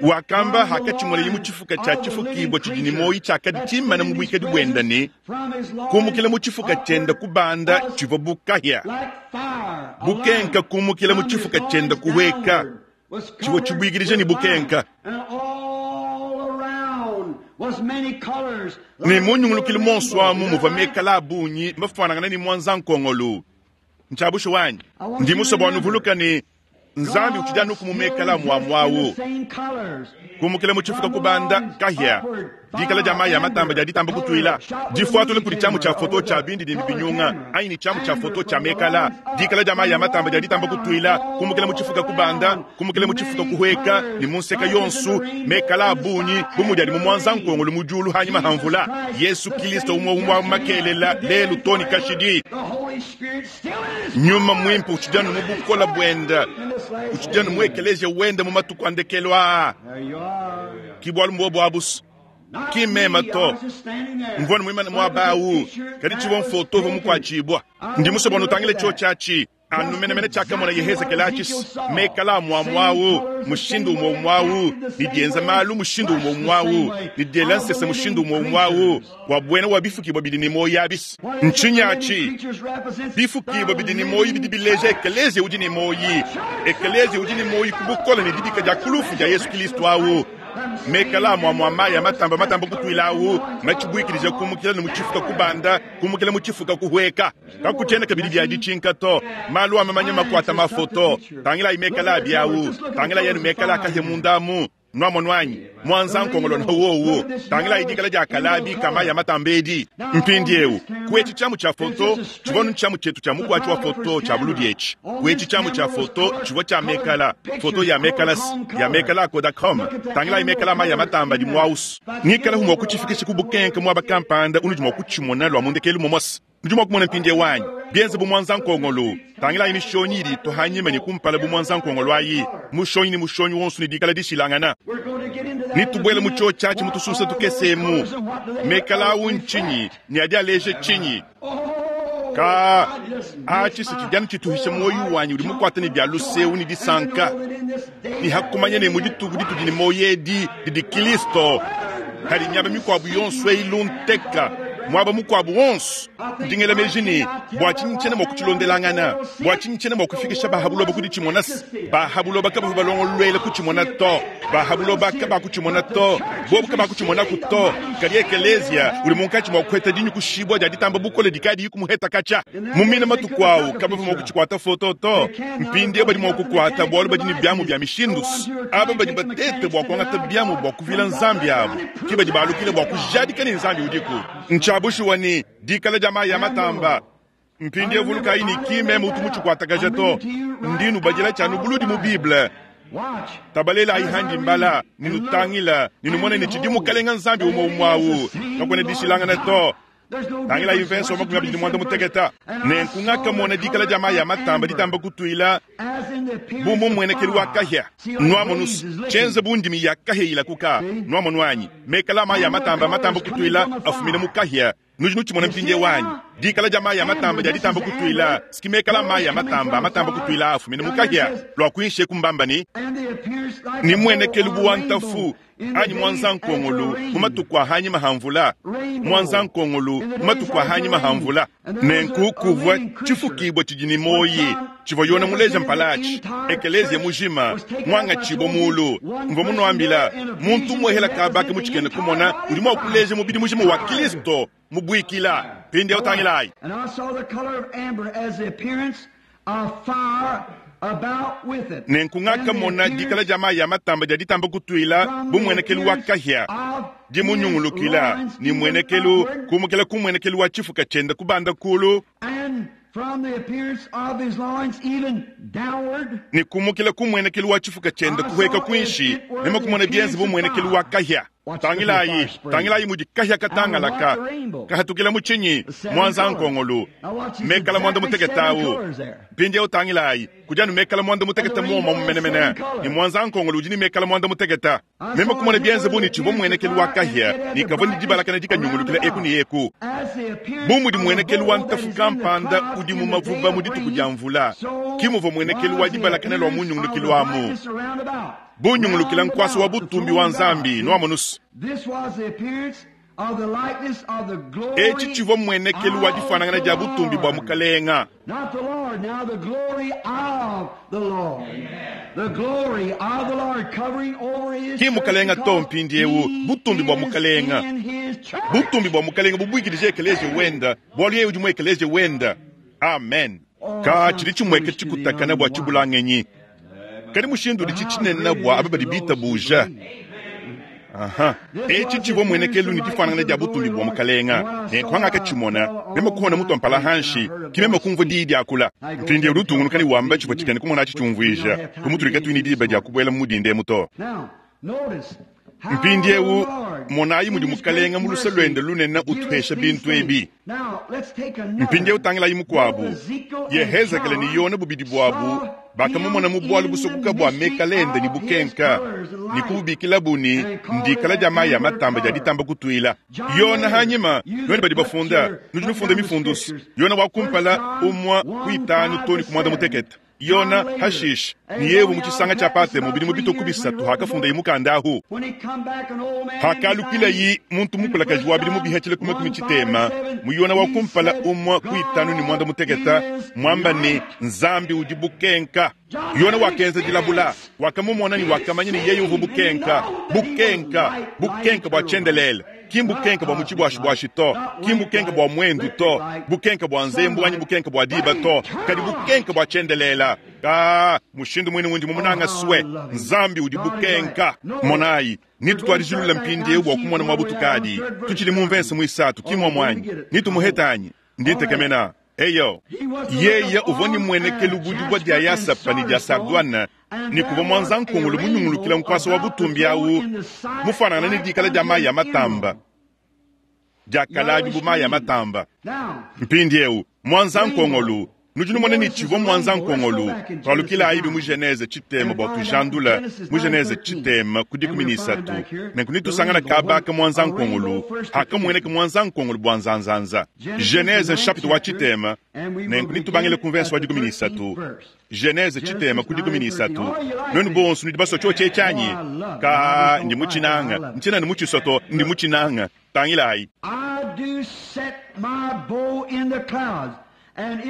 A: Wakamba hakatshimona mu tshifuka tshia tshifukibwa tshidi ne moyi tshiakadi tshimana mu buikadi buenda ne kumukila mu tshifuka tshienda kubanda tshivua bu kahia. Bukenka kumukila mu tshifuka tshienda kuhueka tshivua tshibuikidija ne bukenka. Ne munyungulukile monso amu muvua mekala abunyi mafuanangana ne mwanza nkongolu. Ntshabusho wanyi ndi musue bua nuvuluka ne Nzambi utshidi anu kumumekala muamuawu. Kumukila mu tshifuka kubanda kahia dikala dia mayi ya matamba dia ditamba kutuila difuatule kudi tshiamu tshia foto tshia bindi dindi binyunga anyi ne tshiamu tshia foto tshia mekala. Dikala dia mayi ya matamba dia ditamba kutuila kumukila mu tshifuka kubanda kumukila mu tshifuka kuhueka ne mu nseka yonsu mekala abunyi bu mudi adi mu mwanza nkongolu mu diulu hanyima ha mvula. Yesu Kristo umwe umwe makelela lelu toni kashidi. Nyuma mwimpe utshidi anu mu bukola buenda, utshidi anu mu ekeleziya wenda mu matuku a ndekelu aa. Ki bualu mbuobu abusu ki mema to mvua muimane muaba awu, kadi tshivua mfoto uvua mukuatshibua. Ndi musue bua nutangile tshio tshiatshi anu menemene tshiakamona Yehezekele atshisi mekala amuamuawu mushindu umwe umwawu ne dienza malu mushindu umwe umwawu ne diela nsese mushindu umwe umwawu wa buena wa bifukibwa bidi ne moyi abisi. Ntshinyi atshi? Bifukibwa bidi ne moyi bidi bileja ekelezia udi ne moyi, ekelezia udi ne moyi ku bukole ne dibika dia kulufu dia Yesu Kristo awu. Mekala amuamua mayi ya matamba matamba kutuila awu matshibuikidija kumukila ne mu tshifuka kubanda kumukila mu tshifuka kuhueka. Kakutshiena kabidi bia ditshinka to malu amamanya makuata mafoto. Tangilayi mekala abi awu, tangilayi anu mekala akahia mundamu nuamono anyi mwanza nkongolo na wowo. Tangilayi dikala dia kalabi kama ya matamba edi. Mpindiewu kuetshi tshiamu tshia foto tshivua nu tshiamu tshietu tshia mukuatshi wa foto tshia buludi etshi. Kuetshi tshiamu tshia foto tshivua tshia mekala foto ya mekala ya mekala Kodachrome. Tangilayi mekala mayi ya matamba di muausu ngikala hu mua kutshifikisha ku bukenke muaba kampanda unudi mua kutshimona lua mundekelu momosi. Nudi mua kumona mpindiewu wanyi bienze bu mwanza nkongolo. Tangilayi mishonyi idi itohanyima ne kumpala bu mwanza nkongolo ayi mushonyi ne mushonyi wonso ne dikala dishilangana. Nitubuele mu tshio tshiatshi mutususa tukesemu mekala awu ntshinyi ne adi aleja tshinyi. Ka atshi se tshidianu tshituhisha moyi wanyi udi mukuate ne bia luseu ne disanka ne hakumanya ne mu dituku ditudi ne moyi edi didi Kristo kadi miaba mikuabu yonso eyi lunteka Mwaba mukwabu wonso. Ndingela meji ne bua tshinyi tshiena mua kutshilondelangana, bua tshinyi tshiena mua kufikisha bahabuloba kudi tshimona, bahabuloba kabavua balongoluela kutshimona to, bahabuloba kabakutshimona to, bobu kabakutshimonako to. Kadi ekelezia udi munkatshi mua kuheta dinyukushibua dia ditamba bukole dikadi kumuheta katsha. Mu mina matuku awu kabavua mua kutshikwata foto to. Mpindieu badi mua kukwata bualu badi ne biamu bia mishindu. Aba badi batete bua kuangata biamu bua kuvila nzambi abu ke badi balukile bua kujadika ne nzambi udiku. Ntshiabushuwa ne dikala dia mayi ya matamba. Mpindieu vulukayi ne ki meme utu mutshikwatakaja to. Ndi nubadila tshianu buludi mu Bible. Tabalelayi handi mbala, ninutangila, ninumona ne tshidi mukalenga nzambi umwe umwe awu. Kakuena dishilangana to. Tangila mvenso wa makumi abidi ne muanda muteketa. Nenku ngakamona dikala dia mayi ya matamba ditamba kutuila bu mumuenekelu wa kahia. Nuamonu tshienze bu ndimi ya kahia ilakuka. Nuamonu anyi mekala mayi ya matamba matamba kutuila afumina mu kahia. Nudi nutshimona mpindie wanyi dikala dia mayi ya matamba dia ditamba kutuila sikimekala mayi ya matamba matamba kutuila afumina mu kahia. Lua kuinshe kumbamba ni ni muenekelu bu wa ntafu anyi mwanza nkongolu mu matuku a hanyima ha mvula, mwanza nkongolu mu matuku a hanyima ha mvula. Nenku kuvua tshifukibua tshidi ne moyi tshivua Yona muleja mpalachi ekelezia mujima mwanga tshibo mulu. Mvua munuambila muntu mwehela kabaka mutshikene kumona udi mua kuleja mubidi mujima wa Kristo mubuikila. Pindi utangilayi.
B: And I saw the color of amber as the appearance of fire about with it.
A: Nenku ngakamona dikala dia mayi ya matamba dia ditamba kutuila bu muenekelu wa kahia dimunyungulukila ni muenekelu kumukela ku muenekelu wa tshifuka tshienda kubanda kulu
B: And from the appearance of his loins even downward,
A: ni kumukila ku muenekelu wa tshifuka tshienda kuheka kuinshi nemakumona bienze bu muenekelu wa kahia. Tangilayi, tangilayi mudi kahia katangalaka kahatukila mu tshinyi mwanza nkongolu mekala mwanda muteketawu. Mpindieu tangilayi kudi anu mekala mwanda muteketa muoma mumenemene ni mwanza nkongolu udi ni mekala mwanda muteketa. Nemakumona bienze bu ni tshivua muenekelu wa kahia ni kavua ni dibalakana dikanyungulukila eku ni eku.
B: as the appearance
A: Bu mudi
B: of the
A: muenekelu wa
B: bowl that
A: ntafu
B: is in the
A: kampanda
B: cloud
A: udi
B: in
A: mu
B: the
A: mavuba
B: day
A: mu
B: of
A: dituku
B: rain,
A: dia mvula
B: so
A: ki muvua muenekelu wa
B: was the
A: dibalakana lua
B: appearance of
A: munyungulukilu
B: the
A: amu.
B: brightness around about.
A: Bunyungulukila
B: Round
A: nkwasa wa
B: about the
A: butumbi
B: throne
A: wa
B: of God.
A: nzambi nuamonusu.
B: This was the appearance of the likeness of the glory
A: Eci tshivua muenekelu wa difanangana dia butumbi bua mukalenga.
B: Not the Lord, now the glory of the Lord. The glory of the Lord covering over his
A: Ki mukalenga
B: church
A: to
B: because
A: mpindiewu,
B: he
A: butumbi bua
B: is
A: mukalenga.
B: in his church.
A: Butumbi bua mukalenga bubuikidije ekeleziya wenda, bualu yeye udi mu ekeleziya wenda. Amen. Ka tshidi tshimueka tshikutakana bua tshibulangenyi. Kadi mushindu udi tshitshinene bua aba badi bitabuja. Aha. Eci tshivua muenekelu ne difanangana dia butumbi bua mukalenga. Nenku hangakatshimona, meme kuhona mutu mpala hanshi, ki meme kumvua diyi diakula. Mpindieu udi utungunuka ne wamba tshivua tshikene kumona tshiumvuija, kumutulika tuini diba dia kubuela mu mudinde to.
B: Now, notice how
A: Mpindieu
B: the Lord,
A: monayi mudi
B: in his
A: mukalenga
B: great
A: mu luse
B: mercy,
A: luende lunene
B: give us
A: utuhesha
B: these
A: bintu ebi.
B: things. Now, let's take another.
A: Mpindieu tangilayi mukuabu.
B: Both Ezekiel and
A: Yehezekele ne
B: John
A: Yona bubidi buabu
B: saw
A: bakamumona mu
B: him
A: bualu
B: in
A: busokuka
B: the
A: bua
B: mystery
A: mekalende ne
B: of his
A: bukenka
B: colors and
A: ne
B: light.
A: kububikilabu ne
B: And called
A: ndikala
B: it
A: dia mayi ya
B: amber
A: matamba dia
B: color.
A: ditamba kutuila.
B: John
A: Yona
B: later
A: hanyima
B: used
A: nuenu badi
B: to put
A: bafunda
B: your-
A: nudi
B: put
A: nufunda
B: down the
A: mifundu.
B: scriptures.
A: Yona wa
B: First
A: kumpala
B: John
A: umwa
B: one,
A: kuitanu
B: five
A: toni
B: to
A: kumwanda
B: seven.
A: mutekete. Yona
B: John later,
A: hashish
B: a
A: ni yevu
B: long
A: mu chisanga cha
B: out
A: Patemo
B: about
A: bidi mu
B: three
A: bitoku
B: years when
A: bisatu
B: he wrote the
A: hakafunda
B: book.
A: imukanda ahu.
B: When he come back an old man in his
A: Hakalukila
B: nineties,
A: yi muntu
B: in
A: mukulakaji
B: First
A: wa bidi
B: John
A: mubihachile kuma
B: one,
A: kumi
B: five
A: tshitema
B: and seven,
A: mu Yona wa
B: he
A: kumpala
B: said,
A: umwa kuitanu ni mwanda
B: God
A: muteketa
B: is
A: mwamba ni
B: light.
A: nzambi udi bukenka.
B: John
A: Yona
B: had
A: wakenza dilabula
B: experience.
A: wakamumona ni
B: He
A: wakamanya ni yeye uvu
B: seen and he
A: bukenka
B: know that he was
A: bukenka
B: light, light
A: bukenka bua
B: eternal light.
A: tshiendelele ki
B: Not
A: mbukenka bua
B: cosmic
A: mutshibuashibuashi
B: light,
A: to
B: not
A: ki
B: lamp
A: mbukenka
B: light,
A: bua mwendu
B: electric
A: to
B: light,
A: bukenka bua nzembu anyi
B: sunlight,
A: bukenka bua diba
B: but
A: to kadi
B: eternal
A: bukenka bua tshiendelela. Ka mushindu mwine wundi
B: Oh,
A: mumunanga
B: how I
A: swe
B: love him.
A: nzambi udi
B: God is light.
A: bukenka.
B: Notice,
A: Monayi
B: we're going to
A: nitutwarijilula
B: start right now
A: mpindieu
B: and
A: bua
B: see
A: kumona
B: where we are on
A: mwabutukadi
B: third verse
A: tuchili mu mvense
B: starting.
A: mwisatu
B: Oh,
A: kimwa
B: we're going to
A: mwanyi
B: get it, I hope.
A: nitumuhetanyi
B: All right.
A: nditekemena eyo
B: He was the look
A: yeye uvua ni
B: upon
A: muenekelu
B: a
A: budibwa dia
B: jasper and
A: yasapa ni dia
B: sardis stone,
A: sardwana
B: and
A: ni
B: there
A: kuva
B: was
A: mwanza
B: a
A: nkongolo munyungulukila
B: rainbow
A: nkwasa wa
B: about the
A: butumbi
B: throne
A: awu
B: in the sight
A: mufanana ni
B: like
A: dikala dia
B: unto
A: mayi ya
B: an
A: matamba
B: emerald,
A: diakalabi
B: yellowish
A: bu mayi ya
B: green.
A: matamba.
B: Now,
A: Mpindiewu mwanza
B: rainbow.
A: nkongolu nudi numona ni
B: Notice
A: tshivua
B: this
A: mwanza
B: rainbow. Let's go
A: nkongolu
B: back in Genesis
A: twalukilayi bi mu
B: nine
A: Genese tshitema
B: and
A: bua
B: find out
A: tujandula
B: Genesis
A: mu
B: nine
A: Genese
B: thirteen.
A: tshitema ku
B: And
A: dikumi
B: we'll
A: ni
B: find
A: isatu
B: back here
A: nenku
B: the
A: nitusangana
B: rainbow. When
A: kabaka mwanza
B: a rainbow
A: nkongolu
B: first
A: hakamueneka
B: appeared.
A: mwanza nkongolu bua nzanzanza.
B: Genesis the
A: Genese
B: ninth
A: chapitre wa
B: chapter,
A: tshitema
B: and we will
A: nenku nitubangile
B: begin
A: ku mvenso
B: at
A: wa
B: the
A: dikumi ni
B: thirteenth
A: isatu.
B: verse.
A: Genese tshitema
B: Genesis
A: ku dikumi
B: nine
A: ni
B: thirteen.
A: isatu.
B: Oh, you like
A: Nwenu
B: this?
A: bonso nudi baswa tsho
B: Oh,
A: tshetshanyi
B: I love it. I
A: ka
B: just
A: ndi
B: don't like it. I
A: mutshinanga
B: love it.
A: ntshinani mutshisoto ndi
B: Look,
A: mutshinanga tangilayi.
B: I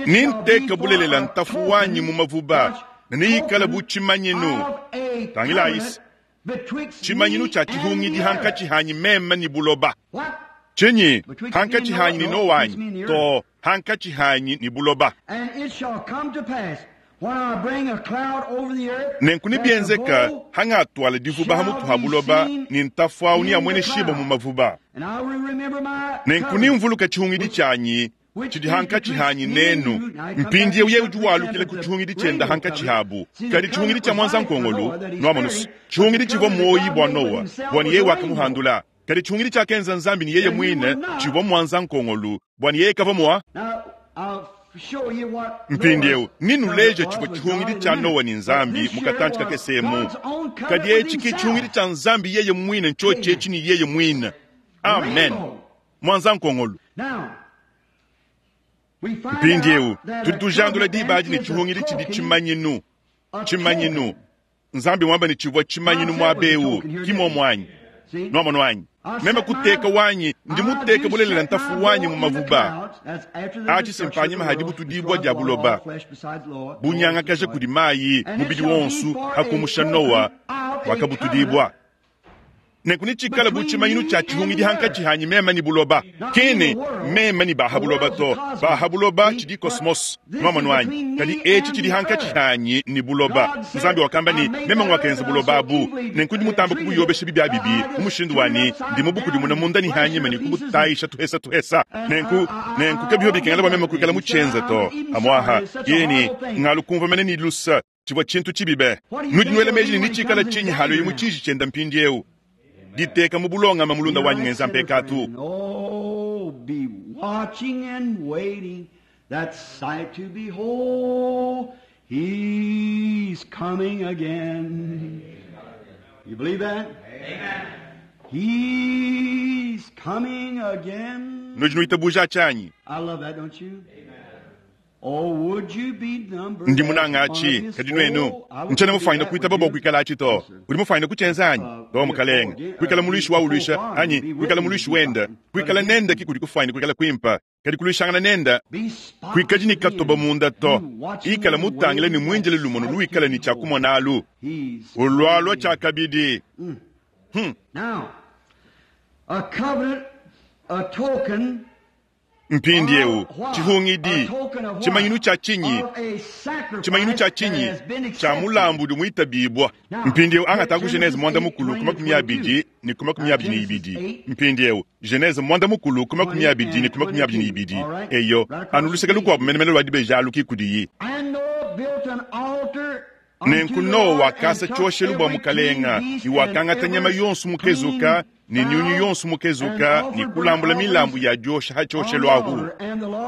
A: Ninteke bulelela ntafu wanyi mu mavuba ne neyikale bu tshimanyinu. Tangilayi tshimanyinu tshia tshihungidi hankatshi hanyi meme ni buloba. Tshinyi hankatshi hanyi ni Noa wanyi to hankatshi hanyi ni buloba. Nenku nibienzeka hangatwala divuba hamutu ha buloba ni ntafu awu ni amwene shiba mu mavuba. Nenku nimvuluka tshihungidi tshanyi tshidi hankatshi hanyi nenu. Mpindiewu ye udi walukila ku tshihungidi tshienda hankatshi habu. Kadi tshihungidi tshia mwanza nkongolu noamonusu tshihungidi tshivua moyi bua Noa bua ni yeye wakamuhandula. Kadi tshihungidi tshiakenza Nzambi ni yeye mwine tshivua mwanza nkongolu bua ni yeye kava moa. Mpindiewu ninuleje tshivua tshihungidi tshia Noa ni Nzambi mukatantshi kakesemu. Kadi etshi ke tshihungidi tshia Nzambi yeye mwine ntshotshetshi ni yeye mwine. Amen. Mwanza nkongolu. Mpindiewu tudi tujandula diba adi ne tshihungidi tshidi tshimanyinu. Tshimanyinu. Nzambi mwamba ne tshivua tshimanyinu mwabewu kimomwanyi. Nwamonu wanyi. Meme kuteka wanyi ndi muteke bulelela ntafu wanyi mu mavuba. Atshi sempanyima hadi butudibwa dia buloba. Bunyangakaja kudi mayi mubidi wonsu hakumusha Noa wakabutudibwa. Nenku nitshikala bu tshimanyinu tshia tshihungidi hankatshi hanyi meme ni buloba. Kene meme ni baha buloba to. Baha buloba tshidi kosmos. Nwamonu wanyi. Kadi etshi tshidi hankatshi hanyi ni buloba. Nzambi wakamba ni meme ngwakenza buloba abu. Nenku ndi mutamba kubuyobesha bibia bibi. Umushindu wani ndi mubukudimuna munda ni hanyima ni kubutayisha tuhesa tuhesa. Nenku nenku kabiho bikengela bwa meme kuikala mutshenza to. Amwaha yeni ngalu kumva mene ni lusa tshivua tshintu tshibibe. Nudi nwela meji ni nitshikala tshinyi halo yimu tshiji tshienda mpindiewu. Diteka mu bulongama mulunda wanyi ngenza mpekatu.
B: Oh, be watching and waiting that sight to behold. He's coming again. You believe that? Amen. He's coming again.
A: Nudi nuitabuja tshanyi.
B: I love that, don't you? Oh, would you be numbered
A: Ndi munanga achi kadi nwenu nchana mufaina kuitaba bwa kuikala achi to. Udi mufaina kuchenza anyi to mukalenga. Kuikala muluishi wa ulusha anyi kuikala muluishi wenda. Kuikala nenda kikudi kufaina kuikala kwimpa. Kadi kuluishangana nenda kuikaji ni katoba munda to. Ikala mutangile ni mwinjile lumono luikala ni chakumona alu. Ulwalwa chakabidi. Hmm.
B: Now, a covenant, a token
A: Mpindiewu tshihungidi tshimanyinu tshia tshinyi tshimanyinu tshia tshinyi tshia mulambu udi muitabibwa. Mpindiewu angata ku Genese mwanda mukulu ku makumi abidi ni ku makumi abidi ni ibidi. Mpindiewu Genese mwanda mukulu ku makumi abidi ni ku makumi abidi ni ibidi. Eyo anu luseke lukuabu menemene lua dibeja alu kudiyi. Nenku Noa wakasa tshioshelu bua mukalenga ni wakangata nyama yonso mukezuka ni nyunyu yonso mukezuka ni kulambula milambu ya diosha ha tshioshelu ahu.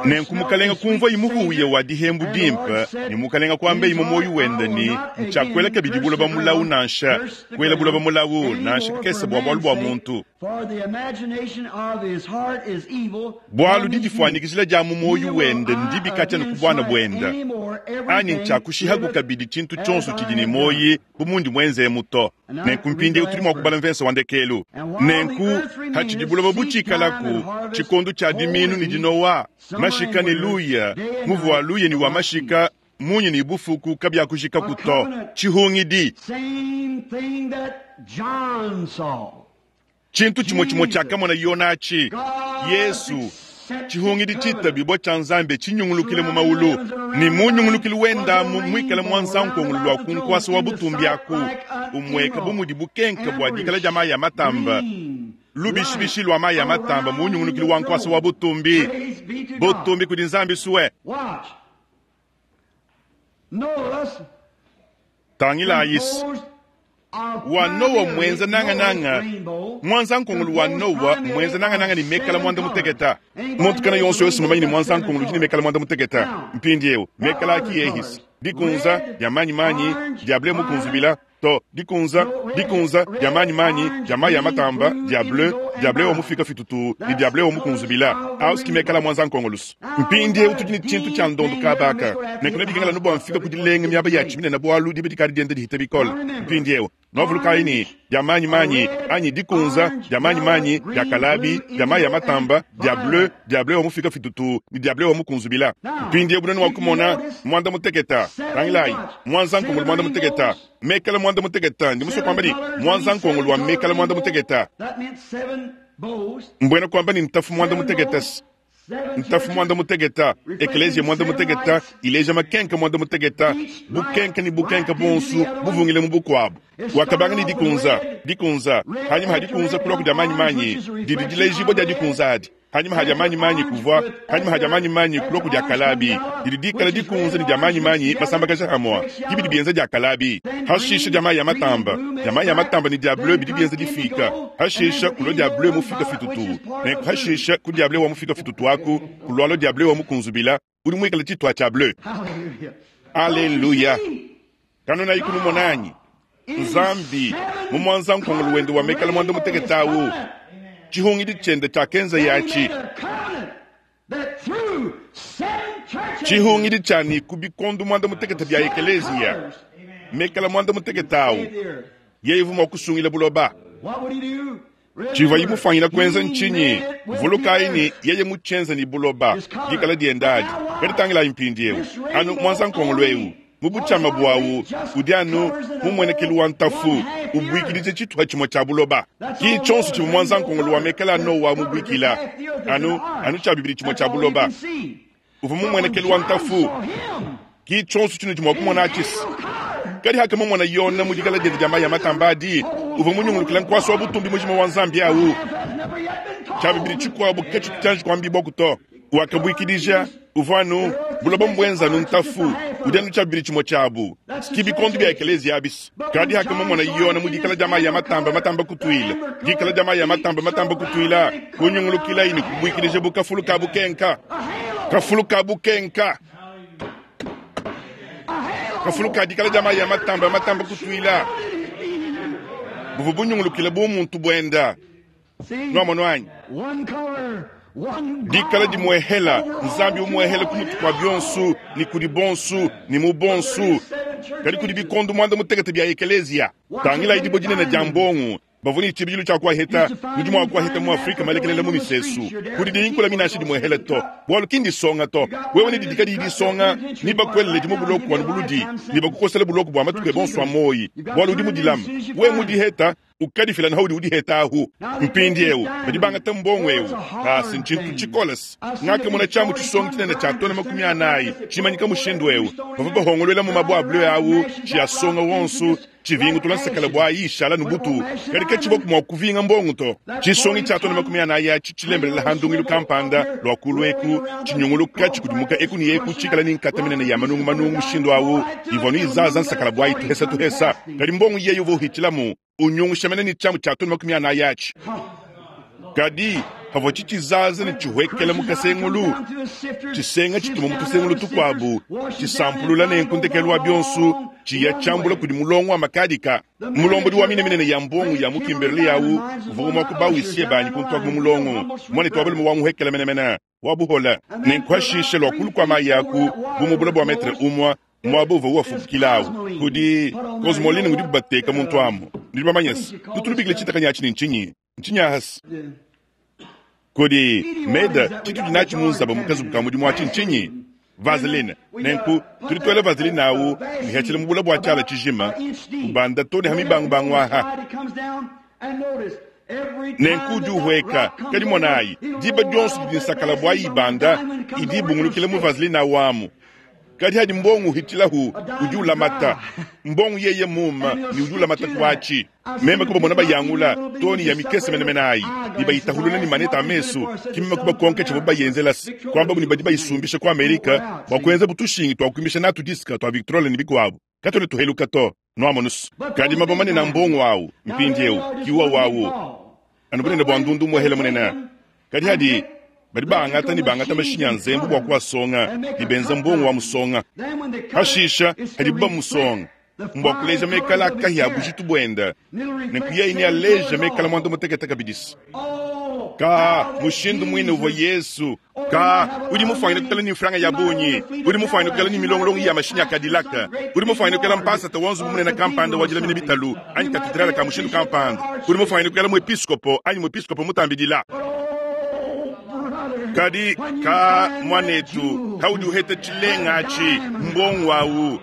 A: Nenku mukalenga kumva imuhuye wa dihembu dimpe ni mukalenga kuamba imu moyo wenda ni ntshakuela kabidi buloba mulawu nansha kuela buloba mulawu nansha kakesa bua bualu bua muntu. Bualu didifuanyikijila dia mu moyo wenda ndibi katshia ne ku buana buenda. Anyi ntshakushihaku kabidi tshintu tshionso tshidi ne moyi bu mundi muenzemu to. Nenku mpindiewu tudi mua kubala mvese wa ndekelu. Nenku hatshidi buloba butshikalaku tshikondo tshia diminu ni dinowa mashika ni luya muvu wa luya ni wa mashika munyi ni bufuku kabiakujikaku to. Tshihungidi tshintu tshimwe tshimwe tshiakamona yonachi Yesu tshihungidi tshitabibwa tshia Nzambi tshinyungulukile mu maulu ni munyungulukile wenda muikale mwanza nkongolo lwa kunkwasa wa butumbi aku umweka bumudi bukenka bua dikala dia mayi ya matamba lubishibishi lwa mayi ya matamba munyungulukile wa nkwasa wa butumbi butumbi kudi Nzambi suwe. Tangilayisi wa Noa mwenza nangananga mwanza nkongolo wa Noa mwenza nangananga ni mekala mwanda muteketa. Muntu kana yonso yonso mumanyi ni mwanza nkongolo ni mekala mwanda muteketa. Mpindiewu mekala aki yehisi dikunza dia manyi manyi dia bleu mukunzubila to dikunza dikunza dia manyi manyi dia mayi ya matamba dia bleu dia bleu omufika fitutu ni dia bleu omukunzubila auski mekala mwanza nkongolusu. Mpindiewu tudi ni tshintu tshia ndondo kabaka nekuna bikengela nubua mfika kudilenga miaba ya tshiminene bualu dibe dikadi dienda dihita bikole. Mpindiewu Nwavulukayi ne dia manyimanyi anyi dikunza, dia manyimanyi, dia kalabi, dia mayi a matamba, dia bleu, dia bleu wa mufika fitutu ne dia bleu wa mukunzubila. Mpindieu bunene wa kumona muanda muteketa. Tangilayi, mwanza nkongolo muanda muteketa, mekala muanda muteketa. Ndi musue kuamba ne mwanza nkongolo wa mekala muanda muteketa. Mbuena kuamba ne ntafu muanda muteketa. Ntafu muanda muteketa, ekeleziya muanda muteketa, ileja makenka muanda muteketa, bukenka ne bukenka bonsu buvungile mu bukuabu. Wakabanga ne dikunza, dikunza, hanyima ha dikunza kulua kudia manyimanyi, didi dilejibua dia dikunza adi. Hanyima ha dia manyimanyi kuvua, hanyima ha dia manyimanyi kulua kudia kalabi, didi dikala dikunza ne dia manyimanyi masambakaja hamua, kibidi bienza dia kalabi. Hashisha dia mayi ya matamba, dia mayi ya matamba ne dia bleu bidi bienza difika. Hashisha kulua dia bleu mufika fitutu, nenku hashisha ku dia bleu wa mufika fitutu aku kulua dia bleu wa mukunzubila udi muikala tshitwa tshia bleu. Aleluya! Kanona ikunu monanyi Nzambi mu mwanza nkongolo wende wa mekala mwanda muteketawu chihungidi chende cha kenza yachi chihungidi chani kubikondu mwanda muteketa bya ekelezia mekala mwanda muteketawu yeye vuma kusungila buloba chiva yimufanyila kwenza nchinyi vulukayi ni yeye muchenza ni buloba dikala diendadi kaditangila impindiewu anu mwanza nkongolo ewu mubuchama bwawu udi anu mumwenekelu wa ntafu ubwikilije chituha chimwe cha buloba ki chonso chimwe mwanza nkongolo wa mekala nowa mubwikila anu anu cha bibili chimwe cha buloba uvu mumwenekelu wa ntafu ki chonso chino chimwe kumona achisi kadi haka mumona yona mudikala diende dia mayi matambadi uvu munyungulukila nkwasi wa butumbi mujima wa nzambi awu cha bibili chikuabu kechi tutanji kwambibwa kuto wakabwikilija uvanu buloba mbwenza nu ntafu udi anu tshiabili tshimue tshiabu kibikondu bia ekelezia abisi kadi haka mumona yona mu dikala dia mayi ya matamba matamba kutuila dikala dia mayi ya matamba matamba kutuila kunyungulukila ini kubwikilija bu kafulu ka bukenka kafulu ka bukenka kafulu ka dikala dia mayi ya matamba matamba kutuila buvu bunyungulukila bu muntu buenda nuamono anyi dikala dimuehela nzambi umuehela kumutu kwa bionsu ni kudi bonsu ni mu bonsu kadi kudi bikondu muanda mutekete bia ekelezia tangila idibo dinene dia mbongo bavuni chibilu cha kwaheta nudi mwa kwaheta mu Afrika malekelela mu misesu kudi dinkula minashi dimuehela to bwalu kindi songa to wewe ni didika didi songa ni bakwelele dimu buloku wa buludi ni bakukosela buloku bwa matuke bonso amoyi bwalu udi mudilama we mudiheta ukadifila na haudi udiheta ahu mpindi ewu badi bangata mbongo ewu kasi nchintu chikolas ngake muna chamu chisonga chinene cha tona makumi anayi chimanyika mushindu ewu bava bahongolwela mu mabwa abulwe awu chiyasonga wonsu chivingu tulansekela bwa ishala nubutu kadi kachiboku mwa kuvinga mbongo to chisongi cha tona makumi anayi achi chilembelela handungilu kampanda lwa kulweku chinyunguluka chikudimuka eku ni eku chikala ni nkata minene ya manungu manungu mushindu awu ivonu izaza nsakala bwa ituhesa tuhesa kadi mbongo yeyo vohichilamu unyungushamene ni chamu cha tona makumi anayi achi kadi pavua chichizaza ni chihwekela mukasengulu chisenga chituma mutusengulu tukwabu chisampulula nenku wa bionsu chiya chambula kudi mulongo wa makadika mulombodi wa mineminene ya mbongo ya mukimberli yawu uvuma kubawisiye banyi kuntwaku mulongo mwane twabale muwanguhekela menemene wabuhola nenkuhashishe lwa kulu kwa mayi yaku bumubula bwa metre umwa mwabo uva uwafukilawu kudi cosmoline ngudi bubateka muntu amu ndi bamanyesi tutulubikile chitakanya achi ni nchinyi nchinyi ahasi kodi meda chitu dinachi munzaba mukazubu ka mudimu achi nchinyi vaseline nenku tudi twela vaseline awu nihechele mubula bwa chala chijima kubanda toni ha mibangubangu aha nenku udi uhweka kadi monayi diba dionso didi nsakala bwa ibanda idi ibungulukile mu vaseline awu amu kadi hadi mbongo hitilahu udi ulamata mbongo yeye muma ni udi ulamata kuachi meme kuba mona bayangula toni ya mikese menemene ayi ni bayitahulula ni maneta amesu kimeme kuba konke chibo bayenzelasi kwamba buni badi bayisumbisha ku Amerika bwa kuenza butushingi twakwimisha natu diska twa Victrola ni bikwabu katone tuheluka to nwamonusu kadi mabomane na mbongo awu mpindiewu kiwa wawu anu bunene bwa ndundu muhele munene kadi hadi badi bangata ni bangata mashinya nzembu bwa kuwasonga ni benza mbongo wa musonga hashisha hadi buba musonga mbwa kuleja mekala akahi ya bujitu bwenda nenkuyeyi ni aleja mekala mwanda muteketa kabidisi Ka mushindu mwine uvwa Yesu. Ka udi mufwanyine kukala ni mfranga ya bunyi, udi mufwanyine kukala ni milongolongo ya mashinya ya Cadillac, udi mufwanyine kukala mpasata wa nzubu munene kampanda wa dilamina bitalu anyi katedrale ka mushindu kampanda, udi mufwanyine kukala muepiskopo anyi muepiskopo mutambidila. Kadi ka mwanetu kaudi uheta tshilenga atshi mbongo awu.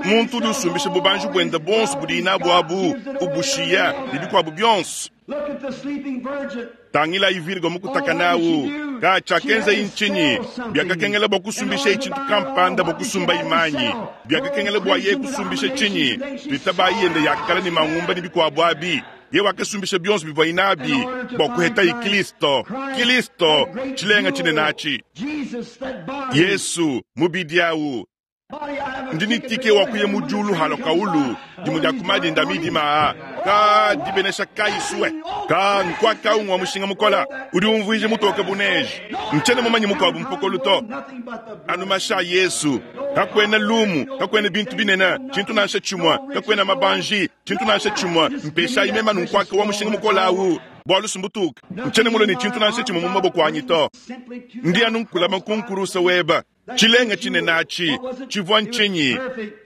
A: Muntu udi usumbisha bubanji bwenda bonso budi inabu abu ubushiya ne bikuabu bionso.
B: Look at the sleeping virgin.
A: Tangila ivirgo mukutaka nawu ka tshiakenza inchinyi biakakengela bua kusumbisha itshintu kampanda bua kusumba imanyi biakakengela bua ye kusumbisha tshinyi tuitaba yende yakala ni mangumba ni bikuabu abi ye wakasumbisha bionso bivua inabi bua kuheta i Kristo Kristo tshilenga tshinenachi
B: Jesus, that body.
A: Yesu mubidi awu
B: Body, I have a
A: ndi
B: ticket to
A: nitike
B: go
A: wa
B: to
A: kuya
B: heaven
A: mu
B: when
A: julu
B: the
A: halo
B: train comes
A: kaulu
B: by.
A: dimu dia kumadinda midima ka dibenesha kaiswe ka nkwaka umwa mushinga mukola udi umvuije mutoke buneji nchene mumanyi mukuabu mpokolo to
B: Nothing but the blood.
A: anu masha Yesu kakwena lumu kakwena bintu binene tshintu nansha tshimwa kakwena mabanji tshintu nansha tshimwa mpesha imema nunkwaka wa mushinga mukola awu bwalu sumbutuka nchene mulo ni tshintu nansha tshimwe mu maboko anyi to
B: Simply to
A: ndi anu nkulama kunkurusa weba tshilenga tshinenachi tshivua ntshinyi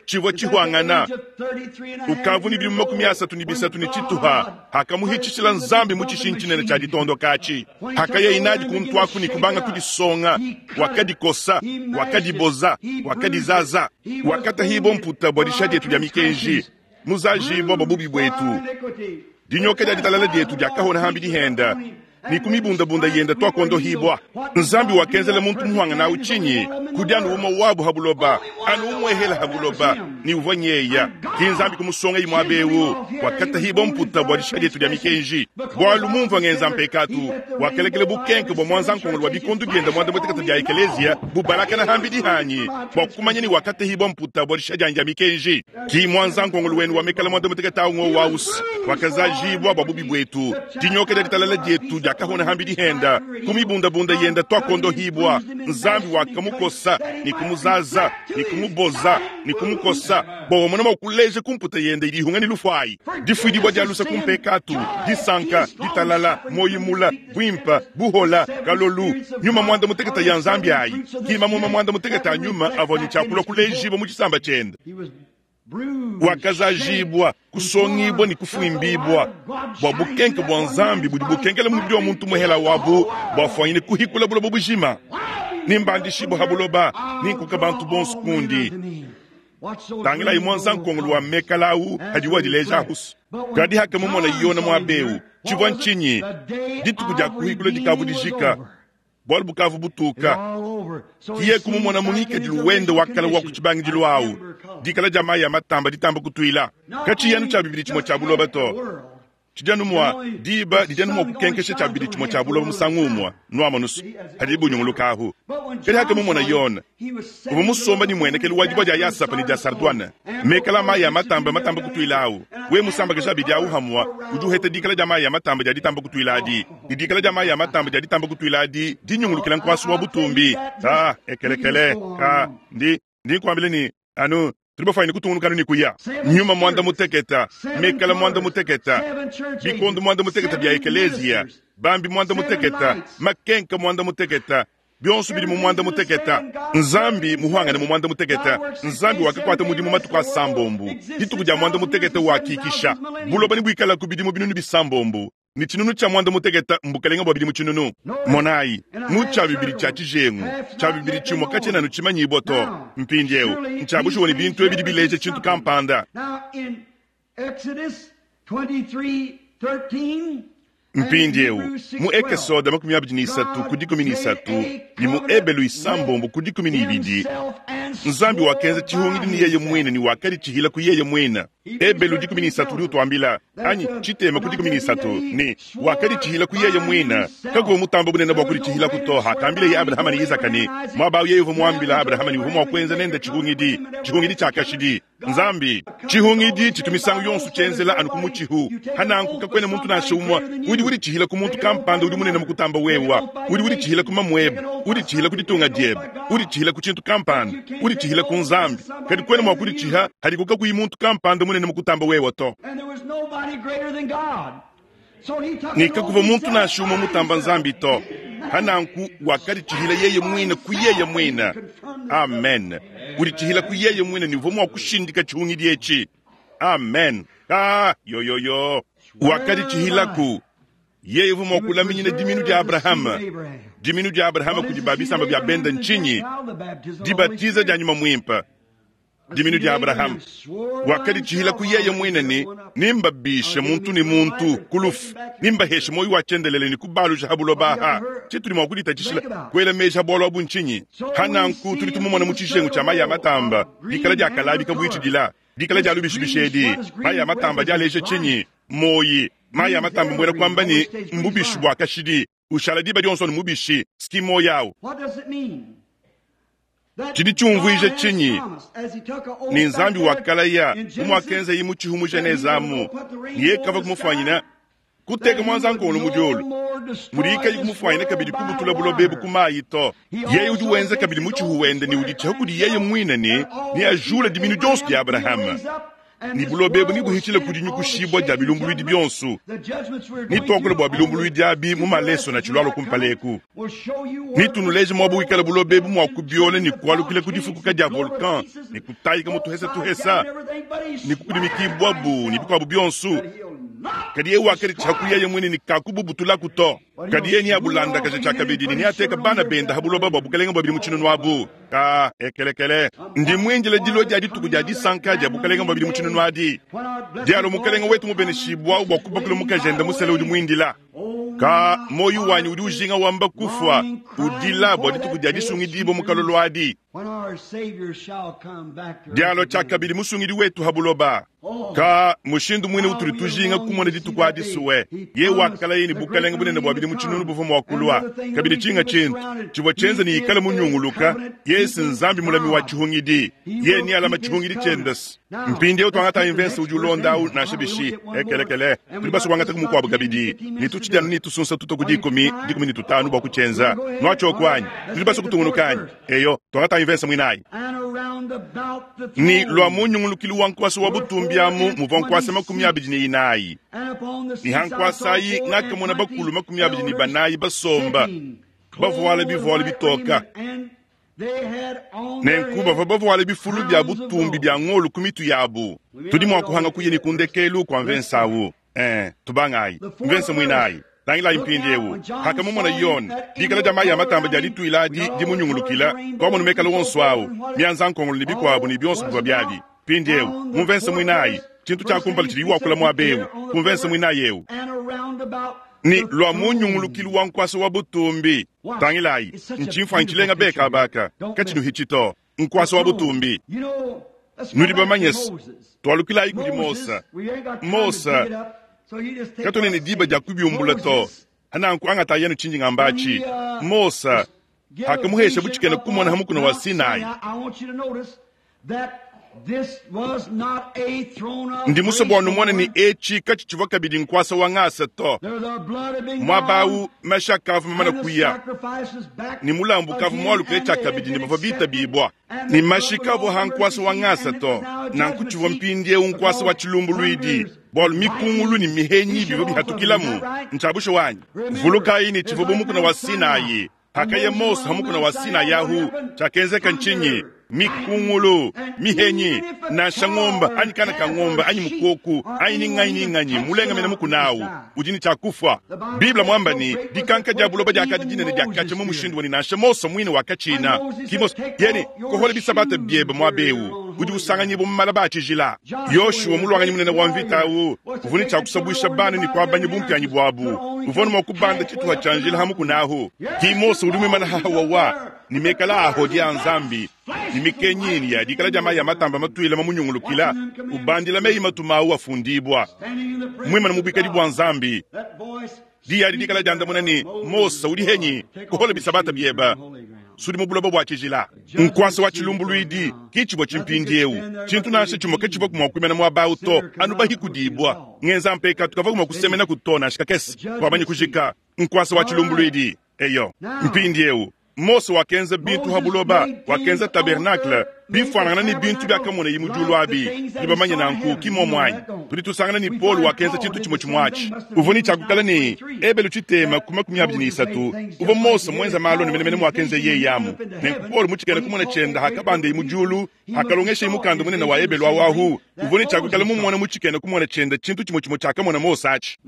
A: tshivua tshihwangana ukavu ni bidimu makumi asatu ni bisatu ni tshituha hakamuhitshishila nzambi mu tshishinyi tshinene tshia ditondoka-atshi hakaya inadi kuntwaku ni kubanga kudisonga wakadikosa wakadiboza wakadizaza wakatahibo mputa bua disha dietu dia mikenji muzajibwa bua bubi bwetu dinyoka dia ditalala dietu diakahona hambi dihenda ni kumibundabunda yenda twakondohibwa nzambi wakenzela muntu muhwanga nawu tshinyi kudi anu uma wabu habuloba anu umwehela habuloba ni uvwa nyeya ki nzambi kumusonga imwe abewu wakatahibwa mputa bua disha dietu dia mikenji bwalu mumva ngenza mpekatu wakelekele bukenke bua mwanza nkongolo wa bikondu bienda mwanda mutekata dia ekelezia bubalakana hambi dihanyi bua kumanya ni wakatahibwa mputa bua disha dianyi dia mikenji ki mwanza nkongolo wenu wamekala mwanda mutekata awu wausi wakazajibwa bua bubi bwetu dinyoka dia ditalala dietu diakahona hambi dihenda kumibundabunda yenda twakondohibwa nzambi wakamukosa ni kumuzaza ni kumuboza ni kumukosa bua mona kuleja kumputa yenda idi ihunga ni lufwayi difuidibwa dia lusa kumpekatu disanka ditalala moyimula bwimpa buhola kalolu nyuma mwanda muteketa ya nzambi ayi kima muma mwanda muteketa ya nyuma avua ni tshiakula kulejibwa mu tshisamba tshiende
B: He was bruised,
A: wakazajibwa kusongibwa ni kufuimbibwa bua bukenke bua nzambi budi bukenkela mubidi wa muntu muhela wabu bwafwanyine kuhikula buloba bujima nimbandishibwa ha buloba ninkuka bantu bonso kundi tangila imwe nzankongolo wa mekalawu hadi wadileja ahusu kadi haka mumona yona mwabewu tshivua ntshinyi dituku dia kuhikula dikavu dijika bwalu bukavu butuka kiye kumumona mungikadilu wende wakala wa kutshibangidilu awu dikala dia mayi ya matamba ditamba kutuila katshiyanu tshia bibidi tshimue tshia buloba to tshidianu mua diba didianu mua kukenkesha tshia bibidi tshimue tshia buloba musangu umua nuamanusu hadi bunyunguluka ahu kadi haka mumona yona uva musomba ni muenekelu wa dibua dia yasapa ni dia sardwana mekala mayi ya matamba matamba kutuila awu we musambakesha abidi awu hamua udi uheta dikala dia mayi ya matamba dia ditamba kutuila adi ni dikala dia mayi ya matamba dia ditamba kutuila adi dinyungulukila nkuasu wa butumbi ta ekelekele ka ndi ndi nkuambile ni anu tuli bafaine kutungunukanu ni kuya nyuma mwanda muteketa mekala mwanda muteketa bikondo mwanda muteketa bya ekelezia bambi mwanda muteketa makenka mwanda muteketa bionso bidi mu mwanda muteketa nzambi muhwangane mu mwanda muteketa nzambi wakakwata mudimu matuku asambombu dituku dia mwanda muteketa wakikisha buloba ni buikala ku bidimu binunu bisambombu ni tshinunu tshia mwanda muteketa mbukalenga bua bidimu tshinunu monayi mu tshia bibidi tshia tshijengu tshia bibidi tshimue katshienanu tshimanyibwa to mpindiewu ntshiabushuwa ni bintu ebidi bileja tshintu kampanda
B: Now in Exodus twenty-three thirteen
A: mpindiewu mu ekesoda makumi abidi ni isatu ku dikumi ni isatu ni mu ebelu isambombo ku dikumi ni ibidi nzambi wakenza tshihungidi ni yeye mwine ni wakadi tshihila ku yeye mwine ebelu dikumi ni isatu udi utuambila anyi tshitema ku dikumi ni isatu ni wakadi tshihila ku yeye mwine kakuva mutamba bunene bua kudi tshihila kutoha akambile ye abrahama ni isaka ni mwabawu yeye uva muambila abrahama ni uva mua kuenza nende tshihungidi tshihungidi tshiakashidi nzambi tshihungidi tshitu misangu yonso tshienzela anu ku mutshihu hananku kakwena muntu nansha umwa udi udi tshihila ku muntu kampanda udi munene mukutamba wewa udi udi tshihila ku mamuebe udi tshihila ku ditunga diebe udi tshihila ku tshintu kampanda udi tshihila ku nzambi kadi kwena mua kudi tshiha hadi kukakuyi muntu kampanda munene mukutamba wewa to
B: And there was nobody greater than God.
A: Ne kakuvua muntu nansha umue mutamba Nzambi to. Hananku wakaditshihila yeye muine ku yeye muine. Amen. Uditshihila ku yeye muine ne uvua mua kushindika tshihungidi etshi. Amen. Ah, yo yo yo. Wakaditshihilaku. Yeye uvua mua kulaminyina diminu dia Abrahama. Diminu dia Abrahama kudi babisamba bia benda ntshinyi? Dibatiza dia nyuma muimpe. Diminu dia Abrahama. Wakaditshihila ku yeye muine ne nimbabishe muntu ne muntu ku lufu, nimbaheshe moyo wa tshiendelele ne kubaluja ha buloba aha. Tshitudi mua kuditatshishila kuela meji ha bualu abu ntshinyi? Hananku tudi tumumona mu tshijengu tshia mayi a matamba, dikala dia kalabi kabuitshidila, dikala dia lubishibisha edi, mayi a matamba dialeja tshinyi? Moyi. Mayi a matamba mbuena kuamba ne mbubishi bua kashidi, ushala diba dionso ne mubishi, ski moyi awu. Tshidi tshiumvuija tshinyi? Ne Nzambi wakalaya bu muakenzaye mu tshihu mu Genese amu, ne yeye kavua kumufuanyina kuteka muanzankongolo mu diulu, mudi kayi kumufuanyina kabidi kubutula buloba ebu ku mayi to. Yeye udi wenza kabidi mu tshihu wende ne uditshiha kudi yeye muine ne neajule diminu dionso dia Abrahama. Ni buloba ebu nibuhitshile kudi nyukushibua dia bilumbuluidi bionso. Nituakule bua bilumbuluidi abi mu maleso na tshilualo kumpaleku. Nitunuleje muabu wikala buloba ebu mua kubiola ne kualukila ku difukuka dia volcan ne kutayika mu tuhesa tuhesa ne kukudimikibwabu ne bikuabu bionso. Kadi yeye wakaditshiha ku yeye muine ne kakububutulaku to. Kadi yeye neabulandakaja tshiakabidi ne neateka bana benda ha buloba bua bukalenge bua bidi mu tshinunu abu. Ka ekelekele. Ndi muindile dilo dia dituku dia disanka dia bukalenge bua bidi mu tshinunu adi. Dialo mukalenge wetu mubeneshibwa bua kubakula mukajenda musele udi muindila. Ka moyo wanyi udi ujinga wamba kufwa udila bua dituku dia disungidibwa mu kalolo adi. Dialo tshiakabidi musungidi wetu ha buloba. Ka mushindu muine utudi tujinga kumona dituku adi suwe. Ye wakalaye ne bukalenge bunene bua bidi mu tshinunu buvua mua kulua. Kabidi tshinga tshintu tshivua tshienza ne ikala munyunguluka. Yesu Nzambi mulami wa tshihungidi. Ye ni alama tshihungidi tshiendesi. Mpindieu tuangata mvense udi ulonda au nansha bishi ekelekele. Tudi basue kuangata mukuabu kabidi. Ne tutshidianu ne tusunsa tuto ku dikumi, dikumi ne tutanu bua kutshienza. Nuatshioku anyi? Tudi basue kutungunuka anyi? Eyo, tuangata mvense muinayi. Ni lua munyungulukilu wa nkuasa wa butumbi amu muvua nkuasa makumi abidi ne inayi. Ni hankuasa ayi ngakamona bakulu makumi abidi ne banayi basomba, bavuala bivualu bitoka. Nenku bavua bavuala bifulu bia butumbi bia ngolu ku mitu yabu. Tudi mua kuhanga kuya ne kundekelu kua mvense awu. Eh, tubangayi. Mvense muinayi. Tangilayi mpindiewu. Hakamumona Yone, dikala dia mayi a matamba dia dituila adi dimunyungulukila, twamona mekala wonso awu, mianza nkongolo ne bikuabu ne bionso bivua biabi. Mpindiewu, mu mvense muinayi, tshintu tshia kumpala tshidi wakula muaba ewu, ku mvense muinayi ewu. Ni lua munyungulukilu wa nkuasa wa butumbi. Tangilayi, ntshimfuanyi tshilenga beka abaka, katshinuhitshi to. Nkuasa wa butumbi. Nudi bamanye se, twalukilayi kudi Mosa. Mosa, katone ne diba dia kubiumbula to. Hananku angata yenu tshinji ngambachi. Mosa, hakamuhesha butshikena kumona hamukuna wa Sinai. Ndi musue bua numone ne etshi katshitshivua kabidi nkuasa wa ngasa to. Muaba awu mashi akavua mamana kuya, ne mulambu ukavua mualukile tshiakabidi ne bavua bitabibua. Ne mashi kavua ha nkuasa wa ngasa to. Nanku tshivua mpindiewu nkuasa wa tshilumbuluidi, bualu mikungulu ne mihenyi bivua bihatukilamu. Ntshiabushe wanyi. Vulukayi ne tshivua bu mukuna wa Sinai. Hakaya Mose hamukuna wa Sinai ahu, tshiakenzeka ntshinyi? Mikungulu, mihenyi, nansha ng'ombe, anyi kana ka ng'ombe, anyi mukoku, anyi ninganyi ninganyi, mulenga mena mukuna awu, udi ne tshiakufwa. Biblia mwamba ni, dikanka dia buloba diakadi dinene diakatsha mu mushindu wani nansha Mose muine wakatshina. Ki Mose, yene, kohola bisabata biebe muaba ewu, udi usanganyibwa mu malaba a tshijila. Yoshua mulwanganyi munene wa mvita awu, uvua ne tshiakusabuisha bana ne kuabanya bumpianyi buabu. Uvua ne mua kubanda tshituha tshia njila ha mukuna ahu. Ki Mose udi muimana hahawawa, ni mekala aho dia Nzambi, ni mikenyini ya dikala dia mayi a matamba matuila mamunyungulukila, ubandila meyi matuma awu afundibwa. Mwimana mu bwikadi bua Nzambi. Diya dikala dia ndamuna ni Mose udi henyi kuhola bisabata bieba. Sudi mu buloba bua tshijila. Nkuasa wa tshilumbuluidi kitshibua tshimpindiewu. Tshintu nansha tshimue ketshivua mua kuimana muaba awu to, anu bahikudibua. Ngenza mpeka tukavua mua kusemena ku to nansha kakese. Wamanya kujika nkuasa wa tshilumbuluidi. Eyo, mpindiewu. Mose wakenza bintu ha buloba, wakenza tabernacle bifuanangana ne bintu biakamonaye mu diulu abi. Tudi bamanye nanku ki muomu anyi? Tudi tusangana ne Paulo wakenza tshintu tshimue tshimue atshi. Uvua ne tshiakukala ne Ebelu tshitema ku makumi abidi ne isatu. Uvua Mose muenza malu anu menemene muakenza yeye amu. Nenku Paulo mu tshikena kumona tshienda hakabandeye mu diulu, hakalongesheye mukanda munene wa Ebelu awu. Uvua ne tshiakukala mumona mu tshikena kumona tshienda tshintu tshimue tshimue tshiakamona Mose atshi.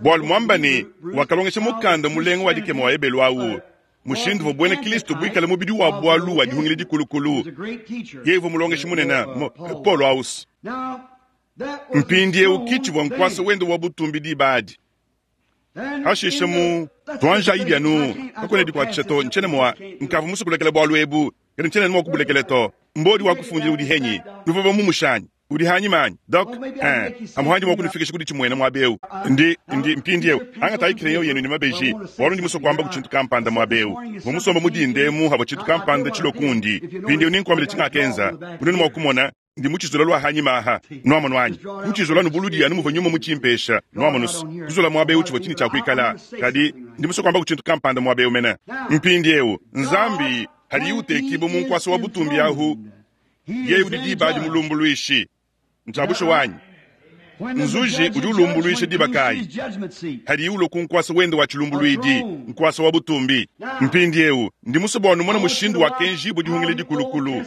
A: Bualu muamba ne wakalongesha mukanda mulenga wa dikema wa Ebelu awu. Mushindu uvua buena Kristo buikale mubidi wa bualu wa dihungila dikulukulu. Yeye uvua mulongeshi munene Paulo aus. Mpindieu kitshivua nkuasa wende wa butumbi diba adi. Hashishe mu tuanjayi bianu kakuena dikuatshisha to ntshene mua nkavua musukulekela bualu ebu kadi ntshene mua kubulekela to. Mbodi wa kufundila udi henyi nuvua bamumushanyi udi hanyima anyi dok eh amuhandi mwa kunifikisha kudi tshimwena mwabeu ndi ndi mpindieu angatayi kireyo yenu ni mabeji bualu ndi musoko kwamba kuchintu kampanda mwabeu mumusomba mudindemu habo chintu kampanda chilokundi mpindieu ninkwambile chingakenza unene mwakumona ndi muchizula lwa hanyima aha nwamonu anyi muchizula nubuludi anu muva nyuma muchimpesha nwamonusu kuzula mwabeu chivua chini chakuikala kadi ndi musoko kwamba kuchintu kampanda mwabeu mena mpindieu nzambi hali utekibo munkwasa wa butumbi ahu yeye udi diba adi mulumbuluishi ntshabusho wanyi nzuji udi ulumbuluisha diba kayi hadi ulo kunkwasa wende wa chilumbuluidi nkwasa wa butumbi mpindieu ndi musobo wanumona mushindu wa kenjibo dihungile dikulukulu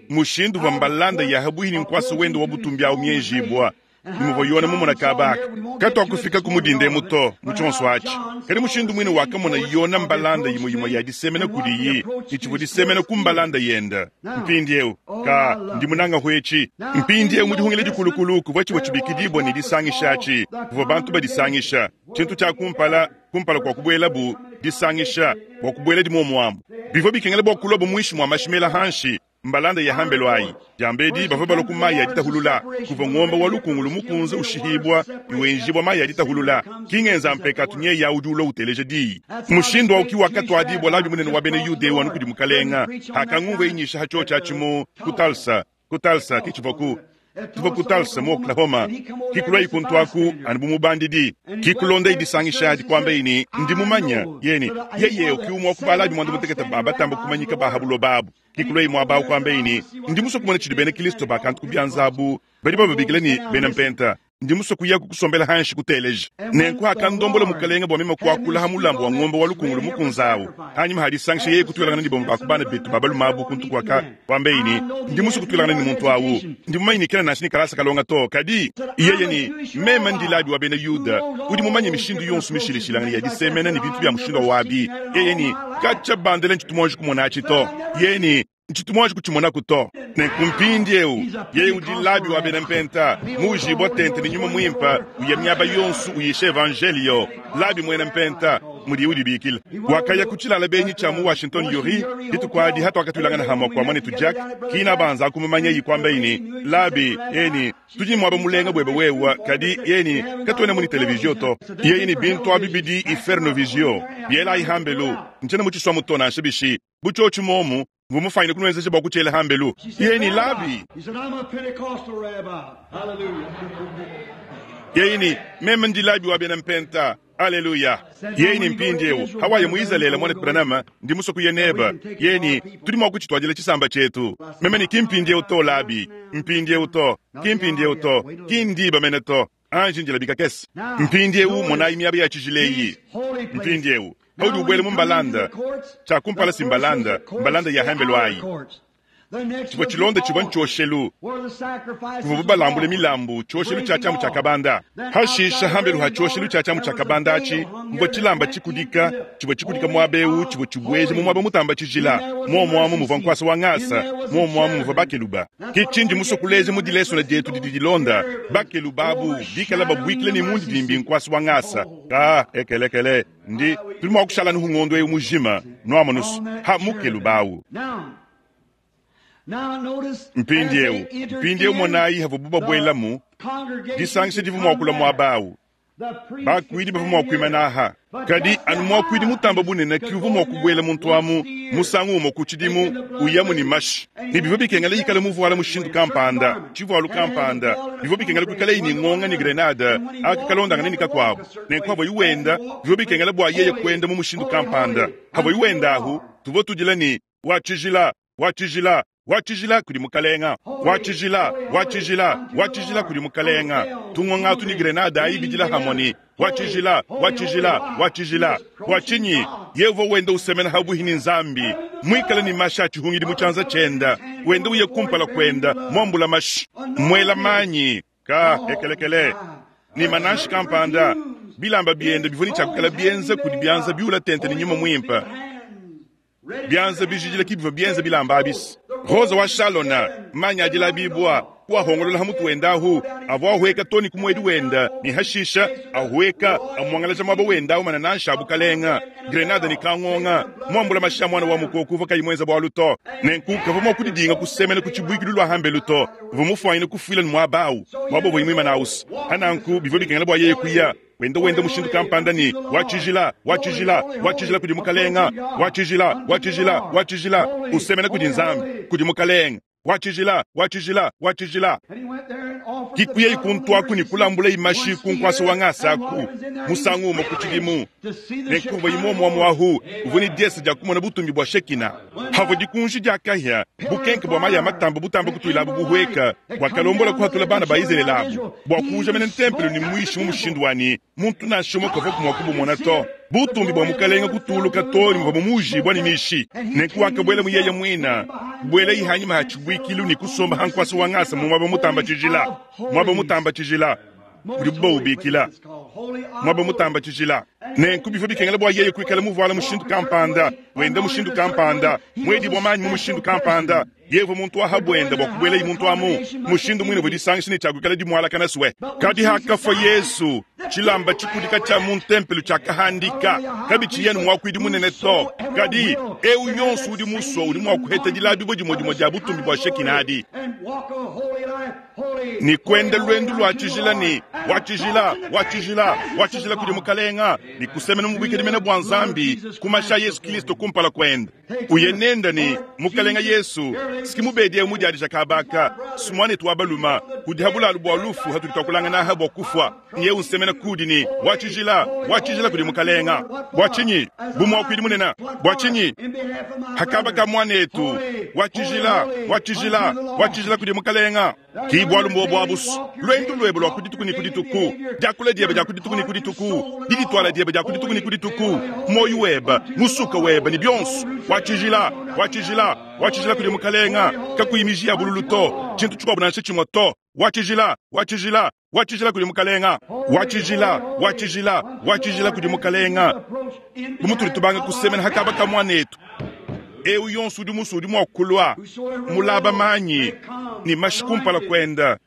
A: mushindu va mbalanda ya habuhini nkwasa wende wa butumbi awu mienjibwa nimuva yona mumona kabaka katwakufika kumudinde to muchonso achi kadi mushindu mwine wakamona yona mbalanda yimwe yimwe ya disemena kudiyi ichivu disemena ku mbalanda yenda mpindieu ka ndi munanga hwechi mpindieu mudihungile dikulukulu kuvua chivua chibikidibwa ne disangishachi kuvua bantu badisangisha tshintu tshia kumpala kumpala kwa kubuelabu disangisha bua kubuela dimomuamu bivua bikengela bua kuloba muishi mua mashimela hanshi mbalanda ya hambelo ayi jambedi bavua balua ku mayi aditahulula kuva ngomba wa lukungulu mukunze ushihibwa iwenjibwa mayi aditahulula kingenza mpekatu nye ya udi ulua uteleja diyi mushindu auki wakatwadibwa labi munene wa bena yudewu anu kudi mukalenga hakangumva inyisha hacho tshatshimu ku Tulsa ku Tulsa kichivoku tuva ku Tulsa mu Oklahoma kikulwa ikuntu aku anu bumubandidi kikulonda idisangisha adi kwamba ini ndi mumanya yeni yeye ukiumwa kubalabi mwandu mutekete baba tamba kumanyika bahabulo babu kikulwa imwa bawu kwamba ini ndi muso kumona tshidi bena Kristo bakantu kubyanzabu badi bababikila ni bena mpenta ndi muso kuya kukusombela hanshi kuteleja nenku hakandombola mukalenga bua mema kuakula ha mulambu wa ngombe wa lukungulu mukunzawu hanyuma hadisangisha yeye kutwilangana ni bomu bakubana betu babalumabu kuntu kwaka kwamba ini ndi muso kutwilangana ni muntu awu ndi mumanyikila nanshi ni kalasa kalonga to kadi yeye ni mema ndilabi wa bena yuda udi mumanye mishindu yonso mishilishilangana ya disemena ni bintu bya mushindu wa wabi yeye ni kacha bandele nchitu kumona achi to yeye ni nchitu kuchimona kuto nenkumpindi eu yeye udi labi wa bena mpenta mujibwa tente ni nyuma mwimpa uya miaba yonsu uyisha evangelio labi mwena mpenta mudi udi bikila wakaya kuchilala benyi cha mu Washington yori ditukwadi hatu akatulangana hamwa kwa mwanetu Jack kina banza kumumanya yikwamba ini labi eni tudi mwaba mulenga bwebe wewa kadi yeni katwene muni televizio to yeyini bintu abibidi iferno visio biela ihambelu nchene muchiswa mutona nshibishi buchochi momu vumufaine kunwezesha bwa kuchela hambelu yeni labi yeyini meme ndi labi wa bena mpenta aleluya yeni mpindiewu hawaye mu Israeli mwana Branham ndi musoku yeneba yeni tudi mwa kuchitwadila chisamba chetu meme ni kimpindiewu to labi mpindiewu to kimpindiewu to kindiba mene to anji njilabika kesi mpindiewu monayi miaba ya chijileyi mpindiewu haudi ubwele mu mbalanda chakumpala si mbalanda mbalanda ya hambelo ayi chivua chilonda chivua nchoshelu kuvua bubalambule milambu choshelu cha chamu cha kabanda hashisha hambelu ha choshelu cha chamu cha kabanda achi mvua chilamba chikudika chivua chikudika mwabeu chivua chibweje mu mwaba mutamba chijila momwamu muvua nkwasa wa ngasa momwamu muvua bakeluba kichindi musokuleze mu dilesona dietu didi dilonda bakeluba abu bikala babwikile ni mundi dimbi nkwasa wa ngasa ka ekelekele ndi tuli mwa kushala nuhungondo ewu mujima nwamonusu ha mukelubawu mpindiewu mpindiewu monayi havu bubabwelamu disangisha divu mwakula mwabawu Bakuidi bavua mua kuimana aha. Kadi anu muakuidi mutamba bunene ki uvua mua kubuela muntu amu musangu umue ku tshidimu uyamu ne mashi. Ne bivua bikengela ikale muvuala mushindu kampanda, tshivualu kampanda, bivua bikengela kuikalaye ne ngonga ne grenade akakalondangana ne kakuabu. Nenku avua wenda, bivua bikengela bua yeye kuenda mu mushindu kampanda. Avua wenda ahu, tuvua tudila ne wa tshijila, wa tshijila, wa tshijila kudi mukalenga, wa tshijila, wa tshijila, wa tshijila kudi mukalenga. Tungonga tu ni grenade ayi bidila hamoni. Wa tshijila, wa tshijila, wa tshijila. Wa chinyi, yeye wenda usemena habuhi ni nzambi. Mwikala ni masha chihungidi muchanza chenda. Wenda uye kumpala kwenda, mwambula mashi. Mwela manyi, ka ekelekele. Ni manashi kampanda. Bilamba bienda bivuni chakukala bienza kudi bianza biula tente ni nyuma mwimpa. Bianza bijijila kibiva bienza bilamba abisi. Rosa wa Shalona, manya adila bibwa, kwa hongolola hamutu wenda ahu, avwa huweka toni kumwedi wenda, ni hashisha, ahuweka, amwangalaja mwaba wenda ahu mananansha abukalenga, grenada ni kangonga, mwambula masha mwana wa mukoku vaka imwenza bwa luto, nenku kavamo kudidinga kusemena kuchibwiki lulwa hambe luto, vumufwanyina kufwila ni mwabau, mwabo bwimwima na usi, hananku bivyo bikengela bwa yeye kuya, wenda wenda mushindu kampanda ni wa tshijila, wa tshijila, wa tshijila kudi mukalenga, wa tshijila, wa tshijila, wa tshijila, usemena kudi nzambi, kudi mukalenga, wa tshijila, wa tshijila, wa tshijila. Kikuye ikuntu aku ni kulambula imashi kunkwasa wa ngasaku, musangu umo kuchidimu. Nenkuva imomo wa mwahu, uvuni diesa dia kumona butumbi bwa shekina. Havo dikunji dia kahya, bukenke bwa maya matamba butamba kutuilabu buhweka, bwa kalombola kuhatula bana ba Israeli labu. Bwa kuja mene ntempelo ni mwishi mu mushindu wani, muntu nashomo kavo kumwa kubumona to. Butumbi bwa mukalenga kutuluka toni mva mumuji bwa ni mishi. Nenku wakabwela muyeye mwina, bwela ihanyima hachibwikilu ni kusomba hankwasa wangasa mu mwaba mutamba tshijila. Mwaba mutamba tshijila. Udi bubikila. Mwaba mutamba tshijila. Nenku bivyo bikengela bwa yeye kuikala muvuala mushindu kampanda, wenda mushindu kampanda, mwedi bwa manyi mu mushindu kampanda. Yevo muntu wa habwenda bwa kubwela imuntu amu mushindu mwine bwedisangisha ni chakukala dimwala kana swe. Kadi hakafa Yesu, chilamba chikudika cha mu ntempelo chakahandika, kabichi yenu mwakwidi munene to. Kadi eu yonso udi muso udi mwakuheta dilabi bwe dimwe dimwe dia butumbi bwa shekinadi. Ni kwenda lwendu lwa tshijila ni wa tshijila, wa tshijila, wa tshijila kudi mukalenga, ni kusemena mubwike dimene bwa nzambi kumasha Yesu Kristo kumpala kwenda. Uyenenda ni mukalenga Yesu sikimubedi mudi adija kabaka sumwane twabaluma kudihabula bwa lufu hatulitakulanga na habwa kufwa ye unsemena kudi ni wa tshijila, wa tshijila kudi mukalenga. Bwa chinyi bumwa kwidi munena bwa chinyi hakabaka mwanetu wa tshijila, wa tshijila, wa tshijila kudi mukalenga. Kibwa lumbo bwa busu lwendu lwebo lwa kudituku ni kudituku jakula dieba ja kudituku ni kudituku diditwala dieba ja kudituku ni kudituku moyo weba musuka weba ni bionso wa tshijila, wa tshijila, wa tshijila kudi mukalenga kakuyimijia bululu to tshintu tshikuabu nansha tshimwe to wa tshijila, wa tshijila, wa tshijila kudi mukalenga, wa tshijila, wa tshijila, wa tshijila kudi mukalenga. Bumutuli tubanga kusemena hakaba kamwanetu eu yonso udi musu udi mua kulua mulaba manyi ni mashi kumpala kwenda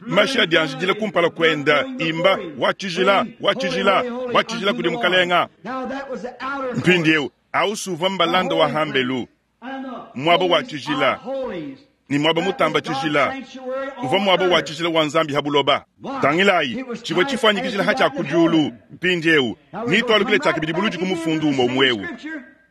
A: mashi adianjidila kumpala kwenda imba wa tshijila, wa tshijila, wa tshijila kudi mukalenga. Mpindieu ausuva mbalanda wa hambelu mwaba wa tshijila ni mwaba mutamba tshijila uva mwaba wa tshijila wa nzambi habuloba tangilayi chibwe chifanyikijila hacha kudyulu mpindieu nitwalukile chakibidi buluji kumufundu umo umwewu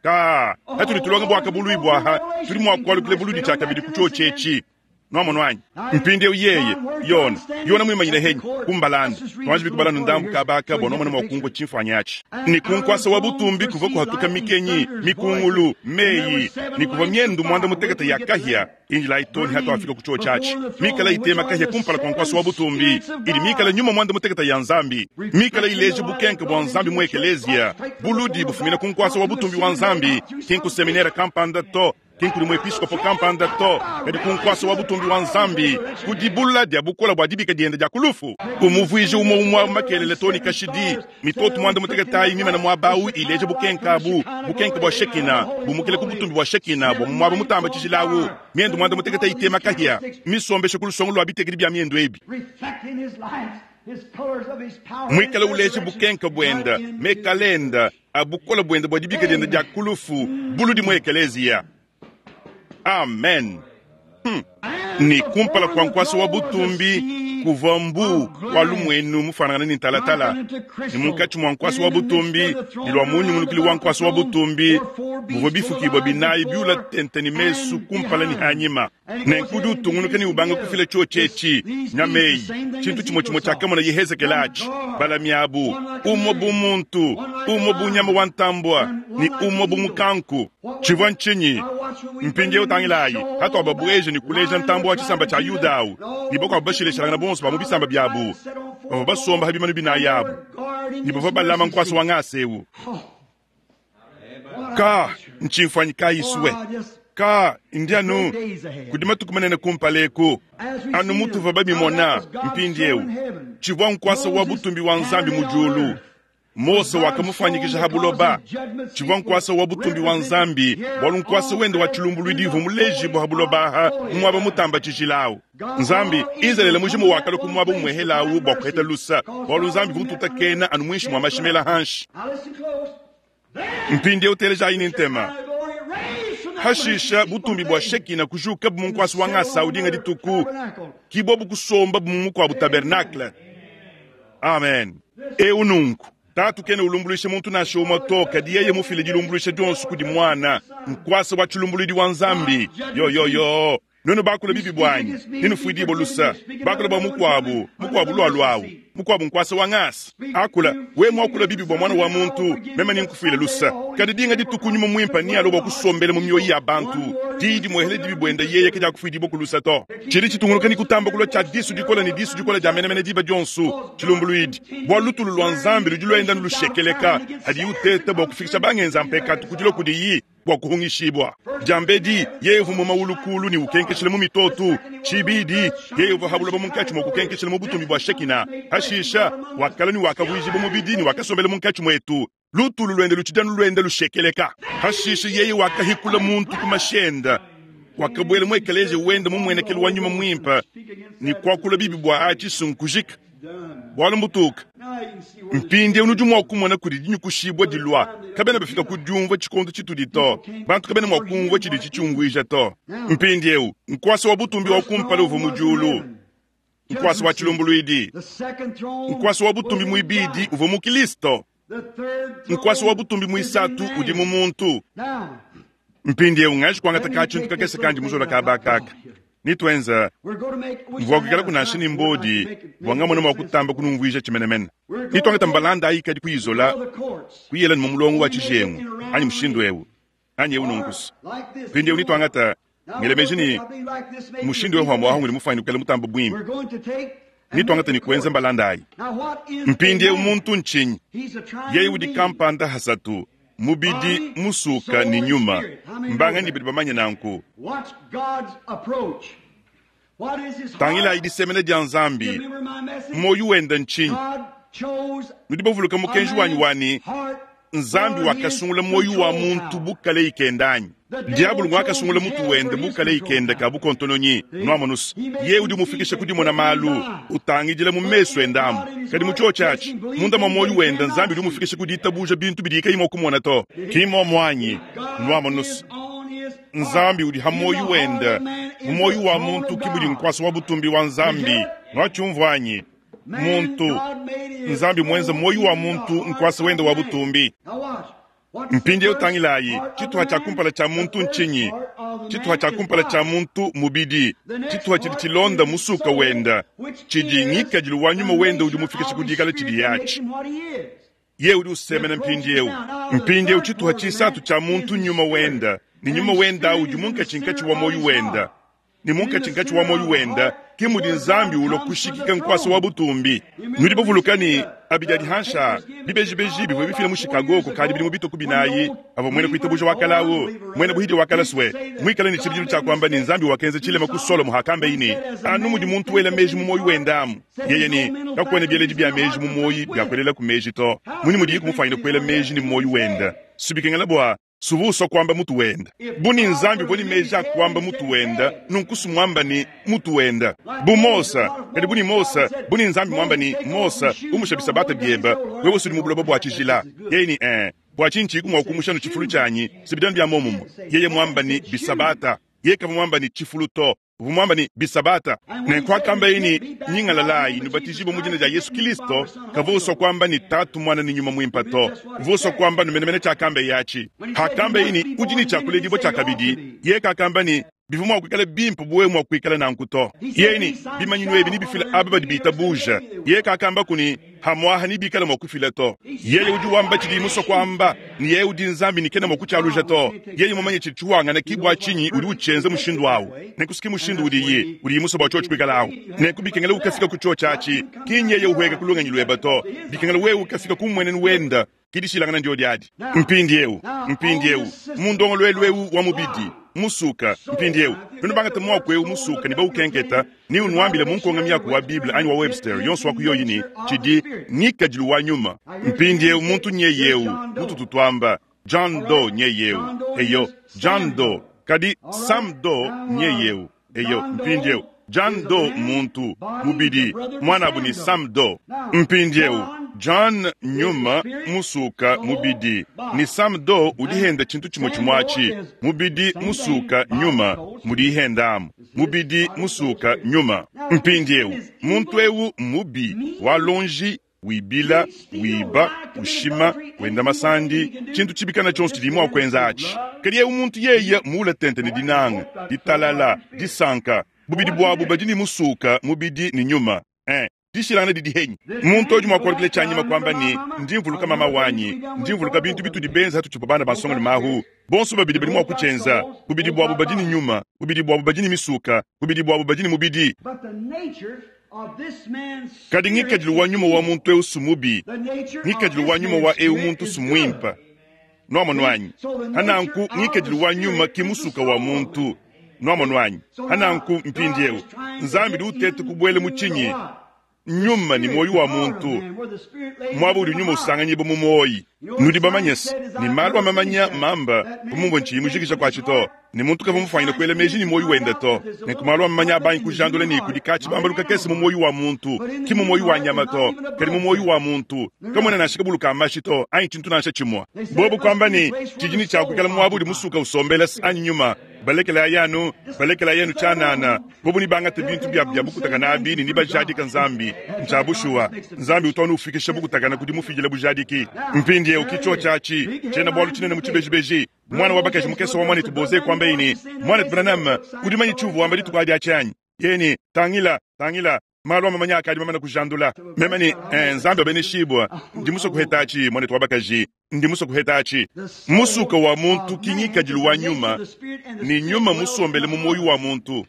A: ka hatuli tulonga bwaka bului bwaha tuli mwakwalukile buludi chakabidi kucho chechi nomo mpindieu yeye yona yona mwimanyile henyi kumbalanda twanji bikubalana ndambu kabaka bono mwana mwakungo chimfanyachi ni kunkwasa wa butumbi kuva kuhatuka mikenyi mikungulu meyi ni kuva myendu mwanda mutekete ya kahya injila itoni hatu afika kucho chachi mikala itema kahya kumpala kwa nkwasa wa butumbi ili mikala nyuma mwanda mutekete ya nzambi mikala ileje bukenke bwa nzambi mu ekelezia buludi bufumina kunkwasa wa butumbi wa nzambi kinku seminera kampanda to kinkuli mwepiskopo kampanda to kadi kunkwasa wa butumbi wa nzambi kudibula dia bukola bwa dibika dienda dia kulufu umuvwije umo umwa makelele toni kashidi mitoto mwanda muteketayi mimana mwabau ileje bukenkabu bukenke bwa shekina bumukile ku butumbi bwa shekina bwa mwaba mutamba tshijilawu miendu mwanda muteketayi tema kahya misombeshe kulusongo lwa bitekedi bya miendu ebi mwikala uleje bukenke bwenda mekalenda abukola bwenda bwa dibika dienda dia kulufu buludi mu ekelezia. Amen. Hmm. Ni kumpala kwa nkwasa wa butumbi Kuvua mbu wa lumuenu mufanangane ne ntalatala, ne munkatshi mua nkuasa wa butumbi ne lua munyungulukili wa nkuasa wa butumbi muvua bifukibua binayi biula tente ne mesu kumpala ne hanyima. Nenku udi utungunuka ne ubanga kufila tshiotshi etshi nyameyi, tshintu tshimue tshimue tshiakamona Yehezekele atshi, balami abu, umue bu muntu, umue bu nyama wa ntambua ne umue bu mukanku. Tshivua ntshinyi? Mpindieu tangilayi, hatuababueje ne kuleja ntambua wa tshisamba tshia Yuda awu, ne bakuabu bashilashilangana bonso ba mu bisamba biabu, bavua basomba ha bimanu binayi abu, ne bavua balama nkuasa wa ngasa eu. Ka ntshimfuanyi kayisue ka ndianu kudi matuku manene kumpala eku anu mutuva babimona mpindieu tshivua nkuasa wa butumbi wa Nzambi mu diulu. Mose wakamufanyikisha ha buloba. Tshivua nkuasa wa butumbi wa Nzambi bwalu nkuasa wende wa tshilumbuluidi uvua mulejibu ha buloba aha mu muaba mutamba tshijilawu. Nzambi Izalele mujimu wakala ku muaba mumuehelawu bua kuheta lusa bwalu Nzambi vututakena anu mwinshi mwa mashimela hanshi. Mpindieu telejayi ne ntema. Hashisha butumbi bua Shekina kujuka bu munkuasa wa ngasa udinga dituku kibwa bukusomba bu mukwabu tabernacle. Amen. Eu nunku tatu kene ulumbuluisha muntu nansha umwe to kadi yeye mufile dilumbuluisha dionso kudi mwana nkuasa wa tshilumbuluidi wa Nzambi. Yo yo yo nenu bakula bibi bwanyi ninufuidibwa lusa bakula bwa mukwabu mukwabu lwalwawu mukwabu nkuasa wa ngasa akula we mwakula bibi bwa mwana wa muntu meme ninkufwile lusa kadi dinga dituku nyuma mwimpa ni alo bwa kusombela mu mioyo ya bantu didi mwehele dibi bwenda yeye kadi akufuidibwa ku lusa to chili chitunguluka ni kutamba kulwa cha disu dikola ni disu dikola dia menemene diba dionso tshilumbuluidi bwa lutulu lwa Nzambi ludi lwenda nlushekeleka hadi uteta bwa kufikisha bangenza mpekatu kudilo kudiyi bwa kuhungishibwa. Jambedi yevu mu maulukulu ni ukenkeshele mu mitotu chibidi yevu habuloba munkatshi mwa kukenkeshele mu butumbi bwa Shekina. Hashisha wakala ni wakavuijiba mubidi ni wakasombele munkatshi mwetu lutulu lwende luchidanu lwende lushekeleka. Hashisha yeye wakahikula muntu kumashenda wakabwela mwekeleje wende mumwenekelo wa nyuma mwimpa ni kwakula bibi bwa achisunkujika bwalo mbutuka. Mpindi unudi mwa kumona kudi dinyukushibwa dilwa kabena bafika kudiumva tshikondo tshitudi to bantu kabena mwa kumva tshidi tshitshiungwija to. Mpindi eu nkuasa wa butumbi wa kumpala uvu mu diulu nkuasa wa tshilumbuluidi nkuasa wa butumbi muibidi uvu mu Kristo nkuasa wa butumbi muisatu udi mu muntu. Mpindi eu ngashi kuangata ka tshintu kakese kandi muzola ka bakaka nitwenza mvua kukala kunasha ni mbodi bwangamona mwa kutamba kunumvuija chimenemene nitwangata mbalanda ayi kadi kuizola kuyela ni mumulongo wa tshijengu anyi mushindu ewu anyi ewu nunkusu pindi ewu nitwangata ngelemeji ni mushindu ewu hwambo ahunguli mufani kukala mutamba bwimbi nitwangata ni kuenza mbalanda ayi. Mpindi ewu muntu nchinyi yeye udi kampanda hasatu mubidi musuka ni nyuma mbanga ni bidi bamanye nanku. Tangila idisemene dia Nzambi moyo wenda nchinyi nudi bavuluka mukenji wanyi wani Nzambi wakasungula moyo wa muntu bukale ikendanyi diabulu ngwakasungula mutu wende bukale ikenda ka bukontononyi nwamonusa ye udi mufikisha kudimona malu utangidila mu meso endamu kadi mu chio chachi munda mwa moyo wenda Nzambi udi mufikisha kuditabuja bintu bidika imo kumona to kimo mwanyi nwamonusa Nzambi udi ha moyo wenda mu moyo wa muntu kibudi nkwasa wa butumbi wa Nzambi nwachumvwanyi muntu Nzambi mwenza moyo wa muntu nkwasa wenda wa butumbi. Mpindi utangilayi chituha cha kumpala cha muntu nchinyi chituha cha kumpala cha muntu mubidi chituha chidi chilonda musuka wenda chidi ngikadilu wa nyuma wenda udi mufikisha kudikala chidi yachi ye udi usemena mpindi eu mpindi eu chituha chisatu cha muntu nyuma wenda ni nyuma wenda udi munkatshi wa moyo wenda ni munkatshi wa moyo wenda kimudi Nzambi ulo kushikika nkwasa wa butumbi nudi bavulukani abidadi hansha bibejibeji bivwe bifila mu Chicago ko kadi bili mu bituku binayi avo mwene kuitabuja wakalawo mwene buhidi wakalaswe mwikala ni chibijilu cha kwamba ni Nzambi wakenze chilema ku Solomo hakamba ini anu mudi muntu wela meji mu moyo wendamu yeye ni kakwene byeleji bya meji mu moyi byakwelela ku meji to muni mudi kumufanyira kwela meji ni moyo wenda subikengela bwa suvuso kwamba mutu wenda buni Nzambi boni meja kwamba mutu wenda nunkusu mwamba ni mutu wenda bu Mosa kadi buni Mosa buni Nzambi mwamba ni Mosa umushabisa bata byemba wewe suli mubuloba bwa chijila yeye ni eh bwa chinchi kumwa kumushano chifulu chanyi sibidani bya momumo yeye mwamba ni bisabata yeye kama mwamba ni chifulu to Uvua muambe ne, bisabata. Nenku akambaye ne, nyingalalayi, nubatijibue mu dina dia Yesu Kilisto, kavua usua kuamba ne Tatu, Muana ne Nyuma Muimpe to. Uvua usua kuamba numenemene tshiakambaye atshi. Akambaye ne, udi ne tshiakuledibua tshiakabidi. Yeye kakamba ne, bivua mua kuikala bimpe bu wewe mua kuikala nanku to. Yeye ne, bimanyinu ebi nebifile aba badi bitabuja. Yeye kakambaku ne, hamuaha nebikale mua kufila to. Yeye udi wamba tshidi musue kuamba, ne yeye udi Nzambi ne kena mua kutshialuja to. Yeye mumanye tshidi tshiwangana ki bua tshinyi udi utshienza mushindu awu. Nenku si mushindu udiye, udiye musue bua tshiotshi kuikala awu. Nenku bikengela ukafika ku tshiotshi atshi, ki nyeye uhueka ku lungenyi luebe to. Bikengela wewe ukafika ku mmuenenu wenda, ki dishilangana ndio diadi. Mpindiewu, mpindiewu, mu ndongoluelu ewu wa mubidi, musuka, mpindiewu, nuenu bangate muaku ewu musuka ne baukenketa, ni unuambile mu nkonga miaku wa Bible anyi wa Webster, yonso wa kuyoyi ni tshidi ngikadilu wa nyuma. Mpindiewu muntu nyeyewu, mututu twamba, John Doe nyeyewu. Eyo, John Doe, kadi Sam Doe nyeyewu. Eyo, mpindiewu, John Doe muntu, mubidi, mwanabu ni Sam Doe. Mpindiewu, John nyuma musuka mubidi, ni Sam Doe udihenda tshintu tshimue tshimue mubidi musuka nyuma mudihendamu, mubidi musuka nyuma. Mpindiewu, muntu ewu mubi walonji wibila wiba ushima wenda masandi tshintu tshibikana tshionso tshidi mua kuenza atshi. Kadi ewu muntu yeye muula tente ne dinanga, ditalala, disanka, bubidi buabu badi ni musuka mubidi ni nyuma. Eh, dishilangana didi henyi. Muntu udi mua kualukila tshianyima kuamba ne, ndi mvuluka mama wanyi, ndi mvuluka bintu bitudi benza hatutshipa bana basonga ne mahu. Bonso babidi badi mua kutshienza, bubidi buabu badi ni nyuma, bubidi buabu badi ni misuka, bubidi buabu badi ni mubidi.
B: But the nature of this man's
A: Kadi ngikadilu wa nyuma wa muntu ewu sumubi,
B: the nature of
A: ngikadilu
B: this
A: wa nyuma
B: man's
A: wa ewu
B: spirit
A: muntu
B: is good.
A: sumuimpa. Nwamonu anyi? Hananku ngikadilu wa nyuma ki musuka wa muntu. Nwamonu anyi? Hananku mpindiewu, Nzambi di utete kubuela mu tshinyi, nyuma ni moyo wa muntu. Mwaba udi nyuma usanganyiba mu moyi. Nudi bamanyese, ni malu amamanya mamba, kumumbo nchiyi mujikija kwa tshito. Ni muntu kava mufanyina kuela meji ni moyo wenda to. Nenku malu amamanya abanyi kujandula ni kudi katshi bambaluka kese mu moyo wa muntu, ki mu moyo wa nyama to, kadi mu moyo wa muntu. Kamwena nansha kabuluka amashi to, anyi tshintu nansha tshimue. Bobu kwamba ni, tshijini tshia kuikala mwaba udi musuka usombela anyi nyuma. Balekela yanu, balekela yenu tshianana. Bobu ni bangate bintu bia bia bukutakana abi ni nibajadika Nzambi. Ntshiabushuwa, Nzambi utwana ufikisha bukutakana kudi mufidila bujadiki. Mpindiewu kichwa tshiatshi, tshiena bualu tshinene mu tshibejibeji. Mwana wa bakaji mukese wa mwanetu Boze kwamba ini, mwanetu Branham, udi manyi tshiuvu wamba dituku adi atshi Yeni, tangila, tangila, malu amamanya akadi mamana kujandula. Meme ni, eh, Nzambi abeneshibwa, ndi musue kuheta atshi, mwanetu wa bakaji, ndi musue kuheta atshi. Musuka wa muntu ki ngikadilu wa nyuma, ni nyuma musombele mu moyo wa muntu.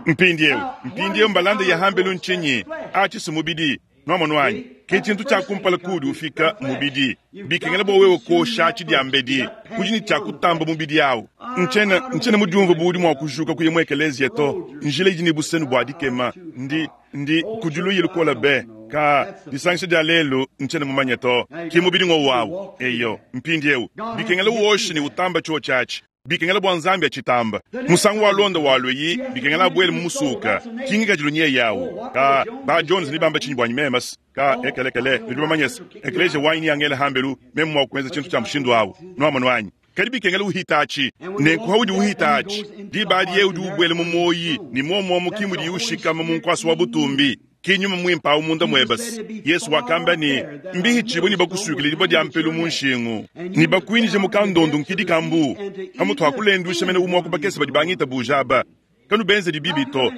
A: Mpindiewu, mpindiewu mbalanda ya hambelu ntshinyi, atshi si mubidi. Nwamonu anyi, ke tshintu tshia kumpala kudi ufika mubidi. Bikengela bua wewe kosha tshi diambedi, kudi ni tshia kutamba mubidi awu. Ntshiena, ntshiena mudiumvu bu udi mua kujuka kuya mu ekeleziya to. Njila idi ne busenu bua dikema, ndi, ndi kudiluyi lukola be. Ka disangisha dia lelu ntshiena mumanye to. Ki mubidi ngo wawu. Eyo, mpindiewu. Bikengela woshe ni utamba tshiwo tshiatshi. Bikengela bua Nzambi atshitamba. Musangu wa londa wa lweyi, bikengela abuele mu musuka. Ki ngikadilu nye yawu. Ka ba Jones ni bamba tshinyi bua memas. Ka ekelekele, nudi bamanyese. Ekeleziya wanyi ni angela hambelu, meme mua kuenza tshintu tshia mushindu awu. Nwamonu anyi? Kadi bikengela uhita atshi. Nenku haudi uhita atshi, diba adi ye udi ubuela mu moyi, ni muomuomu ki mudi ushikama mu nkuasa wa butumbi. Ki nyuma muimpe awu munda muebasi. Yesu wakamba ni, mbihi tshibu ni bakusukile dibua dia mpelu mu nshingu. Ni bakuinije mu kandondu nkidi kambu. Hamutu hakulendwisha mene umwa kubakese badi bangita bujaba. Kanu benze dibibi to.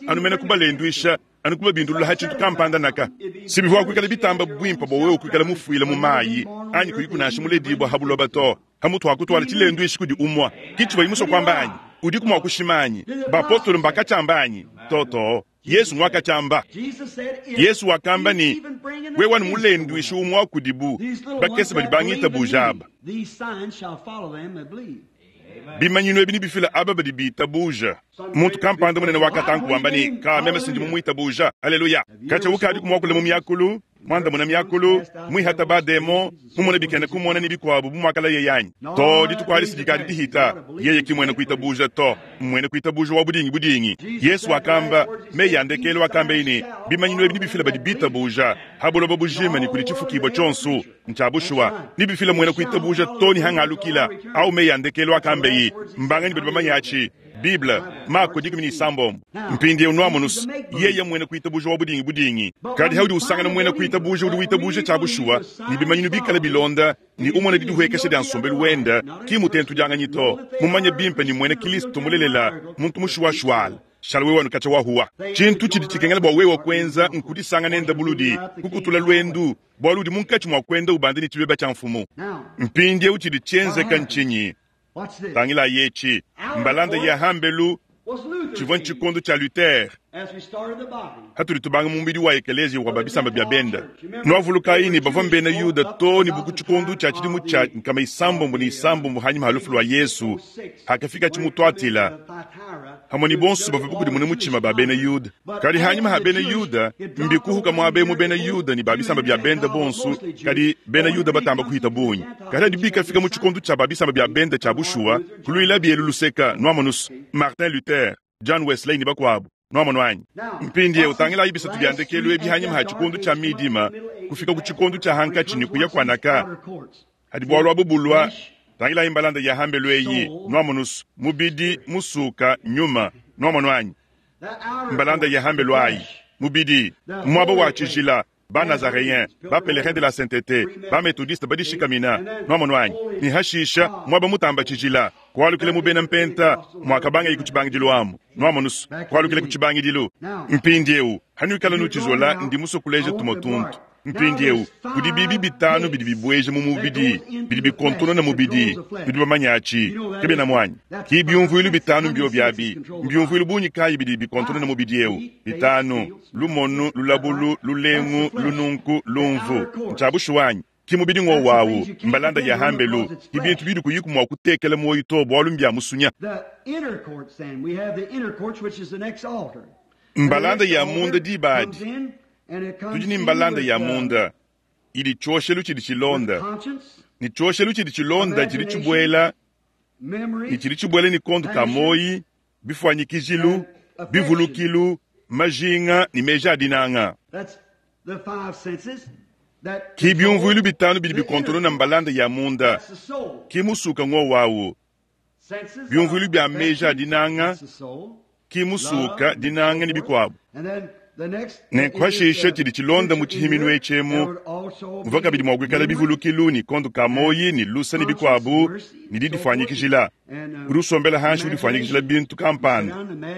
A: Anu mene kubalendwisha, anu kubabindulula hatshintu kampanda naka. Sibivua kuikala bitamba bwimpa bwa wewe kuikala mufuila mu mayi, anyi kuyikunasha muledibwa habuloba to. Hamutu hakutwala tshilendwishi kudi umwa. Kichi bayimuso kwamba anyi, udi kumwa kushimanyi. Bapostolo mbakachamba anyi. Toto, Yesu mwakachamba.
B: Jesus said, if
A: Yesu wakamba ni,
B: even bring an
A: wewe wanu
B: offense
A: mulendwishi umwa kudibu,
B: these little
A: bakese
B: ones
A: badi
B: that
A: bangita
B: believe in me,
A: bujaba.
B: these signs shall follow them that believe.
A: Bimanyinu ebi nibifila aba badi bitabuja. Muntu kampanda munene wakatanku wamba ni, ka meme sindi mumuitabuja. Haleluya. Kacha ukadi kumwakula mu myakulu, mwanda muna myakulu, mwihata ba demo, mumona bikene kumona ni bikwabu bumwakala ye yanyi. To dituku ali sidikadi dihita, yeye ki mwene kuitabuja to, mwene kuitabuja wa budingi budingi. Yesu wakamba, me yandekelo wakamba ini, bimanyinu ebi nibifila badi bitabuja, habuloba bujima ni kudi tshifukibwa tshonso, ntshiabushuwa. Nibifila mwene kuitabuja to ni hangalukila, au me yandekelo wakamba yi, mbangani badi bamanya atshi, Bible, Mako dikumi ne isambombo. Mpindieu nwamonu's, yeye mwena kuitabuja wa budingi budingi. Kadi haudi usangana mwena kuitabuja udi witabuja tshia bushuwa, ne bimanyinu bikala bilonda, ne umona didihuekesha dia nsombelu wenda, ki mutentu dianganyi to. Mumanye bimpe ni mwena Kristo mulelela, muntu mushuwashuwala. Shala wewe wanukacha wahuwa. Tshintu tshidi tshikengela bua wewe kwenza nkudisanga nenda buludi, kukutula lwendu, bwalu udi munkatshi mua kwenda ubande ne tshibeba tshia mfumu. Mpindieu tshidi tshienzeka ntshinyi? Tangila yechi, mbalanda ya hambelu, tshivua tshikondo tshia Luther. Hatuli tubanga mu mubidi wa ekelezia wa babisamba bya benda. Nwavulukayi ne bavua mbena Yuda to ne buku tshikondo tshia tshidimu tshia nkama isambombo ne isambombo hanyima ha lufu lua Yesu, hakafika tshimutwatila. Hamwe ni bonso bavua bukudimuna mutshima ba bena Yuda. Kadi hanyima ha bena Yuda, mbikuhuka muaba emu bena Yuda ne babisamba bya benda bonso, kadi bena Yuda batamba kuhita bungi. Kadi hadi bikafika mu tshikondo tshia babisamba bya benda tshia bushuwa, kuluila bielu luseka, nwamonusu, Martin Luther, John Wesley ne bakuabu. Nwamono anyi. Mpindieu utangila ibisatu bya ndekelu ebi hanyima ha tshikondo tshia midima, kufika ku tshikondo tshia hankatshi ne kuya kuanaka. Hadi bwalu abu bulwa, tangila imbalanda ya hambelu eyi, nwamonusu, mubidi, musuka, nyuma, nwamono anyi. Mbalanda ya hambelu ayi, mubidi, mwaba wa tshijila, ba Nazaréen, ba pèlerin de la sainteté, ba méthodiste badishikamina, nwamono anyi. Ni hashisha, mwaba mutamba tshijila, kwalukile mu bena mpenta, mwakabanga ikutshibangidilu amu, nwamonusu, kwalukile kutshibangidilu. Mpindieu, hanuikala nutshizola ndi musokuleja tumotuntu. Mpindieu, kudi bibi bitanu bidi bibweja mu mubidi, bidi bikontona na mubidi, bidi bamanyachi, kebena mwanyi. Ki biumvuilu bitanu mbio byabi, mbiumvuilu bunyi kayi bidi bikontona na mubidi eu, bitanu, lumonu, lulabulu, lulengu, lununku, lumvu. Nchabushuwanyi. Ki mubidi ngo wawu, mbalanda ya hambelu, ki bintu bidi kuyiku mwa kutekela moyo to bwalu mbya musunya. Mbalanda ya munda dibadi. Tudi ni mbalanda ya munda ili tshoshelu tshidi tshilonda ni tshoshelu tshidi tshilonda tshidi tshibwela ni tshidi tshibwela ni kondo ka moyi bifwanyikijilu bivulukilu majinga ni meja adinanga ki biumvuilu bitanu bidi bikontono na mbalanda ya munda ki musuka ngo wawu biumvuilu bya meja adinanga ki musuka dinanga ni bikwabu. Nenkuhashisha tshidi tshilonda mu tshihiminu etshemu, muvua kabidi mua kuikala bivulukilu ni kondo ka moyi ni lusa ni bikuabu ni didifwanyikijila. Udi usombela hanshi udifwanyikijila bintu kampanda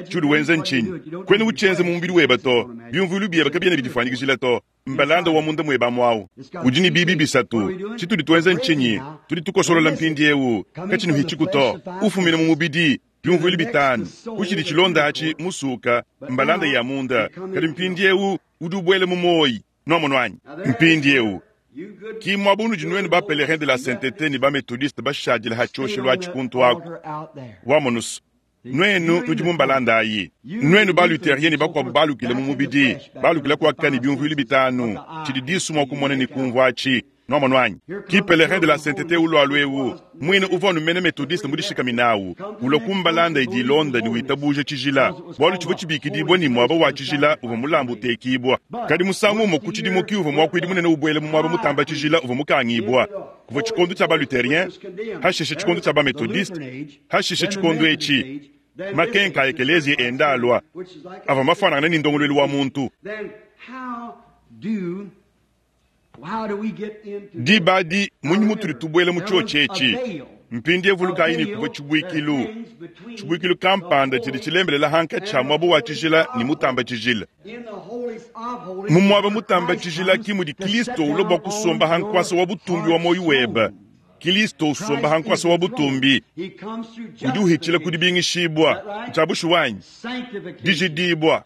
A: tshiudi wenza ntshinyi kwena utshienze mu mubidi weba to biumvuilu bieba kabiena bidifwanyikijila to mbalanda wa munda mueba mwawu udi ni bibi bisatu tshitudi tuenza ntshinyi tudi tukosolola mpindieu katshinu hitshiku to ufumina mu mubidi biumvuilu bitanu kuchidi tshilonda atshi musuka mbalanda ya munda kadi mpindieu udi ubwele mu moyi nwamono anyi mpindieu ki mwabunu dinuenu ba pèlerin de la sainteté ni ba méthodiste bashadila ha tshoshelu atshi kuntu aku wamonusu nwenu nudi mu mbalanda ayi nwenu ba luthérien ni bakuabu balukile mu mubidi balukile kuaka ni biumvuilu bitanu tshidi disu mua kumona ni kumvua atshi nwamono anyi ki pèlerin de la sainteté ulwalu ewu mwine uvua numene méthodiste mudishikaminawu ulwa kumbalanda idi ilonda ni witabuja tshijila bwalu tshivua tshibikidibwa ni mwaba wa tshijila uvua mulambu utekibwa kadi musangu umo ku tshidimu ki uvua muakuidi munene ubwele mu mwaba mutamba tshijila uvua mukangibwa kuvua tshikondo tshia ba luthérien hashishe tshikondo tshia ba méthodiste hashishe tshikondo etshi makenka a ekelezia enda alwa avua mafanangana ni ndongoluelu wa muntu. Dibadi munyi mutuli tubwele mu tshotshe etshi mpindi evulukayi ni kuvua tshibuikilu tshibuikilu kampanda tshidi tshilembelela hanka tshia mwaba wa tshijila ni mutamba tshijila mu mwaba mutamba tshijila ki mudi Kristo ulwa bua kusomba hankwasa wa butumbi wa moyi weba Kristo usomba hankwasa wa butumbi udi uhitshila kudibingishibwa tshia bushuwanyi dijidibwa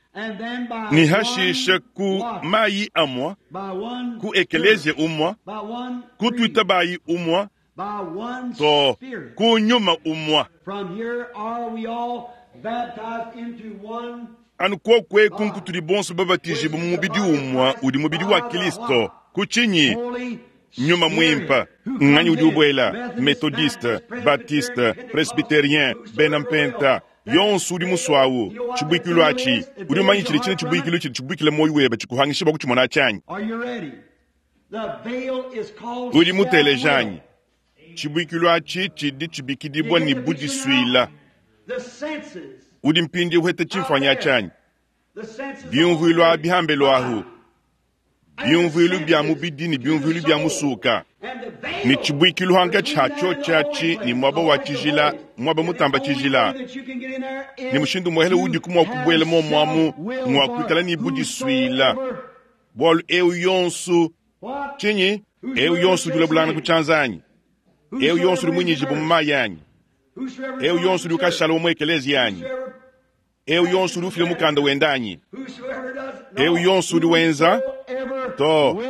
A: ni hashisha ku mayi amwa ku ekelezia umwa ku twitabayi umwa to ku nyuma umwa anu kokweku nkutuli bonso babatijibwa mu mubidi umwa udi mubidi wa Kristo kutshinyi nyuma mwimpa nganyi udi ubwela methodiste baptiste presbytérien bena mpenta yonso udi muswawu tshibuikilu atshi udi umanyi tshidi tshine tshibuikilu tshidi tshibuikila moyi weba tshikuhangisha bua kutshimona tshianyi udi mutelejanyi tshibuikilu atshi tshidi tshibikidibwa ni budisuila Udi mpindieu uheta tshimfuanyi atshi Biumvuilu abi hambelu ahu. Biumvuilu bia mubidi ne biumvuilu bia musuka. Ne tshibuikilu hankatshi ha tshiotshi atshi ne muaba wa tshijila, muaba mutamba tshijila. Ne mushindu muhele udiku mua kubuela muomuamu ng'wa kuikala ne budisuila. Bualu eu yonso tshinyi? Eu yonso udi ulabulangana ku tshianza anyi? Eu yonso udi muinyijibu mu mayi anyi? Eu yonso udi ukashala mu ekeleziya anyi? Eu yonso udi ufila mukanda wende anyi? Eu yonso udi wenza to.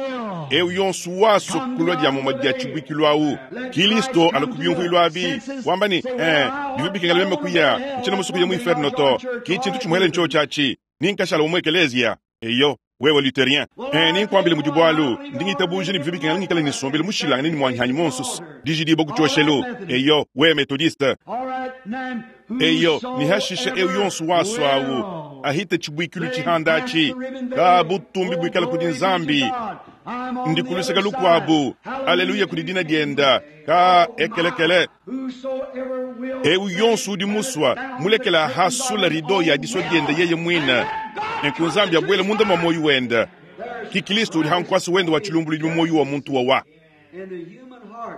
A: Eu yonso waso kulua dia mumue dia tshibuikilu awu. Kilisto ala ku biumvuilu abi wamba ne eh, bivua bikengela meme kuya ntshiena musue kuya mu inferno to. Ki tshintu tshimuele ntshiotshi atshi ni nkashala mu ekeleziya. Eyo wewe luthérien eh, ninkuambile mudi bualu ndi ngitabuja ne bivua bikengela ngikale ne nsombelu mushilangane ne muanyihanyi monso dijidibua ku tshioshelu. Eyo wewe methodiste. Eyo ne hashisha eu yonso waso awu ahita tshibuikilu tshihanda atshi ka butumbi buikala kudi Nzambi ndi kuluseka lukuabu aleluya kudi dina dienda ka ekelekele. Eu yonso udi musua mulekela hasula rido ya disua dienda yeye muine nenku Nzambi abuele munda mwa moyo wenda ki Kristo udi hankwasa wenda wa tshilumbuludi mu moyo wa muntu wawa.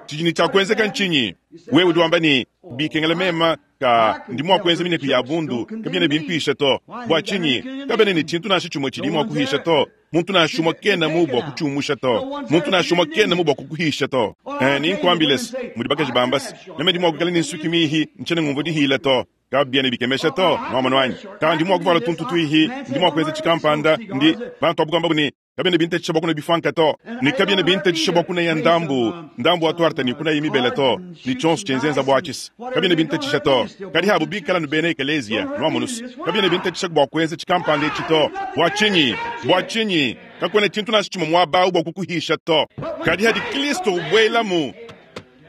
A: Tshidi tshia kuenzeka ntshinyi? Wewe udi wamba ne bikengela mema ka ndi mua kuenza mineku ya bundu kabiena bimpisha to. Bua tshinyi kabena ne tshintu nansha tshimue tshidi mua kuhisha to. Muntu nansha umue kena mu bua kutshiumusha to. Muntu nansha umue kena mu bua kukuhisha to. Eh, ninkuambile se mudi bakaji bamba se meme ndi mua kuikala ne nsuki mihi ntshiena ngumvua dihila to. Kabiena bikemesha to nwamonu wanyi. Ka ndi mua kuvala tuntu tuihi ndi mua kuenza tshikampanda ndi bantu abu kuamba ne kabiena bintetesha bua kuna bifanka to. Ne kabiena bintetesha bua kuna ya ndambu ndambu wa tuarta ne kuna ya mibele to. Ni tshionso tshienzenza bua tshisa kabiena bintetesha to. Kadi habu bikala nu bena ekeleziya nwamonu se kabiena bintetesha bua kuenza tshikampanda etshi to. Bua tshinyi? Bua tshinyi? Kakuena tshintu nansha tshimue muaba bua kukuhisha to. Kadi hadi Kristo ubuelamu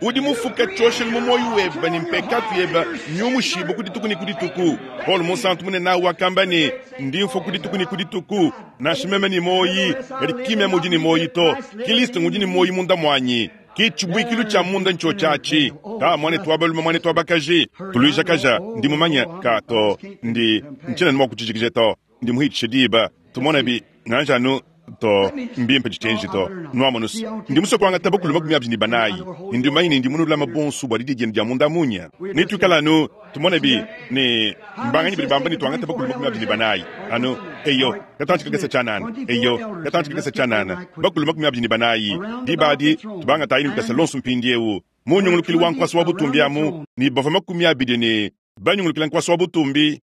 A: udi mufuka tshioshelu mu moyo weba ne mpekatu yeba nyumushibu ku dituku ne ku dituku. Paul Munsantu munene awu wakamba ne ndi mfua ku dituku ne ku dituku nansha meme ne moyi kadi ki meme udi ne moyi to. Kristo ngudi ne moyi munda muanyi. Ki tshibuikilu tshia munda ntshiotshi atshi. Ka muanetu wa balume muanetu wa bakaji tuluijakaja ndi mumanye ka to ndi ntshiena ne mua kutshijikija to. Ndi muhitshishe diba tumone bi nganja anu to mbimpe tshitenji to nwamonusu ndi musue kuangata bakulu makumi abidi ne banayi ndi mumanye ne ndi munulama bonso bua didi dienu dia munda munya nituikala anu tumone bi ne mbanganyi badi bamba ne tuangata bakulu makumi abidi ne banayi anu eyo katantshi kakese tshianana eyo katantshi kakese tshianana bakulu makumi abidi ne banayi diba adi tubangatayi ne lukasa lonso mpindiewu munyungulukili wa nkwasa wa butumbi amu ne bavua makumi abidi ne banyungulukila nkwasa wa butumbi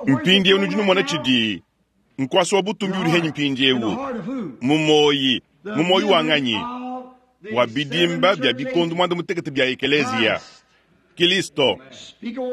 A: mpindiewu nudi numona tshidi nkwasa wa butumbi udi henyi mpindiewu mu moyi mu moyi wa nganyi wa bidimba bia bikondo mwanda mutekete bia ekeleziya Kristo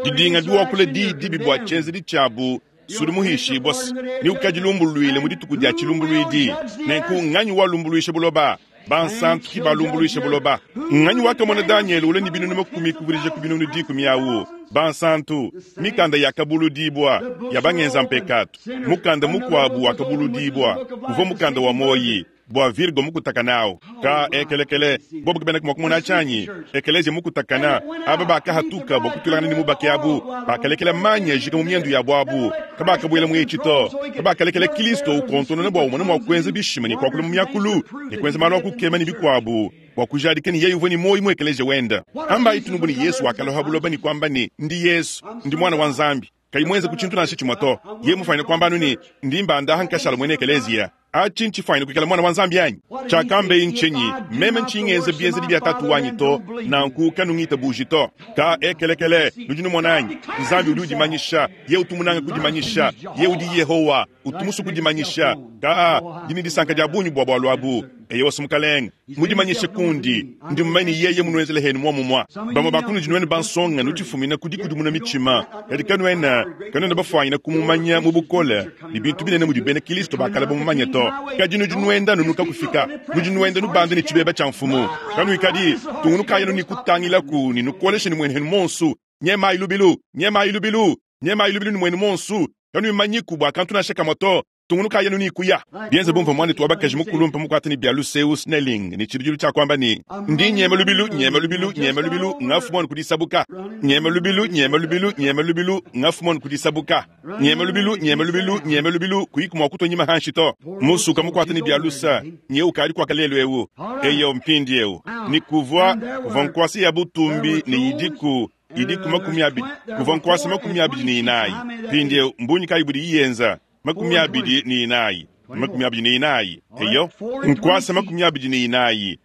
A: didinga biwakula diyi dibi bua tshienzedi tshiabu sudi muhishibua ni ukadilumbuluile mu dituku dia tshilumbuluidi nenku nganyi walumbuluisha buloba bansantu ki balumbuluisha buloba nganyi wakamona Daniel ule ni binunu makumi kuvirija ku binunu dikumi awu bansantu mikanda yakabuludibwa ya bangenza mpekatu mukanda mukuabu wakabuludibwa uvua mukanda wa moyi bua Virgo mukutakanao ka ekelekele bobu kabena kumua kumona tshianyi ekelezia mukutakana aba bakahatuka bua kutulangana ne mubake abu bakalekela manya jika mu miendu yabu abu kabakabuela mu etshi to kabakalekela Kristo ukontonona bua umone mua kuenza bishima ne kuakula mu miakulu ne kuenza malu a kukema ne bikuabu bua kujadika ne yeye uvua ne moyi mu ekelezia wenda amba itunubu ne Yesu wakaloha buloba ne kuamba ne ndi Yesu ndi mwana wa Nzambi kayi mwenze ku tshintu nansha tshimue to ye mufanye kwamba anu ne ndi mbandaha nkashala mwene ekelezia atshi ntshifanye kuikala mwana wa Nzambi anyi tshiakambe ntshinyi meme ntshingenze bienzedi bia tatu wanyi to nanku kanungita buji to ka ekelekele nudi numona anyi Nzambi udi udimanyisha ye utumunanga kudimanyisha ye udi Yehowa utumusu kudimanyisha ka dini disanka dia bunyu bua bualu abu eye wasumukalenga mudimanyishe kundi ndi mumanye yeye munuenzele henu muomumua bamue bakunudi nuenu bansonga nutifumina kudikudimuna mitshima kadi kanuena kanuena bafuanyina kumumanya mu bukole ne bintu binene mudi bena Kristo bakala bamumanye to kadi nudi nuenda nunuka kufika nudi nuenda nubanda ne tshibeba tshia mfumu kanuikadi tungunukayenu ni kutangilaku ni nukoleshe ni mwenu henu monsu nyemayi lubilu nyemayi lubilu nyemayi lubilu ni mwenu monsu kanuimanyiku bua kantu nansha kamue to Tungunukayi anu ne kuya. Bienze bu mvua muanetu wa bakaji mukulumpe mukuate ne bia luseu Snelling ne tshibidilu tshia kuamba ne, Ndi nyema lubilu, nyema lubilu, nyema lubilu, ngafu muanu ku disabuka. Nyema lubilu, nyema lubilu, nyema lubilu, ngafu muanu ku disabuka. Nyema lubilu, nyema lubilu, nyema lubilu, kuyiku mua kutua nyima hanshi to. Musuka mukuate ne bia lusa, nye ukadi kuaka lelu eu. Eyo mpindiewu. Ne kuvua, kuvua nkuasa ya butumbi ne idiku, idiku makumi abidi, kuvua nkuasa makumi abidi ne inayi. Mpindiewu, mbunyi kayi budi iyenza? Makumi abidi ne inayi. Makumi abidi ne inayi. Eyo, nkuasa makumi abidi ne inayi.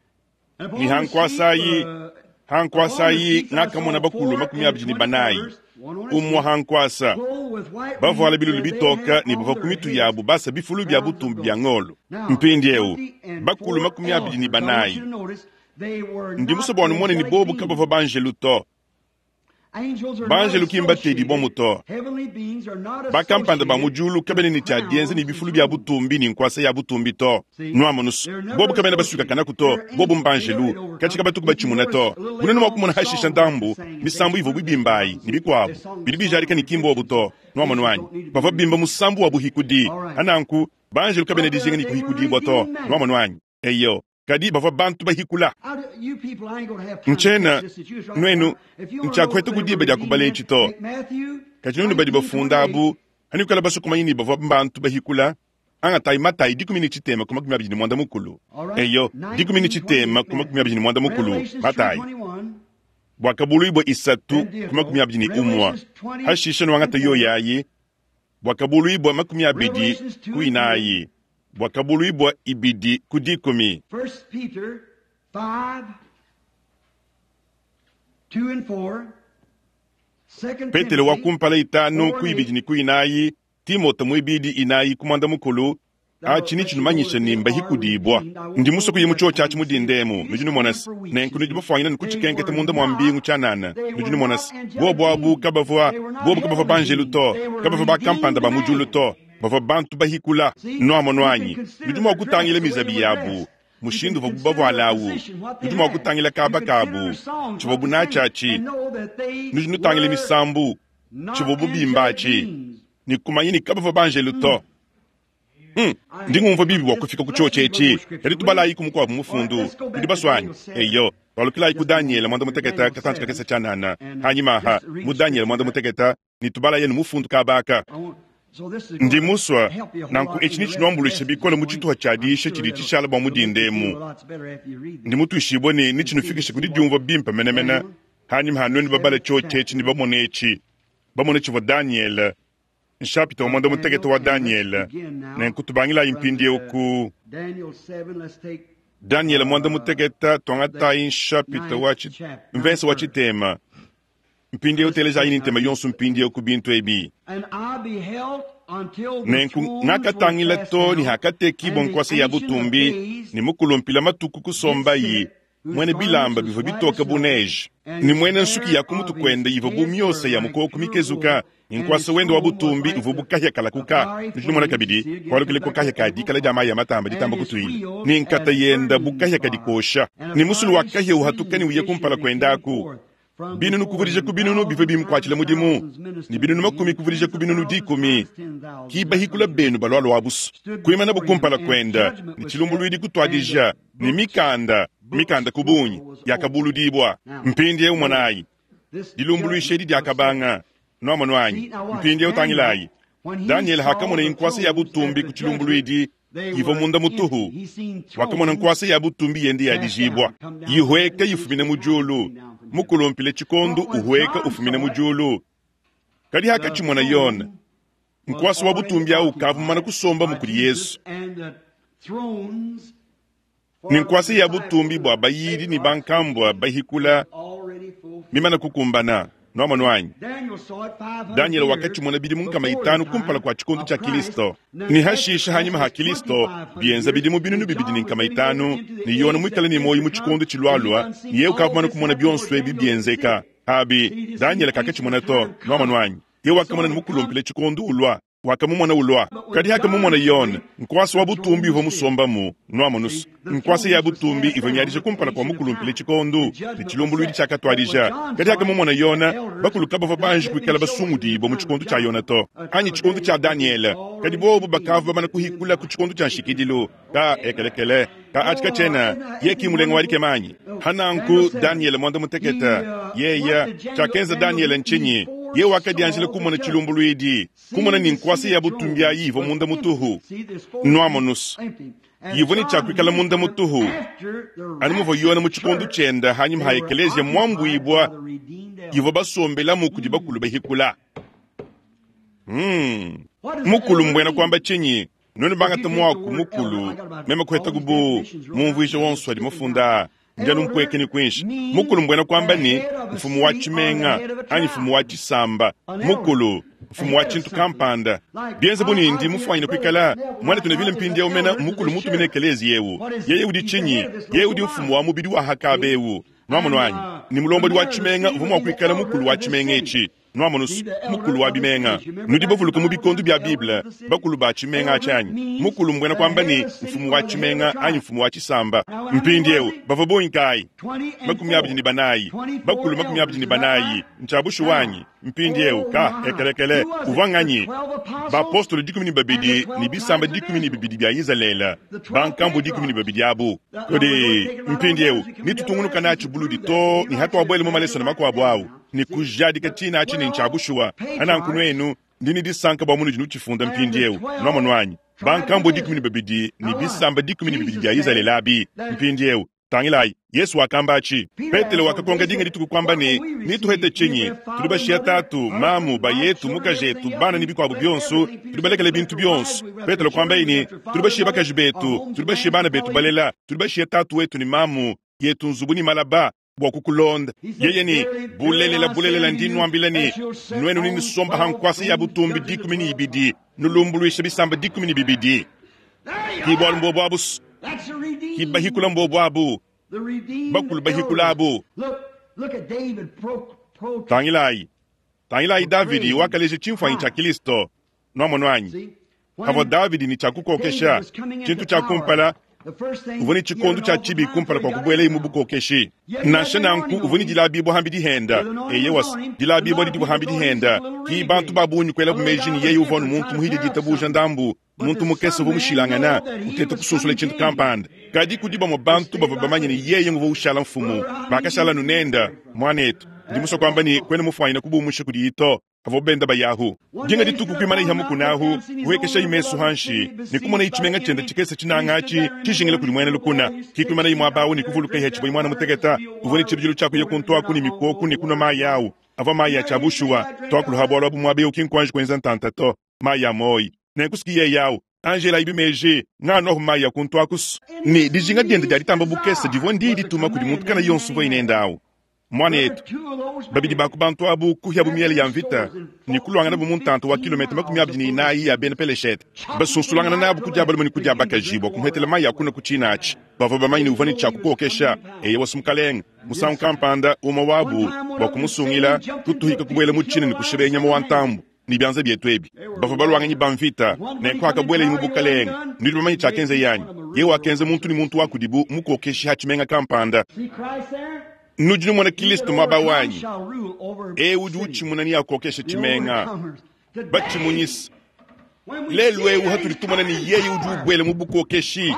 A: Ni hankuasayi, hankuasayi ngakamona bakulu makumi abidi ne banayi. Umwa hankuasa. Bavuala bilulu bitoka ne bavua ku mitu yabu basa bifulu bia butumbi bia ngolo. Mpindiewu, bakulu makumi abidi ne banayi. Ndi musue bua numone ne bobu kabavua banjelu to. Banjelu ki mbatedi bomu to. Bakampanda ba mu diulu kabena ne tshia dienza ne bifulu bia butumbi ne nkuasa ya butumbi to. Nuamonusu, bobu kabena basukakanaku to, bobu mbanjelu, katshi kabatuku batshimuna to. Bunene mua kumona hashisha ndambu, misambu ivua bibimbayi ne bikuabu, bidi bijadika ne ki mbobu to. Nuamonu anyi? Bavua bimba musambu wa buhikudi. Ananku, banjelu kabena dijinga ne kuhikudibua to. Nuamonu anyi? Eyo. Kadi bavua bantu bahikula. Nchena, nuenu, ntshiakuheta kudiba dia kubala etshi to. Kadi nuenu badi bafunda abu, hanikala basukumanya ne bavua bantu bahikula, angatayi matayi dikumi ne tshitema ku makumi abidi ne muanda mukulu. Eyo, dikumi ne tshitema ku makumi abidi ne muanda mukulu, matayi. Bwakabuluibwa isatu ku makumi abidi ne umwa. Hashisha nuangata yoyayi, bwakabuluibwa makumi abidi ku inayi. Bwakabuluibwa ibidi ku dikumi.
B: First Peter five, two and four. Second
A: Petelo wa
B: Timothy
A: kumpala itanu
B: four
A: ku
B: and
A: ibidi
B: eight.
A: ne ku inayi, Timote muibidi inayi ku muanda mukulu, atshi ni tshinumanyisha ne mbahikudibwa. Ndi musue kuya mu chio tshiatshi mudindemu, nudi numona se, nenku nudi bafuanyina ne kutshikenketa munda mua mbingu tshianana, nudi numona se, bobu abu kabavua, bobu kabavua banjelu to, kabavua bakampanda ba mu diulu to, bavua bantu bahikula. Nuamonu anyi, nudi mua kutangila mizabi yabu, mushindu uvuabu bavuala awu, nudi mua kutangila kaba kabu, tshivuabu natshiatshi, nudi nutangila misambu, tshivuabu bimbatshi, ne kumanya ne kabavua banjelu to. Hmm. Ndi ngumvua bibi bua kufika ku chio tshietshi. Kadi tubalayi ku mukuabu mufundu. Nudi baswanyi. Eyo, twalukilayi ku Daniel mwanda muteketa katanji kakese tshianana. Hanyima aha, mu Daniel mwanda muteketa, ne tubalaye ne mufundu kabaka. Ndi musua, nanku etshi ni tshinuambuluisha bikole mu tshituha tshia diisha tshidi tshishala bua mudindemu. Ndi mutuishibue ne ni tshinufikisha ku didiumvua bimpe menemene. Hanyima ha nuenu babala chio tshietshi ne bamone etshi. Bamone tshivua Daniel, nshapita wa mwanda mutekete wa Daniel. Nenku tubangilayi mpindiewu ku Daniel mwanda muteketa twangatayi nshapita wa tshi-, mvese wa tshitema. Mpindiewu telejayi ni ntema yonso mpindiewu ku bintu ebi. Nenku ngakatangila to ni hakatekibwa nkuasa ya butumbi ni mukulumpila matuku kusombayi mwene bilamba bivua bitoka bu neige ni mwene nsuki ya kumutu kwenda ivua bu miosa ya mukoko mikezuka ni nkuasa wende wa butumbi uvua bu kahia kalakuka. Nudi numona kabidi kwalukile ko kahia ka dikala dia mayi ya matamba ditamba kutuila ni nkata yenda bu kahia kadikosha ni musulu wa kahia uhatuka ni uye kumpala kwendaku. Binunu kuvudija ku binunu bivua bimukuatshila mudimu ni binunu makumi kuvudija ku binunu dikumi. Kibahikula benu balwalwa abusu kuimana bukumpala kwenda ni tshilumbuluidi kutwadija ni mikanda mikanda kubunyi yakabuludibwa. Mpindiewu mwanayi dilumbuluisha edi diakabanga nuamonu anyi. Mpindiewu tangilayi Daniel hakamona inkuasa ya butumbi ku tshilumbuluidi ivua munda mutuhu. Wakamona nkuasa ya butumbi yende ya dijibwa yihweka yifumine mu diulu mukulumpile tshikondu uhweka ufumine mu diulu. Kadi hakatshimona yone nkuasa wa butumbi awu kavumana kusomba mukuli Yesu. Ni nkuasa ya butumbi bua bayidi ni bankambua bahikula mimana kukumbana. Nuamonu anyi, Daniel wakatshimona bidimu nkama itanu kumpala kua tshikondu tshia Kristo. Ni hashisha hanyima ha Kristo bienza bidimu binunu bibidi ni nkama itanu ni yona mwikale ni moyo mu tshikondu tshilwalwa ni yeye ukavumana kumona bionso ebi bienzeka. Abi Daniel kakatshimona to. Nuamonu anyi, ye wakamona ni mukulumpile tshikondu ulwa. Wakamumona ulwa. Kadi hakamumona Yone, nkwasa wa butumbi uvua musombamu, nwamonusu. Nkwasa ya butumbi ivua miadija kumpala kua mukulumpile tshikondu, ne tshilumbuluidi tshiakatuadija. Kadi hakamumona Yona, bakulu kabavua banji kuikala basungudibua mu tshikondu tshia Yona to, anyi tshikondu tshia Daniele. Kadi bobu bakavua bamana kuhikula ku tshikondu tshia nshikidilu. Ka ekelekele, ka atshika tshiena, ye ki mulenga wa dikemanyi. Hananku Daniele mwanda muteketa, yeya, tshiakenza Daniele ntshinyi? Ye wakadianjila kumona tshilumbuluidi, kumona ni nkwasa ya butumbi ayi ivua munda mutuhu. Nwamonusu. Yivua ne tshiakuikala munda mutuhu. Anu muvua Yona mu tshikondu tshienda hanyima ha ekelezia mwambuibua, yivua basombelamu kudi bakulu bahikula. Hmm. Mukulu mbwena kwamba tshinyi? Nuenu bangata mwaku mukulu, meme kuheta kubu mumvuija wonso adi mufunda. Ndialu mpweke ni kwinshi. Mukulu mbwena kwamba ni mfumu wa tshimenga anyi mfumu wa tshisamba. Mukulu mfumu wa tshintu kampanda. Bienze bunindi mufwanyine kuikala mwana tuna vile mpindi umena mukulu mutumine ekelezi yewu. Yeye udi chinyi? Yeye udi mfumu wa mubidi wa hakabe ewu. Nwamono anyi? Ni mulombodi wa tshimenga uvua mua kuikala mukulu wa tshimenga etshi. Nwamono mukulu wa bimenga. Nudi bavuluka mu bikondu bia Bible, bakulu ba tshimenga atshi anyi. Mukulu mbwena kwamba ni mfumu wa tshimenga anyi mfumu wa tshisamba. Mpindi ewu bavua bonyi kayi? Makumi abidi ni banayi. Bakulu makumi abidi ni banayi. Ntshiabushu wanyi. Mpindi ewu ka ekelekele uvua nganyi? Bapostolo dikumi ni babidi ni bisamba dikumi ni bibidi bia Izalele. Bankambu dikumi ni babidi abu. Kodi mpindi ewu nitutungunuka natshi buludi to ni hatuabwele mu maleso na makuabu awu. Ni kujadika tshina atshi ni ntshiabushuwa. Ananku nwenu ndini disanka bua munudi nutshifunda mpindi ewu. Nwamono anyi? Bankambu dikumi ni babidi ni bisamba dikumi ni bibidi bia Izalele abi. Mpindi ewu tangilayi Yesu wakamba atshi. Petelo wakakonga dinga dituku kwamba ni nituhete tshinyi? Tudi bashia tatu, mamu, bayetu, mukajetu, bana ni bikuabu bionso, tudi balekele bintu bionso. Petelo kwamba ini tudi bashia bakaji betu, tudi bashia bana betu balela, tudi bashia tatu wetu ni mamu yetu nzubu ni malaba bua kukulonda. Yeye ni bulelela bulelela ndi nwambila ni nwenu ni nisomba hankwasa ya butumbi dikumi ni ibidi, nulumbuluisha bisamba dikumi ni bibidi. Ki bwalu mbobu abu, ki bahikula mbobu abu, bakulu bahikula abu. Tangilayi, tangilayi Davidi wakaleja tshimfuanyi tshia Kristo. Nwamono anyi? Havua Davidi ni tshia kukokesha, tshintu tshia kumpala, uvua ni tshikondu tshia tshibi kumpala kua kubuelaye mu bukokeshi. Nansha nanku uvua ni dilabibua hambi dihenda. Eye wasi, dilabibua didi hambi dihenda. Ki bantu ba bungi kuelabu meji ni yeye uvua nu muntu muhidi ditabuja ndambu, muntu mukese uvua mushilangana, uteta kususula tshintu kampanda. Kadi kudi bamue bantu bavua bamanye ni yeye nguvua ushala mfumu. Bakashala nunenda, mwanetu. Ndi musue kwamba ni kwena mufwanyine kubumusha kudi ito. Havua benda bayahu. Dinga dituku kuimana iha mukunahu, kuhekesha imesu hanshi, ni kumona ichimenga chenda chikese chinangachi, chishingile kuli mwene lukuna. Kikuimana imwa bawu ni kuvuluka iha chibwe mwana muteketa, uvua ni chibijilu chaku ya kuntwaku ni mikoku ni kunwa mayi awu. Avua mayi ya chabushuwa, twakuluha bwalwa bu mwabe ukinkwanji kwenza ntanta to, mayi ya moyi. Nenkusikiye yawu, Angela ibi meji, ngano mayi ya kuntwakusu. Ni dijinga diende dia ditamba bukese divua ndi dituma kudi muntu kana yonso uvua inenda awu. Mwanetu, babidi baku bantu abu kuhyabu miele ya mvita, ni kulwangana bu muntanto wa kilomita makumi abidi ni inayi ya bena Peleshete. Basunsulangana nabu kudia balume ni kudia bakaji bua kumuhetela mayi akuna ku tshina atshi. Bavua bamanye ni uvua ni tshia kukokesha, eye wasi mukalenga. Musangu kampanda umwe wabu bua kumusungila, kutuhika kubuela mu tshina ni kusheba nyama wa ntambu. Ni bianza bietu ebi. Bavua balwanganyi ba mvita, ne kwakabuela mu bukalenga. Nudi bamanye tshiakenza yanyi. Ye wakenza muntu ni muntu wa kudibu mukokeshi ha tshimenga kampanda. Nudi numona Kristo mwaba wanyi. E udi utshimuna ni akokesha tshimenga. Batshimunyisa. Lelu ewu hatuli tumona ni yeye udi ubwele mu bukokeshi.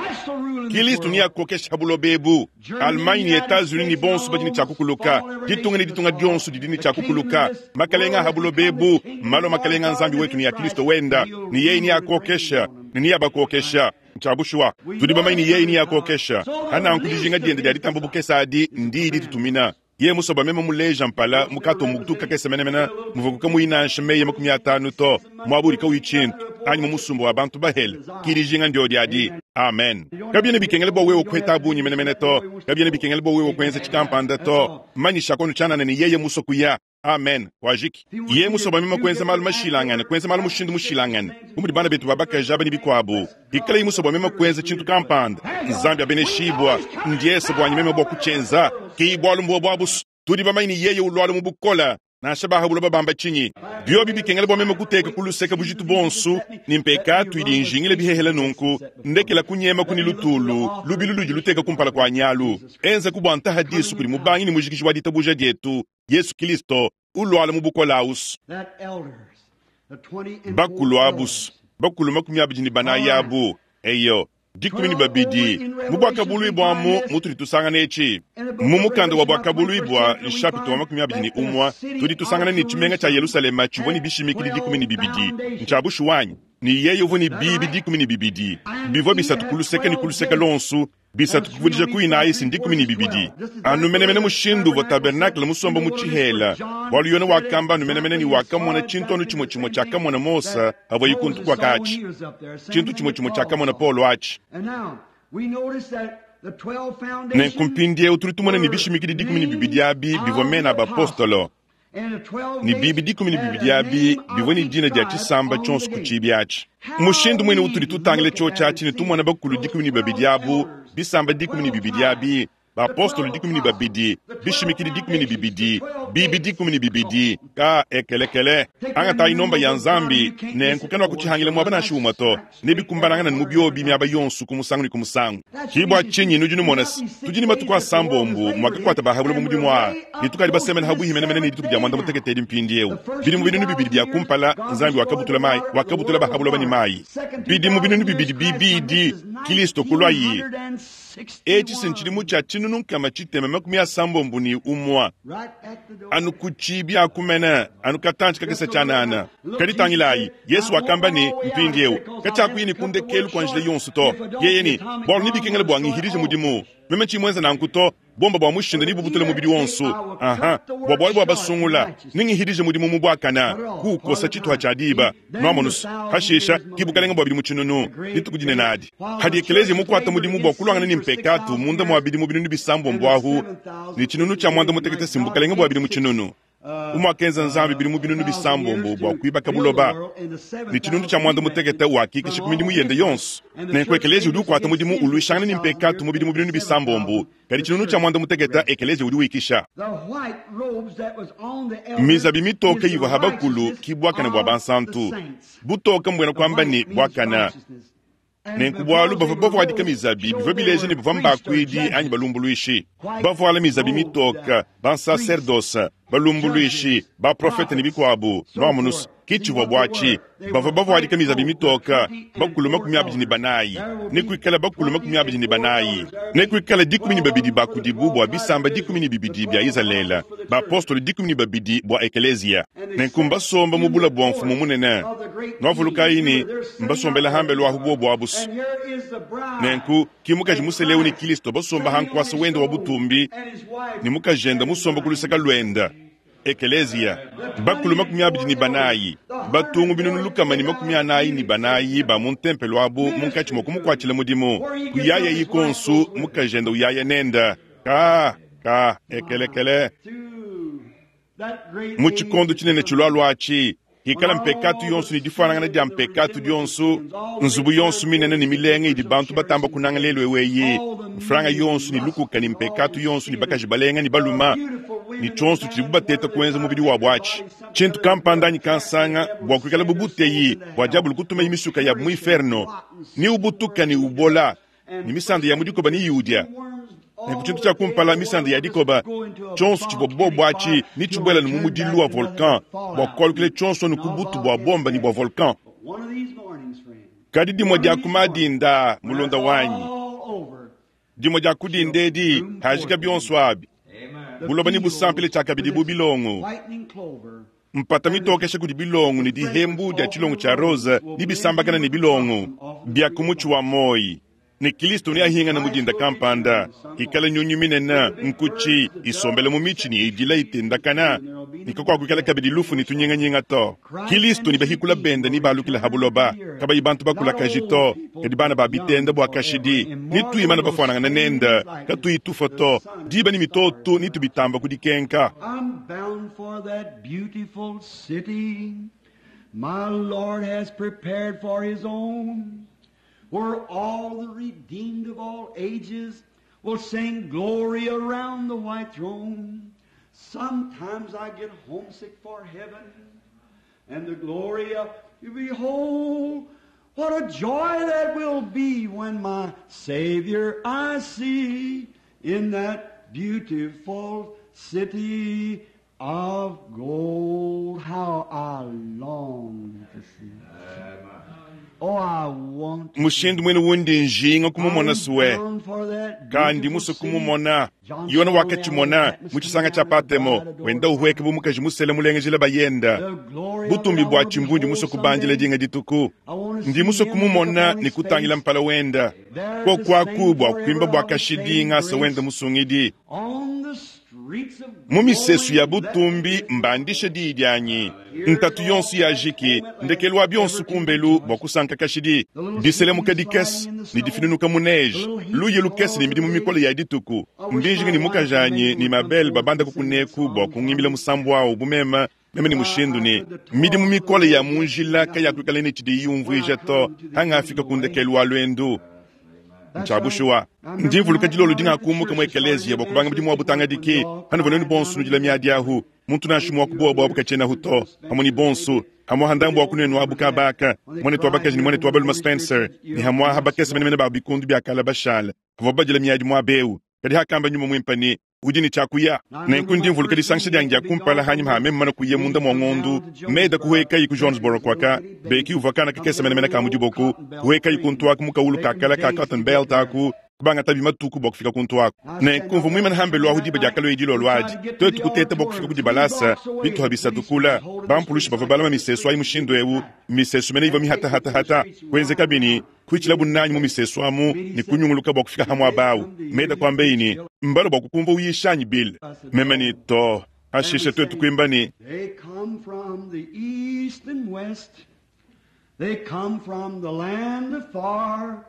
A: Kristo ni akokesha bulobebu. Allemagne ni Etats-Unis ni bonso badi ni tshakukuluka. Ditunga ni ditunga dionso didi ni tshakukuluka. Makalenga ha bulobebu, malo makalenga nzambi wetu ni ya Kristo wenda. Ni yeye ni akokesha, ni ni abakokesha. Ntshiabushuwa. Tudi bamanye ni yeye ni akokesha. Hana nkudijinga diende dia ditamba bukesa adi ndi ditutumina. Ye musoba meme muleja mpala mukato mutuka kese menemena muvukuka muinansha meye makumi atanu to mwaburi ka wichintu anyi mu musumba wa bantu bahele kirijinga ndio diadi. Amen. Kabiene bikengele bo wewe kweta bunyi menemene to. Kabiene bikengele bo wewe kwenza chikampanda to. Manyisha kono chanana ni yeye musokuya. Amen. Wajiki. Ye musoba meme kwenza malu mashilangana, kwenza malu mushindu mushilangana. Umudi bana betu babaka jaba ni bikwabu. Ikala musoba meme kwenza chintu kampanda. Nzambi abeneshibwa. Ndiese bwanyi meme bwa kuchenza. Ki bwalu mbwa bwabus. Tudi bamanye ni yeye ulwalu mubukola. Nansha ba ha buloba bamba tshinyi, biobi bikengela bua meme kuteka ku luseke bujitu buonso ne mpekatu idi injingila bihehela nunku, ndekela kunyema ku ne lutulu lubilu ludi luteka kumpala kua nyalu. Enza ku bua ntaha disu kudi mubangi ne mujikiji wa ditabuja dietu, Yesu Kristo, ulwala mu bukola ausu.
B: That elders, the twenty and
A: Bakulu
B: four
A: abusu,
B: elders.
A: bakulu makumi abidi ne banayi abu, eyo, dikumi ne babidi, mu bwakabuluibwamu mutudi tusangana etshi. Mu mukanda wa bwakabuluibwa, nshapita wa makumi abidi ne umwa, tudi tusangana ne tshimenga tshia Yerusalema tshivua ne bishimikidi dikumi ne bibidi, ntshia bushuwanyi, ne yeye uvua ne bibi dikumi ne bibidi, bivua bisatu ku luseke ne ku luseke lonsu, bisatu kuvudija ku inayi si dikumi ne bibidi. Anu menemene mushindu uvua tabernakle musomba mu tshihela, bualu Yone wakamba anu menemene ne wakamona tshintu anu tshimue tshimue tshiakamona Mose avua yikuntu kwa katshi. Tshintu tshimue tshimue tshiakamona Paulo atshi.
B: And now, we notice that the twelve
A: Nenku
B: foundations
A: mpindieu tudi tumona ne bishimikidi dikumi ne bibidi abi bivua mena abapostolo,
B: and the twelve
A: ne
B: gates
A: bibi dikumi ne
B: had
A: bibidi
B: a
A: abi
B: name of
A: bivua ne
B: each
A: dina dia
B: tribe
A: tshisamba
B: on
A: tshionso
B: the
A: ku
B: gate.
A: tshibi atshi. Mushindu muine utudi tutangila tshio tshiatshi ne tumona bakulu dikumi ne babidi abu, bisamba dikumi ne bibidi abi, bapostolo dikumi ne babidi, bishimikidi dikumi ne bibidi, bibi dikumi ne bibidi, ka ekelekele. Angatayi nomba ya Nzambi, nenku kena kutshihangila muaba nansha umue to, ne bikumbanangana ne mu biobi miaba yonso ku musangu ne ku musangu. Kibwa tshinyi nudi numona se, tudi ne matuku asambombo mwakakuata bahabula mu mudimu aa, ne tukadi basemena habuhi menemene ne dituku dia mwanda mutekete edi mpindieu. Bidi mu binunu bibidi bia kumpala, Nzambi wakabutula mayi, wakabutula bahabula bani mayi. Bidi mu binunu bibidi bibidi, Kristo kulwayi. Etshi si ntshidimu tshia tshinunu nkama tshitema makumi asambombo ne umwa.
B: Right at the door.
A: Anu ku tshibi akumene, anu katantshi kakese tshianana. Kadi tangilayi, Yesu wakamba ne mpindieu, katshiakuyi ne kundekelu kua njila yonso to. Yeye ne, bualu nebikengele bua ngihidije mudimu. Meme tshimwenza nanku to, bomba bua mushinda nibubutule mubidi wonso. Aha, bua bualu bua basungula, ningihidije mudimu mu buakana, kuukosa tshituha tshia diba. Nwamonusu, hashisha, kibukalenga bua bidi mu tshinunu, dituku dinene adi. Hadi ekelezia mukuata mudimu bua kulwangana ne mpekatu munda mua bidi mu binunu bisambombo ahu, ne tshinunu tshia mwanda mutekete si mbukalenga bua bidi mu tshinunu. Umwakenza Nzambi bidi mu binunu bisambombo bua kuibaka buloba, ne tshinunu tshia mwanda mutekete wakikisha ku midimu yende yonso. Nenku ekelezia udi ukuata mudimu ulwishangana ne mpekatu mu bidimu binunu bisambombo, kadi tshinunu tshia mwanda mutekete ekelezia udi wikisha.
B: The white robes that was on the elders
A: Mizabi mitoke
B: is the
A: ivua habakulu
B: righteousness
A: kibwakana bua
B: of the
A: bansantu.
B: saints.
A: Butoka mbwena
B: The
A: kwamba
B: white
A: ne
B: means
A: bwakana.
B: righteousness. And
A: Nenku bualu
B: because
A: bavua
B: they were
A: bavuadika
B: robed,
A: mizabi
B: showed
A: bivua
B: they
A: bileja ne
B: were
A: bavua
B: priests or
A: mbakuidi anyi
B: judges.
A: balumbuluishi.
B: White
A: Bavuala mizabi
B: robed,
A: mitoka,
B: uh,
A: bansaserdosa, balumbuluishi,
B: judges,
A: baprofete ne
B: prophets,
A: bikuabu.
B: so
A: Nwamonusu,
B: forth.
A: ki
B: See
A: tshivua
B: what they
A: buatshi.
B: were. They
A: Bavua
B: were
A: bavuadika
B: white
A: mizabi
B: robed,
A: mitoka,
B: twenty and
A: bakulu
B: four
A: makumi abidi ne
B: elders.
A: banayi.
B: There will
A: Ne
B: be
A: kuikala bakulu makumi
B: twenty
A: abidi ne
B: and four
A: banayi.
B: elders. There will
A: Ne
B: be
A: kuikala dikumi ne
B: twelve
A: babidi
B: of them for the
A: bakudibu bua
B: twelve tribes
A: bisamba
B: of
A: dikumi ne
B: Israel, the
A: bibidi bia
B: twelve
A: Izalele,
B: apostles for the church.
A: bapostolo dikumi ne babidi bua ekelezia.
B: And they
A: Nenku
B: sat
A: mbasomba mu
B: in
A: bula
B: the
A: bua mfumu
B: court
A: munene.
B: of the great king.
A: Nwavulukayi ne
B: Remember, they're sitting
A: mbasombela
B: out there.
A: hambelu ahu bobu abusu.
B: And here is the bride
A: Nenku ki mukaji
B: and
A: museleu ne
B: Christ
A: Kristo basomba
B: sitting on
A: hankwasa
B: his
A: wende wa
B: throne
A: butumbi
B: and his wife
A: ne mukajenda
B: standing
A: musomba ku
B: behind
A: luseka
B: him.
A: lwenda. Ekelezia
B: The
A: bakulu
B: twenty
A: makumi
B: and
A: abidi
B: four
A: ne
B: elders,
A: banayi
B: the hundred
A: batungu
B: and
A: binunu lukama ne makumi
B: forty-four thousand
A: anayi ne
B: units
A: banayi ba mu ntempelo abu munkatshi
B: ministering
A: mua
B: to him.
A: kumukuatshila mudimu.
B: Where he gets
A: Kuyaya
B: up, his wife
A: yikonsu
B: goes with him.
A: mukajenda uyaya nenda ka ka ekelekele.
B: Through that great
A: Mu
B: age
A: tshikondo
B: to
A: tshinene
B: come,
A: tshilwalwa atshi
B: when
A: hikala mpekatu
B: all
A: yonso
B: the
A: ne difuanangana
B: sin
A: dia
B: and the
A: mpekatu
B: resemblance of
A: dionso,
B: sins, all the
A: nzubu
B: big
A: yonso
B: iron
A: minene ne
B: buildings that
A: milenge
B: people
A: idi
B: shall
A: bantu
B: cherish
A: batamba
B: and
A: kunanga
B: pray,
A: lelu eweyi,
B: all the
A: mfranga
B: mean
A: yonso ne
B: lust
A: lukuka ne
B: and all
A: mpekatu
B: the
A: yonso ne
B: sin
A: bakaji
B: and
A: balenga ne
B: the
A: baluma
B: beautiful
A: ne
B: women and
A: tshionso tshidibu
B: men,
A: bateta
B: whatever they
A: kuenza
B: try to
A: mubidi
B: make
A: wabu
B: their
A: atshi.
B: bodies something
A: Tshintu
B: other than
A: kampanda
B: good,
A: anyi
B: attract the
A: kansanga
B: devil
A: bua
B: to
A: kuikala
B: send their souls
A: bubuteyi
B: into
A: bua
B: hell
A: diabulu kutuma
B: will
A: imisuka ya mu
B: perish in
A: inferno
B: rotten
A: ni ubutuka ne
B: worms
A: ubola
B: and
A: ne misanda ya mu dikoba ne yiudya.
B: worms
A: Nenku
B: all
A: tshintu
B: the
A: tshia
B: day
A: kumpala
B: the
A: misanda ya
B: world will just
A: dikoba
B: go into a
A: tshionso tshivua
B: volcanic
A: bobu atshi
B: fire
A: ne
B: till
A: tshibuela
B: it
A: ne mu
B: turn
A: mudilu
B: back
A: wa
B: to nothing
A: volcan
B: but
A: bua
B: fallout
A: kualukila
B: and,
A: tshionso ne
B: and
A: ku
B: all
A: butu bua
B: volcanic
A: bomba ne bua
B: ash.
A: volcan.
B: But one of these mornings, friend,
A: Kadi dimue
B: one
A: dia
B: of these
A: ku
B: mornings,
A: madinda
B: when
A: mulonda
B: that's
A: wanyi,
B: all over,
A: dimue dia
B: she'll
A: kudinda edi
B: bloom
A: hajika
B: forth again.
A: bionso abi
B: The
A: buloba ne busampile
B: fields
A: tshiakabidi
B: with
A: bu
B: its
A: bilongo
B: whitening clover
A: mpata
B: and the,
A: mitokesha kudi bilongo ne
B: the fragrance
A: dihembu dia
B: off
A: tshilongo
B: the
A: tshia
B: rose
A: rosa
B: will
A: ne
B: blend
A: bisambakana
B: in
A: ne
B: with the
A: bilongo
B: blossom off the
A: bia
B: tree
A: ku
B: of
A: mutshi
B: life.
A: wa moyi. Ne Kristo ne ahingana
B: Christ
A: mudinda
B: will
A: kampanda
B: return some
A: ikala
B: morning
A: nyunyu minene
B: with the big
A: nkuchi
B: birds, the
A: isombela mu
B: doves
A: mitshi
B: set
A: ne
B: the
A: idila
B: trees and
A: itendakana
B: and there will be no
A: niko
B: more
A: kwakuikala
B: death,
A: kabidi
B: no
A: lufu
B: more
A: ne
B: sorrow.
A: tunyinganyinga to.
B: Christ
A: Kristo
B: and
A: ne
B: his
A: bahikula
B: redeemed
A: benda
B: will
A: ne balukila
B: return to
A: habuloba
B: the earth,
A: kabayi bantu
B: not
A: bakulakaji
B: old
A: to
B: people,
A: kadi bana ba
B: but young
A: bitenda bua
B: forever,
A: kashidi ne
B: immortal
A: tuimana
B: will
A: bafuanangana
B: stand in
A: nenda
B: his likeness,
A: katuyi tufa
B: the
A: to
B: sun
A: diba ne
B: and stars
A: mitoto ne
B: around.
A: tubitamba kudikenka.
B: I'm bound for that beautiful city my Lord has prepared for his own, where all the redeemed of all ages will sing glory around the white throne. Sometimes I get homesick for heaven and the glory of behold, what a joy that will be when my Savior I see in that beautiful city of gold. How I long to see. Oh, I want to
A: mushindu mwene wundi njinga kumumona suwe
B: I'm bound for that
A: kandi
B: beautiful
A: muso
B: city.
A: kumumona yona wakachimona muchisanga cha patemo wenda uhweke bumukaji musele mulengejela bayenda
B: The glory of it
A: butumbi
B: I
A: bwa
B: wanna
A: chimbundi
B: behold
A: muso kubanjila
B: someday.
A: dinga dituku
B: I wanna
A: ndi
B: see
A: muso
B: him
A: kumumona
B: look upon
A: ni
B: his
A: kutangila
B: face.
A: mpala wenda
B: There
A: ko
B: to
A: kwaku
B: sing
A: bwa
B: forever
A: kwimba bwa
B: of the same
A: kashidinga se wenda
B: grace.
A: musungidi
B: On the streets of
A: mu misesu ya
B: glory,
A: butumbi mbandishe diyi dyanyi ntatu yonso ya jiki ndekelu wa byonso kumbelu bwa kusanka kashidi diselemuka dikese ni difinunuka mu neige luye lukese ni midimu mikole ya dituku ndinjinga ni mukajanyi ni mabele babanda kukuneku bwa kungimbila musambu wawo bumema meme ni mushindu ni midimu mikole ya munjila kayakuikala ni tshidi yumvuija to hangafika kundekelu wa lwendu nchabushuwa ndimvuluka dilolo dingakumbuka mu ekeleziya bwa kubanga mudimu wa butangadiki hano voneni bonsu nudila miadi ahu muntu nashimu wa kubowa bwabu kachenahu to hamwe ni bonsu hamwe handambu wa kunenu abu kabaka mwane twa bakaji ni mwane twa baluma Spencer ni hamwe aha bakese menemene ba bikundu bya kala bashala havwa badila miadi mwa beu kadi hakamba nyuma mwimpa ni udi ni chakuya nenku ndimvuluka disangisha dyangi dya kumpala hanyuma ha meme mana kuya munda mwa ng'ondu meda kuhwekayi ku Jonesboro kwaka beki uvakana kakese menemene ka mudiboku kuhwekayi kuntu aku mukaulu kakala ka cotton belt aku kubanga tabi matuku bwa kufika kuntu aku nenku mvu mwimana hambelu ahu diba diakalo edilo lwadi twetu kuteta bwa kufika kudibalasa bituha bisatukula bampulushi bava balama misesu ayi mushindu ewu misesu mene iva mihatahatahata kwenzeka bini kuichila bunanyi mu misesu amu ni kunyunguluka bwa kufika hamwe abawu meda kwambeini mbalo bwa kukumva uyishanyi bile meme ni to hashishe twetu kwimba ni
B: They come from the east and west. They come from the land afar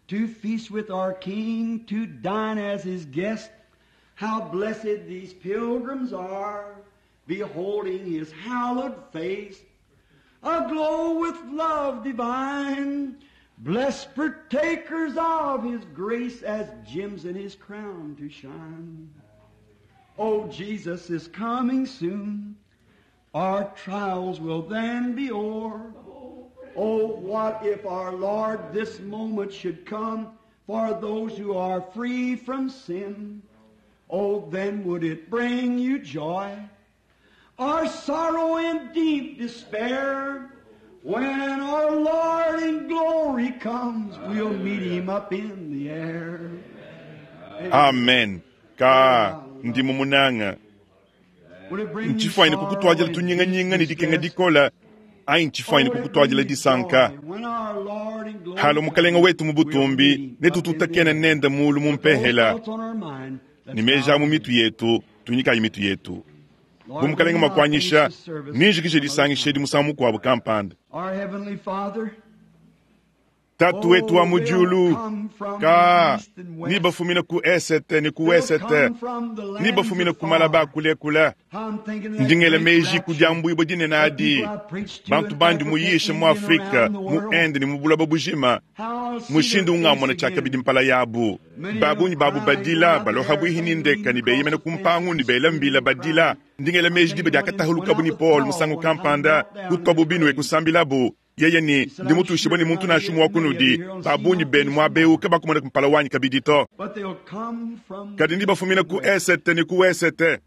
B: to feast with our King, to dine as his guest. How blessed these pilgrims are, beholding his hallowed face, aglow with love divine. Blessed partakers of his grace as gems in his crown to shine. Oh, Jesus is coming soon. Our trials will then be o'er. Oh, what if our Lord this moment should come for those who are free from sin? Oh, then would it bring you joy or sorrow and deep despair? When our Lord in glory comes, we'll meet him up in the air.
A: Amen ka ndi mumunanga
B: Would it bring you
A: nchifwaine
B: sorrow
A: kukutwajila
B: and
A: tunyinganyinga ni
B: deep
A: dikenga
B: distress?
A: dikola ayi nchifwaine kukutwajila disanka halo mukalenga wetu mu butumbi netututakena nenda mulu mumpehela ni meja mu mitu yetu tunyikayi mitu yetu bu mukalenga makwanyisha ninjikije disangisha edi musangu mukuabu kampanda tatu wetu wa mujulu ka ni bafumina ku esete ni ku wesete ni bafumina ku malaba kulekula ndingela meji kudyambuibwa dinene adi bantu bandi muyisha mu afrika mu ende ni mu bulaba bujima mushindu ungamona chakabidi mpala yabu babunyi babu badila baloha bwihini ndeka ni beyimene kumpangu ni bela mbila badila ndingela meji diba diakatahulukabu ni paul musangu kampanda kutwabu binwe kusambilabu yeye ni ndi mutushibwe ni muntu nashumu wa kunudi babunyi benu mwabeuka bakumona kumpala wanyi kabidi to kadi ndi bafumina ku esete ni ku wesete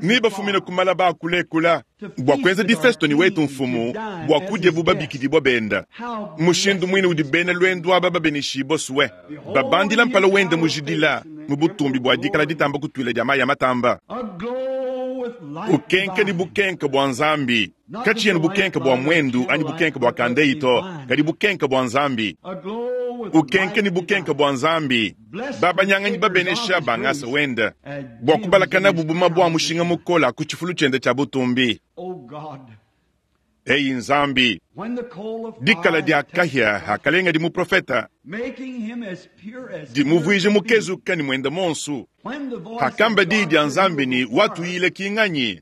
A: ni bafumina ku malaba akulekula bua kuenza difesto ni wetu mfumu bua kudya bubabikidibwa benda mushindu mwine udi bena lwendu aba babenishibwa suwe babandila mpala wende mujidila mu butumbi bua dikala ditamba kutuila dia mayi ya matamba bukenke ni bukenke bua nzambi kachiyeni bukenke bua mwendu anyi bukenke bua kandeito kadi bukenke bua nzambi ukenke ni bukenke bua nzambi babanyanganyi babenesha bangasa wenda bua kubalakana bubuma bua mushinga mukola ku tshifulu tshiende tshia butumbi eyi nzambi dikala dia kahia hakalenga di muprofeta dimuvuije mukezuka ni mwenda monsu hakamba di dia nzambi ni watuyile kinganyi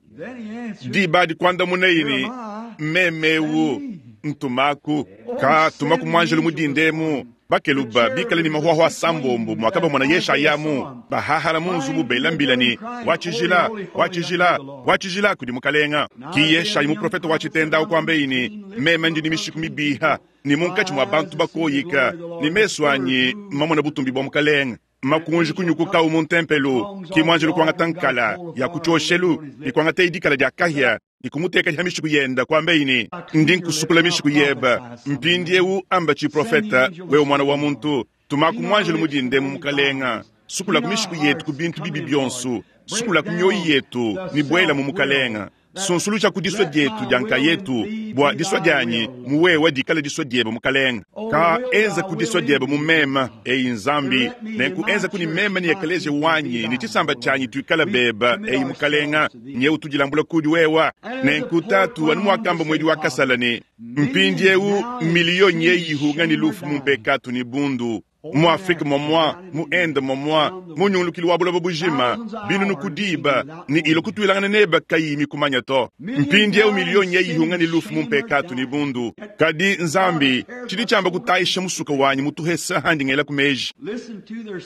A: diba dikuandamuna ini mmemewu ntumaku ka tumaku mwanjelu mudindemu Bakeluba bikale ne mahuahua asambombo muakabamona Yeshayamu bahahala mu nzubu bela mbila ne wa tshijila wa tshijila wa tshijila kudi mukalenga. Ki Yeshayi muprofete wa tshitenda ukuambeyi ne meme ndi ne mishiku mibiha ne munkatshi mua bantu bakoyika ne mesu anyi mamona butumbi bua mukalenga. Makunji kunyukukawu mu ntempelo ki muanjelu kuangata nkala ya ku tshioshelu ne kuangata idikala dia kahia ne kumuteka dia mishiku yenda kuambeyi ne ndi nkusukula mishiku yeba mpindiewu amba tshiprofeta wewe mwana wa muntu tumaku muanjelu mudinde mu mukalenga sukula ku mishiku yetu ku bintu bibi bionso sukula ku mioyo yetu ne buela mu mukalenga sunsulusha ku disua dietu dia nkayetu bua disua dianyi muwewa dikala disua diebe mukalenga ka enza ku disua diebe mu mema eyi nzambi nenku enza ku ni mema ni ekelesia wanyi ni tshisamba tshianyi tuikala beba eyi mukalenga nyewu tudilambula kudi wewa nenku tatu anu muakamba mwedi wa kasala ne mpindiewu miliyoni yeyi ihunga ni lufu mu mpekatu ni bundu mu Afrika momwa mu Ende momwa mu nyungulukili wa buloba bujima binunu kudiba ni ilo kutuilangana neba kayi mikumanya to mpindiewu miliyoni yeyi ni lufu mu mpekatu ni bundu kadi nzambi tshidi tshiamba kutayisha musuka wanyi mutuhesa handi ngela kumeji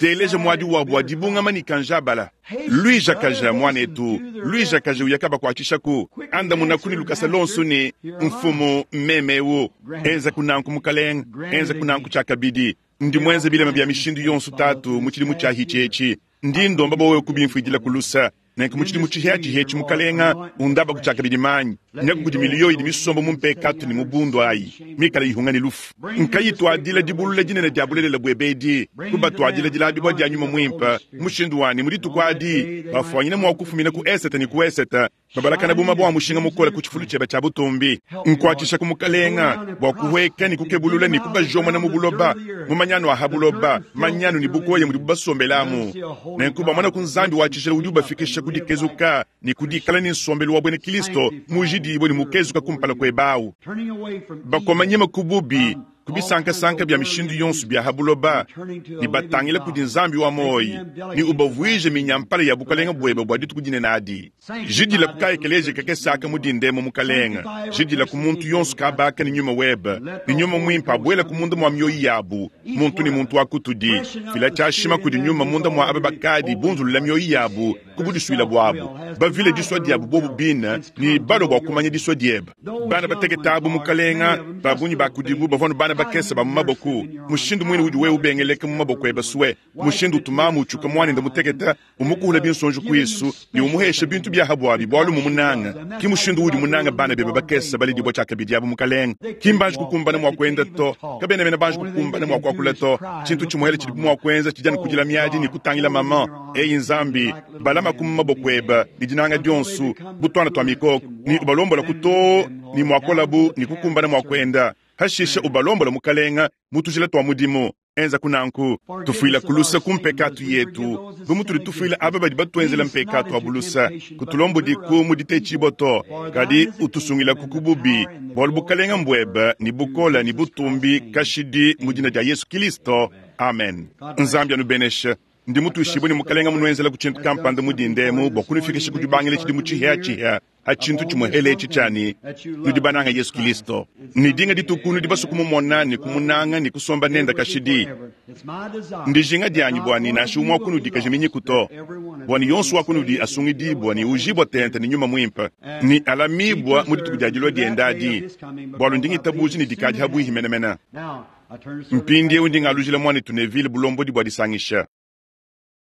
A: teleja muadi wabu wa dibungama ni kanjabala luija kaja mwanetu luija kaja uyakaba kuatshishaku andamuna kuni lukasa lonso ni mfumu mmemewu enza kunanku mukalenga enza kunanku tshiakabidi ndi mwenze bilema bya mishindu yonso tatu mu tshilimu tshia hitshi ndi ndomba bowe kubimfuidila kulusa nenku mu tshilimu tshihia tshihetshi mukalenga undaba kutshiakabidi manyi nyaku kudi miliyo idi misombo mu mpekatu ni mu bundu ayi mikala ihunga ni lufu nkayituadila dibulula dinene dia bulelela buebedi kubatuadila dilabibua dia nyuma muimpe mushindu wani mu dituku adi bafuanyine mua kufumina ku esete ni ku esete babalakana buma bua mushinga mukole ku tshifulu tshiebe tshia butumbi nkuatshisha ku mukalenga bua kuhweka ni kukebulula ni kubajomona mu buloba mu manyanu aha buloba manyanu ni bukoye mudi bubasombelamu nenku bamona ku nzambi wa tshijila udi ubafikisha ku dikezuka ni ku dikala ni nsombelu wa bwene Kristo mujidibwe ni mukezuka kumpala kuebawu bakomanyema ku bubi kubisankasanka bya mishindu yonso bya habuloba ni batangila kudi nzambi wa moyi ni ubavuije minyampala ya bukalenga bwebe bua dituku dinene adi jidila ku kaekeleje kakesaka mudindemo mukalenga jidila ku muntu yonso kabaka ni nyuma webe ni nyuma mwimpe abuela ku munda mua mioyi yabu muntu ni muntu wa kutudi fila tshiashima kudi nyuma munda mua aba bakadi bunzulula mioyi yabu kubudisuila buabu bavile disua diabu bobu bina ni balo bua kumanya disua diebe bana bateketa abu mukalenga babunyi bakudibu bavua bana bakese ba mu maboko mushindu mwine udi wewe ubengeleka mu maboko ebe sue mushindu utumamu utshuka mwanende muteketa umukuhula binsonji kuisu ni umuhesha bintu bya habwabi bwalu mu munanga ki mushindu udi munanga bana bebe bakese balidibwa tshiakabidi abu mukalenga ki mbanji kukumbana mua kuenda to kabena bena banji kukumbana mua kuakula to tshintu tshimuhele tshidi mua kuenza tshidi anu kudila miadi ni kutangila mama eyi nzambi balama ku maboko ebe ni dinanga dionso butwana twa mikoko ni ubalombola kuto ni muakolabu ni kukumbana mua kuenda hashisha ubalombola mukalenga mutujila twa mudimu enza kunanku tufuila kulusa ku mpekatu yetu bu mutudi tufuila aba badi batuenzela mpekatu wa bulusa kutulombodiku mu ditetshibo to kadi utusungilaku ku bubi bualu bukalenga mbuebe ni bukola ni butumbi kashidi mu dina dia Yesu Kristo amen. Nzambi anubeneshe ndi mutuishibwe ni mukalenga munuenzela ku tshintu kampanda mudindemu bua kunufikisha ku dibangila tshidimu tshihia-tshihia ha tshintu tshimuhele etshi tshiani nudi bananga Yesu Kristo ni dinga dituku nudi basu kumumona ni kumunanga ni kusomba nenda kashidi ndijinga dianyi bwani nansha umwe wakunudi kajiminyiku to bwani yonso wakunudi asungidibwa ni ujibwa tente ni nyuma mwimpe ni alamibwa mu dituku dia dilua dienda adi bwalu ndingitabuji ni dikadi habwihi menemene mpindiewu ndingalujila mwanetu Neville bulombodi bua disangisha.